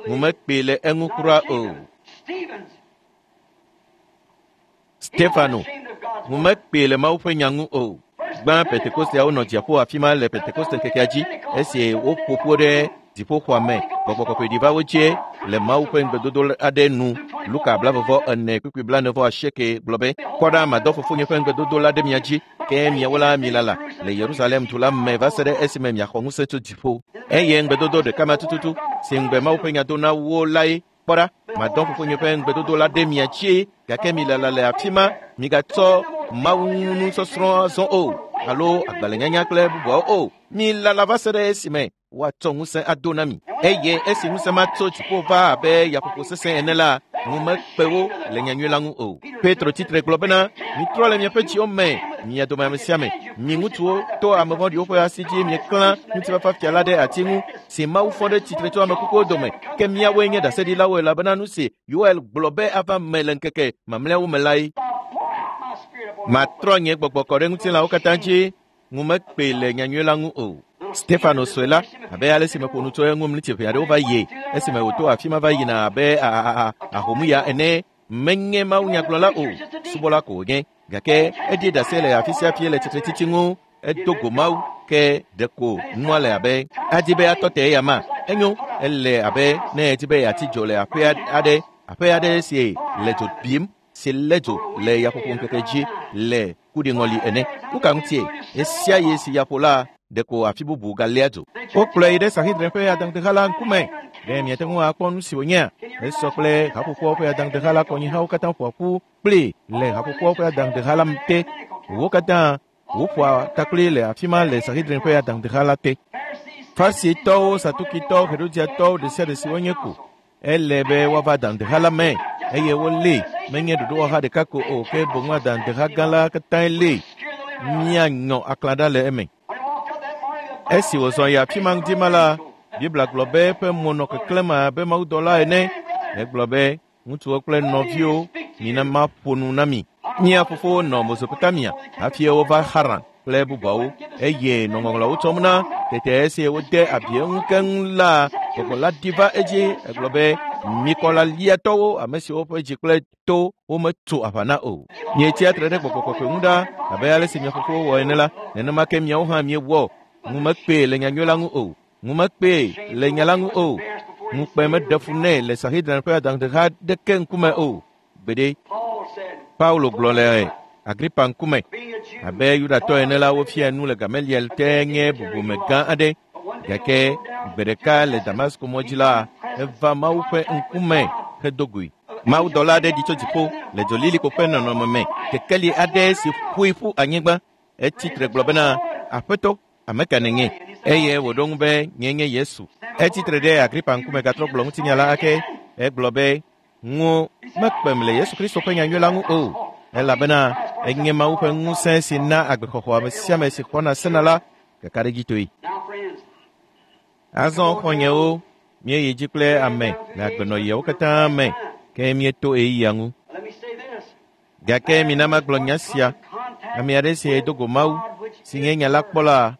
Ŋu mekpee le eŋu kura o. Stefano, ŋu mekpee le Mawu ƒe nya ŋu o. Gbã Pentekosteawo nɔ dziaƒo afi ma le Pentekoste ŋkekea dzi esi woƒo ƒu ɖe dziƒoxɔa me. Gbɔgbɔ kɔkɔe ɖi va wo dzie le Mawu ƒe ŋugbedodo aɖe nu. Luka blavevɔ ene kpukpui blaene vɔ asieke gblɔ be, kpɔ ɖa madɔ fofonye ƒe ŋugbedodo la ɖe mia dzi, ke miawo la milala le Yerusalem du la me va se ɖe esime miaxɔ ŋusẽ tso dziƒo. Eye ŋugbedodo ɖeka ma tututu si ŋugbe Mawu ƒe nya do na wo lae. Kpɔ ɖa, madɔ fofonye ƒe ŋugbedodo la ɖe mia dzi, gake milala le afi ma, migatsɔ Mawu nusɔsrɔ̃ azɔ o, alo agbalẽnyanya kple bubuawo o. Milala va se ɖe esime woatsɔ ŋusẽ ado na mi. Eye esi ŋusẽ ma tso dziƒo va abe yaƒoƒo sesẽ ene la, ŋu mekpe wo le nyanyui la ŋu o. Petro tsitre gblɔ bena, mitrɔ le miaƒe dziwo me, mia dome ame sia ame, mi ŋutsuwo to ame vɔ̃ɖiwo ƒe asi dzi mieklã ŋutifafa fia la ɖe ati ŋu si Mawu fɔ ɖe tsitre tso ame kukuwo dome. Ke míawoe nye ɖaseɖilawo elabena nu si Yoel gblɔ be ava me le ŋkeke mamlɛawo me lae. Matrɔ nye gbɔgbɔ kɔ ɖe ŋutilãwo katã dzi. Ŋu mekpee le nyanyui la ŋu o. Stefano sue la, abe ale si meƒo nu tso eŋu mlitsi ʋɛ aɖewo va yi esime wòto afi ma va yina abe ahomuya ene. Menye mawunyagblɔla o, subɔla ko wònye. Gake eɖi ɖase le afi sia fi le tsitretsitsi ŋu. Edo go Mawu ke ɖeko nua le abe adi be atɔ te eya ma. Enyo, ele abe ne edi be yeatsi dzo le aƒe aɖe, aƒe aɖe si le dzo bim. si lé dzo le yaƒoƒo ŋkeke dzi le kuɖiŋɔli ene. Nu ka ŋutie? Esia ye si yaƒo la ɖeko afi bubu galéa dzo. Wokplɔe yi ɖe Sanhedrin ƒe adaŋudeha la ŋkume. Ɖe miate ŋu akpɔ nu si wònyea? Esɔ kple haƒoƒoawo ƒe adaŋudeha la kɔnyihawo katã ƒoa ƒu kpli le haƒoƒoawo ƒe adaŋudeha la te. Wo katã woƒoa takpli le afi ma le Sanhedrin ƒe adaŋudeha la te. Farisitɔwo, Sadukitɔwo, Herodiatɔwo ɖe sia ɖe si wonye ko ele be woava adaŋudeha la me eye wolée. Menye ɖoɖowɔha ɖeka ko o, ke boŋ adaŋudeha gã la katãe lée. Míanyɔ aklã ɖa le eme. Esi wòzɔ yi afi ma ŋdi ma la, Biblia gblɔ be eƒe mo nɔ keklẽm abe mawudɔla ene. Egblɔ be, ŋutsuwo kple nɔviwo, mina maƒo nu na mi. Mía fofowo nɔ Mesopotamia hafi wova Haran kple bubuawo eye nɔ ŋɔŋlɔawo tsɔm na. Tete esi wode abi eŋu keŋ la, gbɔgbɔ la ɖi va edzi. Egblɔ be, mikɔla liatɔwo, ame siwo ƒe dzi kple to wometso aʋa na o. Mietsia tre ɖe gbɔgbɔ kɔkɔe ŋu ɖa abe ale si mia fofowo wɔ ene la, nenema ke miawo hã miewɔ. Ŋu mekpee le nyanyui la ŋu o. Ŋu mekpee le nya la ŋu o. Ŋukpe meɖe fu nɛ le Sanhedrin ƒe adaŋudeha ɖeke ŋkume o. Gbeɖe. Paulo gblɔ le Agripa ŋkume abe Yudatɔ ene la, wofia nu le Gamaliel te nye bubume gã aɖe. Gake gbe ɖeka le Damasko mɔ dzi la, eva Mawu ƒe ŋkume hedo goe. Mawudɔla aɖe ɖi tso dziƒo le dzolilikpo ƒe nɔnɔme me, kekeli aɖe si ƒoe ƒu anyigba. Etsi tre gblɔ bena, Aƒetɔ, ame ka nènye? Eye wòɖo ŋu be, nye nye Yesu. Etsi tre ɖe Agripa ŋkume gatrɔ gblɔ ŋutinya la ake. Egblɔ be, ŋu mekpem le Yesu Kristo ƒe nyanyui la ŋu o, elabena enye Mawu ƒe ŋusẽ si na agbexɔxɔ ame sia ame si xɔna sena la kakaɖedzitɔe. Azɔ xɔ̃nyewo, míeyi dzi kple ame le agbenɔɣiawo katã me, ke míeto ɣeyiɣia ŋu. Gake mina magblɔ nya sia. Ame aɖe si do go Mawu, si nye nya la kpɔla,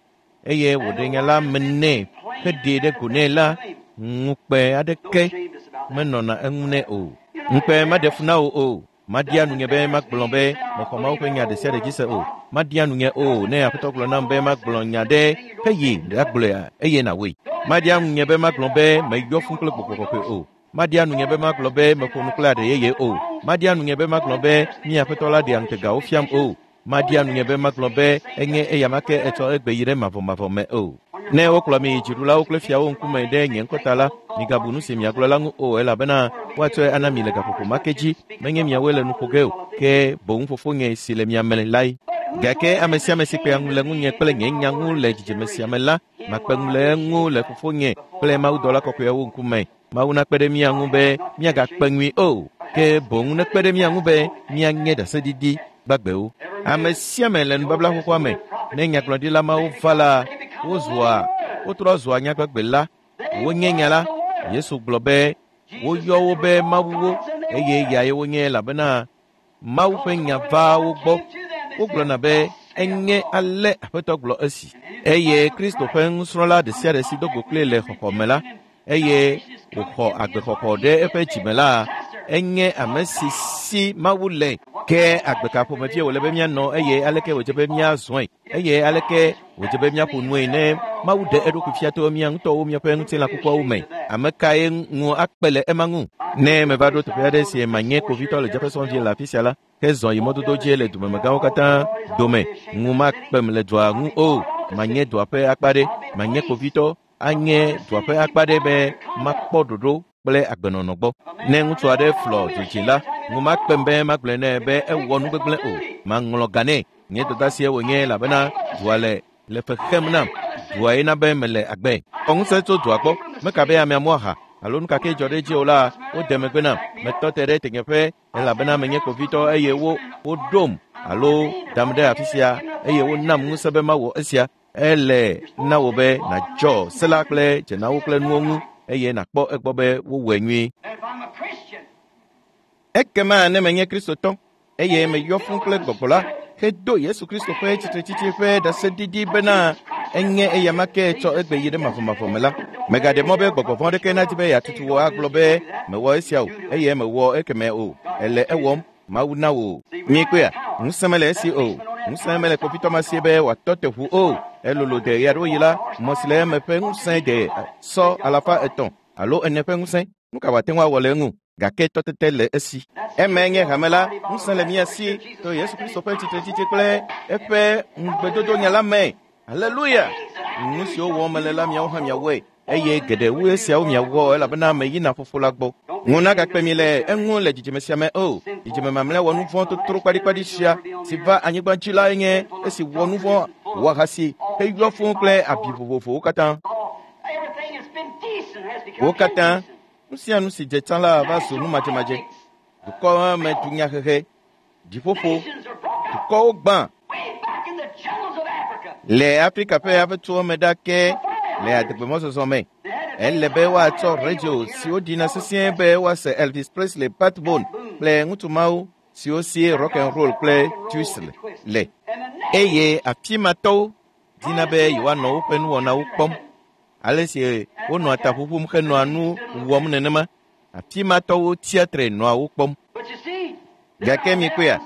eye wòɖe nya la me nɛ heɖee ɖe go nɛ la, ŋukpe aɖeke menɔna eŋu nɛ o. Ŋukpe maɖe fu na wò o. Maɖia nunye be magblɔ be mexɔ Mawu ƒe nya ɖe sia ɖe dzi se o. Maɖia nunye o ne Aƒetɔ gblɔ nam be magblɔ nya ɖe heyi ɖagblɔea eye nàwɔe. Maɖia nunye be magblɔ be meyɔ fũ kple gbɔgbɔ kɔkɔe o. Maɖia nunye be magblɔ be meƒo nu kple aɖe yeye o. Maɖia nunye be magblɔ be mía Aƒetɔ la ɖea ŋutegawo fiam o. Maɖia nunye be magblɔ be enye eyama ke etsɔ egbe yi ɖe mavɔmavɔ me o. Ne wokplɔ mi yi dziɖulawo kple fiawo ŋkume ɖe nye ŋkɔ ta la, migabu nu si miagblɔ la ŋu o, elabena woatsɔe ana mi le gaƒoƒo ma ke dzi. Menye miawoe le nu ƒo ge o, ke boŋ fofonye si le mia me lae. Gake ame sia ame si kpea ŋu le ŋunye kple nye nya ŋu le dzidzime sia me la, makpe ŋu le eŋu le fofonye kple mawudɔla kɔkɔeawo ŋkume. Mawu nakpe ɖe mía ŋu be míagakpe ŋui o, ke boŋ nekpe ɖe mía ŋu be míanye ɖaseɖiɖi gbagbewo. Ame sia ame le nubabla xoxoa me, ne nyagblɔɖila mawo va la, wozua wotrɔ zua nyagbagbe la, wonye nya la. Yesu gblɔ be woyɔ wo be mawuwo eye yae wonye elabena Mawu ƒe nya va wo gbɔ. Wogblɔna be enye ale Aƒetɔ gblɔ esi. Eye Kristo ƒe nusrɔ̃la ɖe sia ɖe si do go kplii le xɔxɔ me la, eye wòxɔ agbexɔxɔ ɖe eƒe dzime la, enye ame si si Mawu le. Ke agbe ka ƒomevie wòle be míanɔ eye aleke wòdze be míazɔe eye aleke wòdze be míaƒo nue ne Mawu ɖe eɖokui fia to mía ŋutɔwo míaƒe ŋutilã kukuawo me? Ame kae ŋu akpe le ema ŋu? Ne meva ɖo teƒe aɖe si manye kpovitɔ le Jefferson Ville le afi sia la, ke zɔ yi mɔdodo dzi le dumemegãwo katã dome, ŋu makpem le dua ŋu o. Manye dua ƒe akpa ɖe, manye kpovitɔ, anye dua ƒe akpa ɖe be makpɔ ɖoɖo kple agbenɔnɔ gbɔ. Ne ŋutsu aɖe flɔ dzodzi la, ŋu makpem be magblɔe nɛ be ewɔ nu gbegblẽ o. Maŋlɔ ga nɛ. Nye dɔdeasie wònye elabena dua le le fe xem nam. Dua ye na be mele agbe. Xɔ ŋusẽ tso dua gbɔ. Meka be amea mu aha alo nu ka ke dzɔ ɖe edzi o la, wode megbe nam. Metɔ te ɖe tenyeƒe elabena menye kpovitɔ eye wo woɖom alo dam ɖe afi sia eye wonam ŋusẽ be mawɔ esia. Ele na wò be nàdzɔ se la kple dzenawo kple nuwo ŋu eye nàkpɔ egbɔ be wowɔe nyuie. Ekema ne menye Kristotɔ eye meyɔ fũ kple gbɔgbɔ la, hedo Yesu Kristo ƒe tsitretsitsi ƒe ɖaseɖiɖi bena enye eyama ke tsɔ egbe yi ɖe mavɔmavɔ me la, megaɖe mɔ be gbɔgbɔ vɔ̃ aɖeke nadi be yeatutu wò agblɔ be mewɔ esia o eye mewɔ ekeme o. Ele ewɔm. Mawu na wò. Miekpɔea? Ŋusẽ mele esi o. Ŋusẽ mele kpovitɔ ma si be wòatɔ te ʋu o. Elolo de ɣe aɖewo yi la, mɔ si le eme ƒe ŋusẽ de sɔ alafa etɔ̃ alo ene ƒe ŋusẽ. Nu ka wòate ŋu awɔ le eŋu? Gake tɔtete le esi. Eme nye hame la, ŋusẽ le mía si to Yesu Kristo ƒe tsitretsitsi kple eƒe ŋugbedodo nya la me. Haleluya! Nu siwo wɔm mele la miawo hã miawɔe eye geɖe wu esiawo miawɔ elabena meyina fofo la gbɔ. Ŋu nagakpe mi le eŋu le dzidzime sia me o. Dzidzime mamlɛ wɔ nu vɔ̃ totro kpaɖikpaɖi sia si va anyigba dzi lae nye esi wɔ nu vɔ̃ wɔ ahasi heyɔ fũu kple abi vovovowo katã. Everything that's been decent has become Wo katã indecent. nu sia nu si dze tsã la va zu nu madzemadze. Dukɔ me dunyahehe, dziƒoƒo, Nations are broke up. dukɔwo gbã Way back in the jungles of Africa. le Afrika ƒe aƒetowo me ɖake le adegbemɔzɔzɔ me. Ele be woatsɔ radio siwo ɖina sesĩe be woase Elvis Presley, Pat Boone kple ŋutsu mawo siwo si rock and roll kple twist le. And the Eye afi ma tɔwo dina be yewoanɔ woƒe nuwɔnawo kpɔm. Ale si wonɔa ta ƒuƒum henɔa nu wɔm nenema, afi ma tɔwo tsia tre nɔa wo kpɔm. But you see, Gake mikpɔea,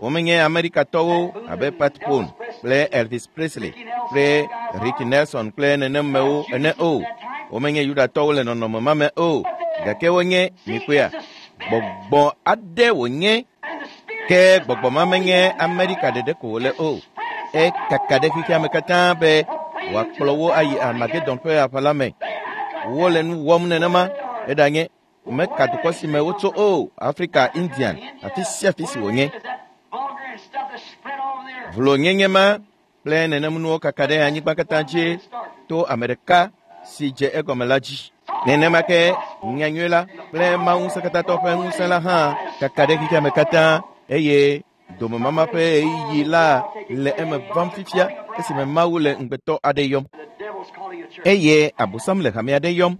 womenye Amerikatɔwo abe Pat Boone kple Elvis Presley kple Ricky Nelson kple nenemewo ene o. Womenye Yudatɔwo le nɔnɔme ma me o. Gake wonye mikpɔea, gbɔgbɔ aɖe wònye and the spirit ke gbɔgbɔ ma menye Amerika ɖeɖe ko wòle o. Ekaka ɖe xexea me katã be wòakplɔ wo ayi Armagedon ƒe aʋa la me. Wole nu wɔm nenema eɖanye meka dukɔ si me wotso o, Afrika, Indian, afi sia afi si wònye. is that vulgar and stuff that's spread all over the earth. Vlonyenye ma kple nenemnuwo kaka ɖe anyigba katã dzi to ame ɖeka si dze egɔme la dzi. Nenema ke nyanyui la kple Mawu ŋusẽkatãtɔ ƒe ŋusẽ la hã kaka ɖe xexea me katã eye domemama ƒe ɣeyiɣi la le eme vam fifia esime Mawu le ŋugbetɔ aɖe yɔm The devil's calling a church. eye Abosam le hame aɖe yɔm.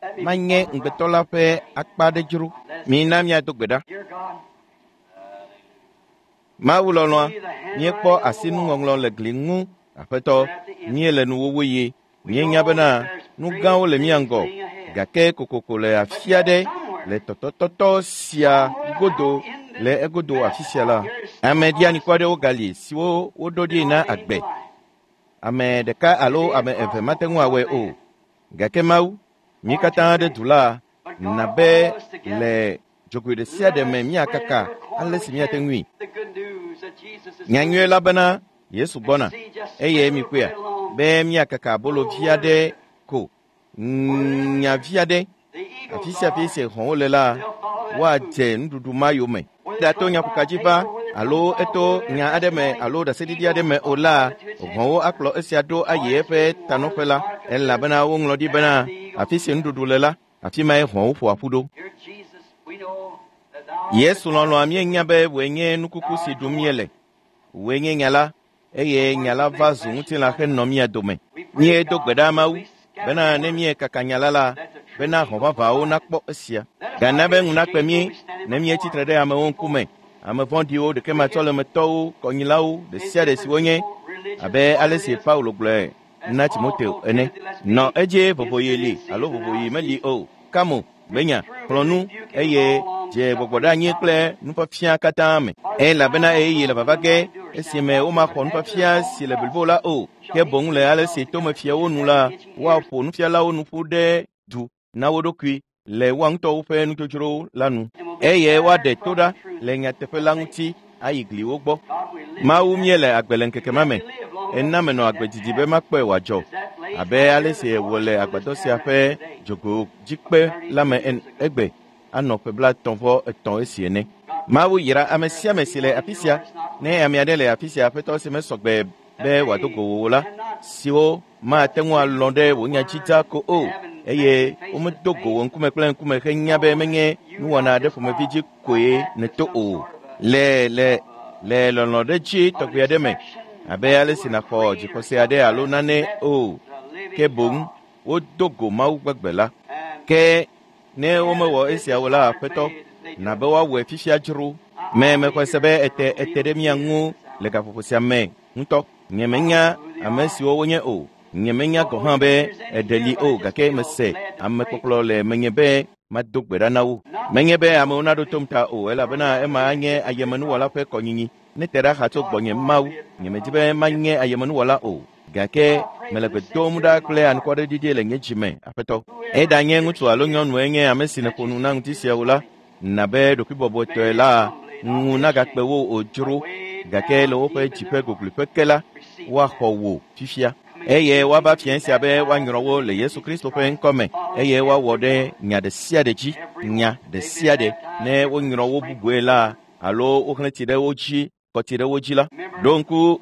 Let me Manye ŋugbetɔ la ƒe akpa aɖe dzro. Mina míado gbe ɖa. Dear God, Mawu lɔlɔ̃a, míekpɔ asinuŋɔŋlɔ le gli ŋu. Aƒetɔ, míele nuwuwu yi. Míenya bena nu gãwo le mía ŋgɔ gake kokoko le afi aɖe le tɔtɔtɔtɔ sia godo le egodo afi sia la, ame ɖianikɔ aɖewo gali siwo woɖo ɖi na agbe. Ame ɖeka alo ame eve mate ŋu awɔe o. Gake Mawu, mí katã ɖe du la, na be le dzogoe ɖe sia ɖe me míakaka ale si míate ŋui. the good news that Jesus is Nyanyui la bena Yesu gbɔna eye mikpɔea be míakaka abolo vi aɖe ko nya vi aɖe the eagles afi sia afi si hɔ̃wo le la woadze nuɖuɖu ma yome. Eɖato nyaƒoka dzi va alo eto nya aɖe me alo ɖaseɖiɖi aɖe me o la, hɔ̃wo akplɔ esia ɖo ayi eƒe tanɔƒe la elabena woŋlɔ ɖi bena afi si nuɖuɖu le la, afi mae hɔ̃wo ƒoa ƒu ɖo. Dear Jesus, we know that thou Yesu lɔlɔ̃a míenya be wòe nye nukuku si ɖum míele. Wòe nye nya la eye nya la va zu ŋutilã henɔ mía dome. Míedo gbe ɖa Mawu bena ne míekaka nya la la, bena hɔ̃ vavãwo nakpɔ esia. Gana be ŋu nakpe mí ne míetsi tre ɖe amewo ŋkume. Ame vɔ̃ɖiwo, ɖekematsɔlemetɔwo, kɔnyilawo, ɖe sia ɖe si wonye abe ale si Paulo gblɔe na Timoteo ene. Nɔ edzi vovoɣi li alo vovoɣi meli o. Kamo, gbenya, xlɔ̃ nu eye dze gbɔgbɔ ɖe anyi kple nufiafia katã me. Elabena ɣeyiɣi le vava ge esime womaxɔ nufiafia si le blibo la o, ke boŋ le ale si tomefiawo nu la, woaƒo nufialawo nu ƒu ɖe du na wo ɖokui le woa ŋutɔwo ƒe nudzodzrowo la nu eye woaɖe to ɖa le nyateƒe la ŋuti ayi gliwo gbɔ. God, we live Mawu míele agbe le ŋkeke ma me. Ena menɔ agbe didi be makpɔe wòadzɔ abe ale si wòle agbadɔ sia ƒe dzogoedzikpe la me en- egbe anɔ ƒe blaetɔ̃ vɔ etɔ̃ esi ene. Mawu yra ame sia ame si le afi sia. Ne ame aɖe le afi sia aƒetɔ si mesɔgbe be wòado go wò o la, siwo mate ŋu alɔ̃ ɖe wò nya dzi dzaa ko o eye womedo go wò ŋkume kple ŋkume henya be menye nuwɔna aɖe ƒomevi dzi koe nèto o. Le le le lɔlɔ̃ ɖe dzi tɔgbi aɖe me abe ale si nàxɔ dzixɔse aɖe alo nane o ke boŋ wodo go Mawu gbegbe la. and Ke ne womewɔ esia o la, aƒetɔ, na be woawɔe fifia dzro. Me mexɔe se be ete ete ɖe mía ŋu le gaƒoƒo sia me ŋutɔ. Nyemenya ame siwo wonye o. Nyemenya gɔ̃ hã be eɖe li o gake mese amekpɔkplɔ le menye be mado gbe ɖa na wo. Menye be amewo naɖo tom ta o elabena ema anye ayemenuwɔla ƒe kɔnyinyi. Ne te ɖa xa tso gbɔnye Mawu, nyemedi be manye ayemenuwɔla o. Gake mele gbe dom ɖa kple anukwareɖiɖi le nye dzi me, aƒetɔ. Eɖanye ŋutsu alo nyɔnue nye ame si nèƒo nu na ŋuti sia o la, Na be ɖokuibɔbɔtɔe la ŋu nagakpe wo o dzro gake le woƒe dziƒe gogloƒe ke la woaxɔ wò fifia eye woava fia sia be woanyrɔ wo le Yesu Kristo ƒe ŋkɔme eye woawɔ ɖe nya ɖe sia ɖe dzi nya ɖe sia ɖe ne wonyrɔ wo bubue la alo woxlẽ tsi ɖe wo dzi kɔ tsi ɖe wo dzi la. Ɖo ŋku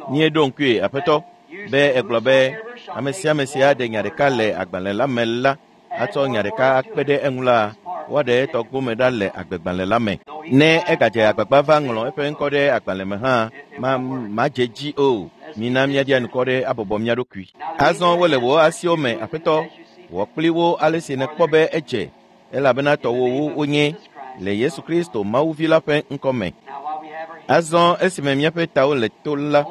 míeɖo ŋkue aƒetɔ be egblɔ be ame sia ame si aɖe nya ɖeka le agbalẽ la me la atsɔ nya ɖeka akpe ɖe eŋu la woaɖe etɔ gome ɖa le agbegbalẽ la me. Ne egadze agbagba va ŋlɔ eƒe ŋkɔ ɖe agbalẽ me hã ma madze dzi o. Mina míaɖia nukɔ ɖe abɔbɔ mía ɖokui. Azɔ wole wò asiwo me aƒetɔ wɔ kpli wo ale si nèkpɔ be edze elabena tɔwòwo wonye le Yesu Kristo Mawuvi la ƒe ŋkɔme. Azɔ esime míaƒe tawo le to la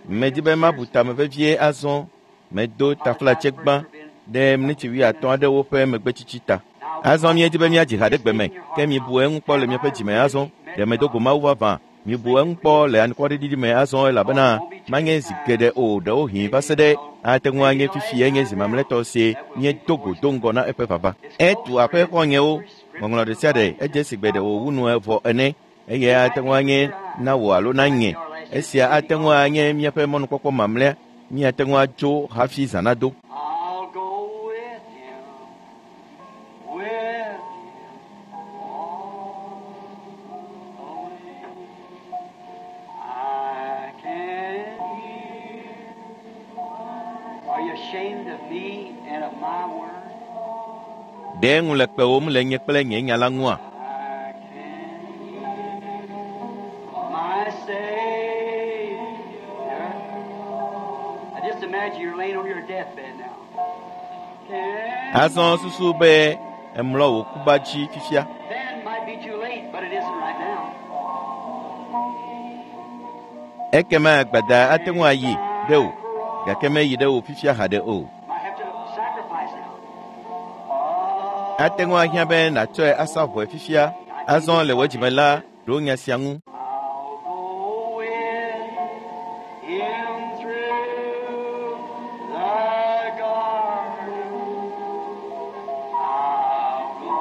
medi be mabu tame vevie azɔ medo taflatse gbã ɖe miniti wuiatɔ̃ aɖewo ƒe megbetsitsi ta. Azɔ míedi be míadzi ha ɖe gbe me ke mibu eŋu kpɔ le miaƒe dzime azɔ ɖe medo go Mawu vavã mibu eŋu kpɔ le anukwaɖiɖi me azɔ elabena manye zi geɖe o ɖewohĩ va se ɖe ate ŋu anye fifi enye zi mamlɛtɔ si míedo go do ŋgɔ na eƒe vava. Etu aƒe xɔ̃nyewo ŋɔŋlɔ ɖe sia ɖe edze si gbe ɖe wòwu nu evɔ ene eye ate ŋu anye na wò alo na nye. Esia ate ŋu anye míaƒe mɔnukpɔkpɔ mamlɛa míate ŋu atso hafi zã nado. I'll go with him, with him all the way. I can hear. Are you ashamed of me and of my word? Ɖe ŋu le kpewòm le nye kple nye nya la ŋua? I can hear my Savior. I just imagine you're laying on your deathbed now. Can Azɔ susu be emlɔ wò kuba dzi fifia. Then might be too late, but it isn't right now. Ekema gbada ate ŋu ayi ɖe o gake meyi ɖe wò fifia haɖe o. Might have to sacrifice now. Ate ŋu ahiã be nàtsɔe asa vɔe fifia. Azɔ le wò dzime la ɖo nya sia ŋu. I'll go with him through the garden. I'll go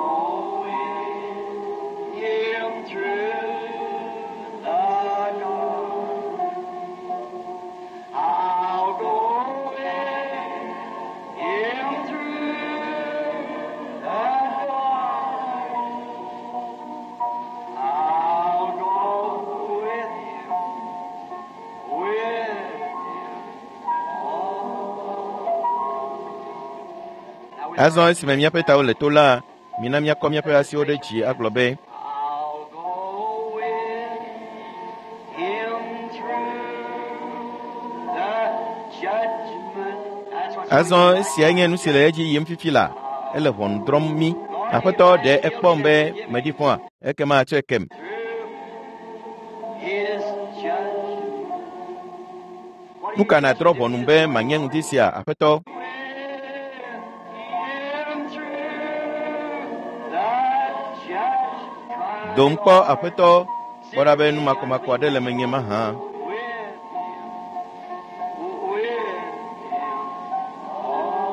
with him through the garden. I'll go with him through the garden. I'll go with him, with him. All. Now we Azɔ esime míaƒe tawo le to la, mina míakɔ míaƒe asiwo ɖe dzi agblɔ be I'll go with him through the judgment. That's what's azɔ going on. esia nye nu si le edzi yim fifi la ele ʋɔnu drɔ̃m mí. Aƒetɔ ɖe ekpɔm be meɖi fɔa ekema atsɔe kem. Through his judgment. What do Nu you ka nàdrɔ̃ do? ʋɔnum be manye ŋdi sia aƒetɔ? With him through the judge Dom kpɔ aƒetɔ kpɔ ɖa be nu makɔmakɔ aɖe le menye mahã. with him, with him all.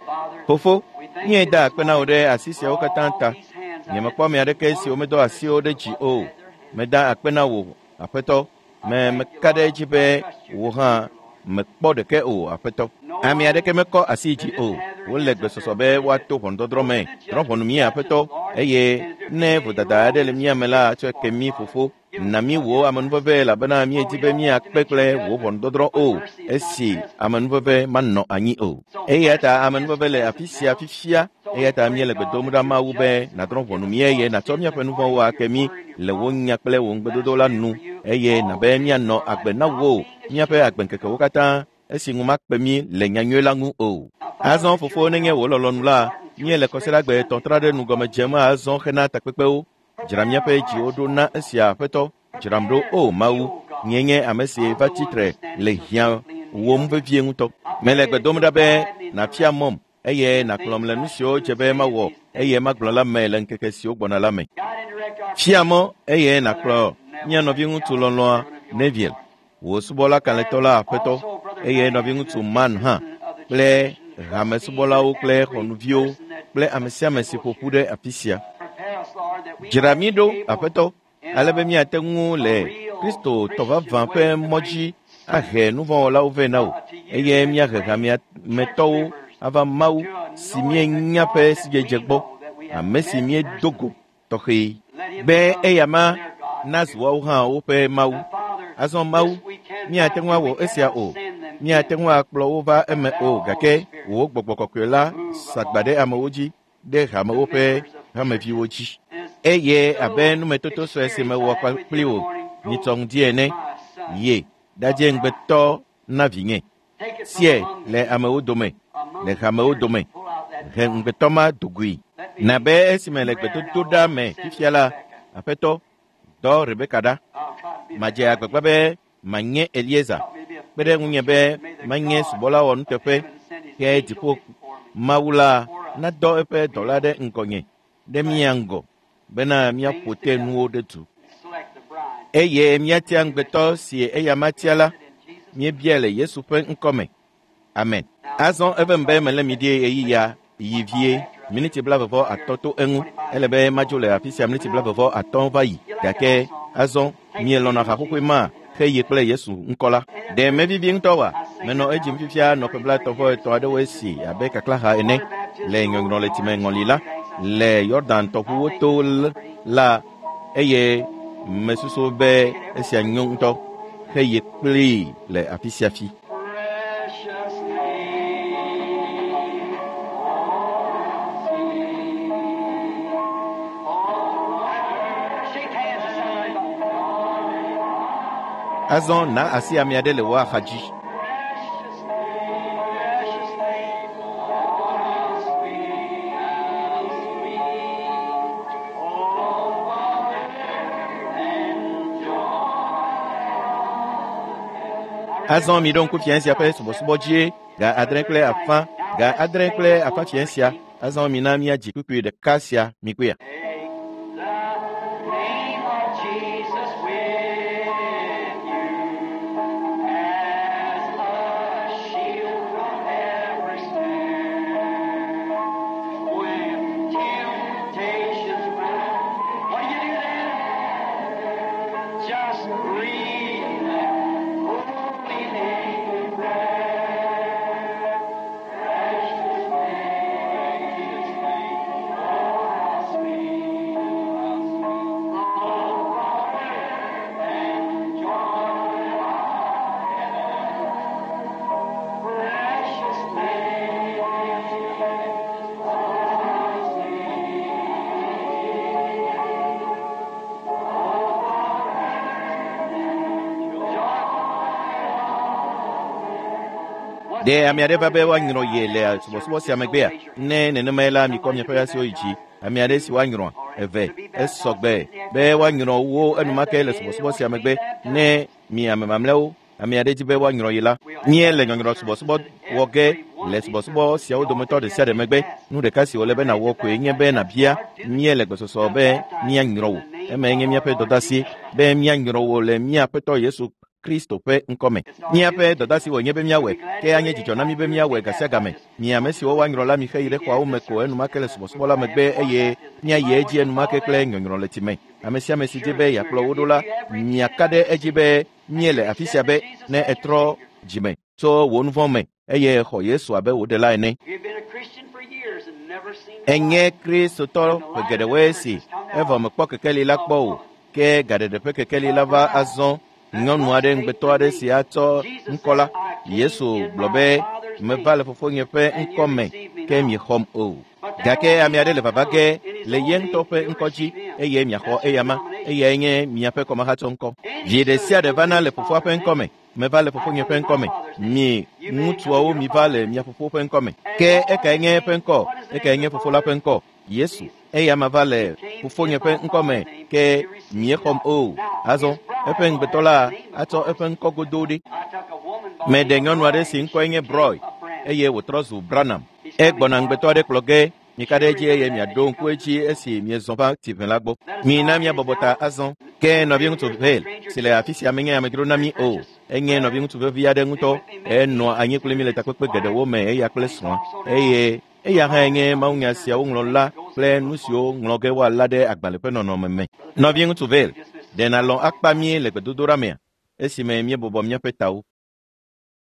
Father, Fofo, we thank you míeda this akpe na wò morning ɖe asi siawo for katã all ta. these hands. I Nyemekpɔ ame aɖeke si womedɔ asiwo ɖe dzi o. Meda akpe na wò aƒetɔ. Me meka ɖe edzi be wò hã mekpɔ ɖeke o aƒetɔ. Ame aɖeke mekɔ asi dzi o. Wole gbesɔsɔ be woato ʋɔnudɔdrɔ̃ me. Drɔ̃ ʋɔnu mí aƒetɔ eye ne vodada aɖe le mía me la tsɔe ke mí fofo. Na mí wò amenuveve elabena míedi be míakpe kple wò ʋɔnudɔdrɔ̃ o esi amenuveve manɔ anyi o. Eya ta amenuveve le afi sia fifia eya ta míele gbe dom ɖa Mawu be nàdrɔ̃ ʋɔnu mí eye nàtsɔ míaƒe nu vɔ̃wo ake mí le wò nya kple wò ŋugbedodo la nu eye nàbe míanɔ agbe na wò míaƒe agbeŋkekewo katã esi ŋu makpe mí le nyanyui la ŋu o. Azɔ fofo nenye wò lɔlɔ̃nu la, míele kɔsiɖagbe etɔ̃ ɖe nu gɔme dzem azɔ hena takpekpewo. Dzra míaƒe dziwo ɖo na esia aƒetɔ. Dzram ɖo o Mawu. Nye nye ame si va tsitre le hiã wòm vevie ŋutɔ. Mele gbe dom ɖa be nàfia mɔm eye nàkplɔm le nu siwo dze be mawɔ eye magblɔ la me le ŋkeke siwo gbɔna la me. Guide and direct our Fia mɔ eye nàkplɔ mía nɔviŋutsu lɔlɔ̃a Neville, wò subɔla kalẽtɔ la aƒetɔ eye nɔviŋutsu Man hã kple hamesubɔlawo kple xɔnuviwo kple ame sia ame si ƒo ƒu ɖe afi sia. Dzra mí ɖo, Aƒetɔ, ale be míate ŋu le Kristo tɔ vavã ƒe mɔ dzi ahe nuvɔ̃wɔlawo vɛ na wò eye míahe hamea me tɔwo ava Mawu si míenya ƒe sidzedze gbɔ, ame si míedo go tɔxɛ be eya ma nazu woawo hã woƒe Mawu. Azɔ Mawu, míate ŋu awɔ esia o, míate ŋu akplɔ wo va eme o, gake wò gbɔgbɔ kɔkɔe la sagba ɖe amewo dzi ɖe hamewo ƒe hameviwo dzi. Eye abe numetoto sue si mewɔ kpli wò nyitsɔ ŋdi ene, ye ɖadze ŋugbetɔ na vinye. Sie le amewo dome, le hamewo dome, he ŋugbetɔ ma dogoe. Na be esime le gbedodoɖa me fifia la, Aƒetɔ, dɔ Rebeka ɖa. Madze agbagba be manye Eliezer. Kpe ɖe ŋunye be manye subɔla wɔnuteƒe ke dziƒo Mawu la nadɔ eƒe dɔla ɖe ŋgɔnye ɖe mía ŋgɔ bena míaƒo te nuwo ɖe du. Eye míatia ŋugbetɔ si eya matia la, míebiae le Yesu ƒe ŋkɔme. Amen. Azɔ evem be mele mi ɖi ɣeyiɣia yi vie miniti blaeve vɔ atɔ̃ to eŋu. Ele be madzo le afi sia miniti blaeve vɔ atɔ̃ va yi. Gake azɔ mielɔ̃na haƒoƒoe ma xeye kple Yesu ŋkɔ la. Ɖe mevivi ŋutɔ wa? Menɔ edzim fifia nɔ ƒe blaetɔ̃ vɔ etɔ̃ aɖewo esi abe kaklaha ene le nyɔnyrɔletime ŋɔli la le Yɔdan tɔʋuwo to la eye mesusu be esia nyo ŋutɔ xeye kplii le afi sia fi. Precious name, oh sweet, oh shake hands with somebody. Azɔ na asi ame aɖe le wò axa dzi. Precious name, precious name, oh sweet, how sweet, oh Father and joy. Azɔ mi ɖo ŋku fiẽ sia ƒe subɔsubɔ dzie ga adre kple afã ga adre kple afã fiẽ sia. Azɔ mina míadzi kpukpui ɖeka sia mikpɔea. Take the name of Jesus with you as a shield from every snare. When temptations round, what do you do then? Just breathe that holy name in prayer. Precious name, precious name, oh how sweet, how sweet, oh Father and joy of heaven. Precious name, oh sweet, oh Father and joy. Ɖe ame aɖe va be woanyrɔ ye le subɔsubɔ sia megbea? Ne nenemae la, mikɔ miaƒe asiwo yi dzi. Ame aɖe si woanyrɔa eve esɔgbe be woanyrɔ wo enumake le subɔsubɔ sia megbe. Ne mi ame mamlɛawo ame aɖe dzi be woanyrɔ ye la, míele nyɔnyrɔ subɔsubɔ wɔ ge le subɔsubɔ siawo dometɔ ɖe sia ɖe megbe. Nu ɖeka si wòle be nàwɔ koe nye be nàbia míele gbesɔsɔ be míanyrɔ wò. Emae nye míaƒe dɔdeasi be míanyrɔ wò le mía Aƒetɔ Yesu Kristo ƒe ŋkɔme. Míaƒe dɔdeasi wònye be míawɔe, ke anye dzidzɔ na mí be míawɔe gasiagame. Mi ame siwo woanyrɔ la mixe yi ɖe xɔawo me ko enumake le subɔsubɔ la megbe eye míayi edzi enumake kple nyɔnyrɔ le time. Ame sia ame si di be yeakplɔ wo ɖo la, miaka ɖe edzi be míele afi sia be ne ètrɔ dzime tso wò nuvɔ̃ me eye xɔ Yesu abe wò ɖela ene. You've been a Christian for years and never seen the Enye light. Kristotɔ ƒe geɖewoe si evɔ mekpɔ kekeli la kpɔ o, ke gaɖeɖe ƒe kekeli la va azɔ. Nyɔnu aɖe ŋugbetɔ aɖe si atsɔ ŋkɔ la, Yesu gblɔ be, meva le fofonye ƒe ŋkɔ me, ke miexɔm o. Gake ame aɖe le vava ge le ye ŋutɔ ƒe ŋkɔ dzi eye miaxɔ eyama, eyae nye miaƒe kɔmahatsɔ ŋkɔ. Vi ɖe sia ɖe vana le fofoa ƒe ŋkɔ me. Meva le fofonye ƒe ŋkɔ me. Mi ŋutsuawo miva le mia fofo ƒe ŋkɔ me. Ke ekae nye eƒe ŋkɔ? Ekae nye fofo la ƒe ŋkɔ? Yesu. Eya ma va le fofonye ƒe ŋkɔ me ke miexɔm o. Azɔ eƒe ŋugbetɔ la atsɔ eƒe ŋkɔ godoo ɖi. I took a woman by Meɖe nyɔnu aɖe si ŋkɔe nye Broy eye wòtrɔ zu Branham. Egbɔna ŋugbetɔ aɖe kplɔ ge Mika ɖe edzi eye miaɖo ŋku edzi esi miezɔ va tsiʋẽ la gbɔ. Mina míabɔbɔ ta azɔ. Ke nɔviŋutsu Vayle si le afi sia menye amedzro na mí o. Enye nɔviŋutsu vevi aɖe ŋutɔ. Enɔa anyi kpli mí le takpekpe geɖewo me eya kple srɔ̃a eye eya hã nye mawunya siawo ŋlɔla kple nu siwo ŋlɔ ge woala ɖe agbalẽ ƒe nɔnɔme me. Nɔviŋutsu Vayle, ɖe nàlɔ̃ akpa mí le gbedodoɖa mea esime míebɔbɔ míaƒe tawo.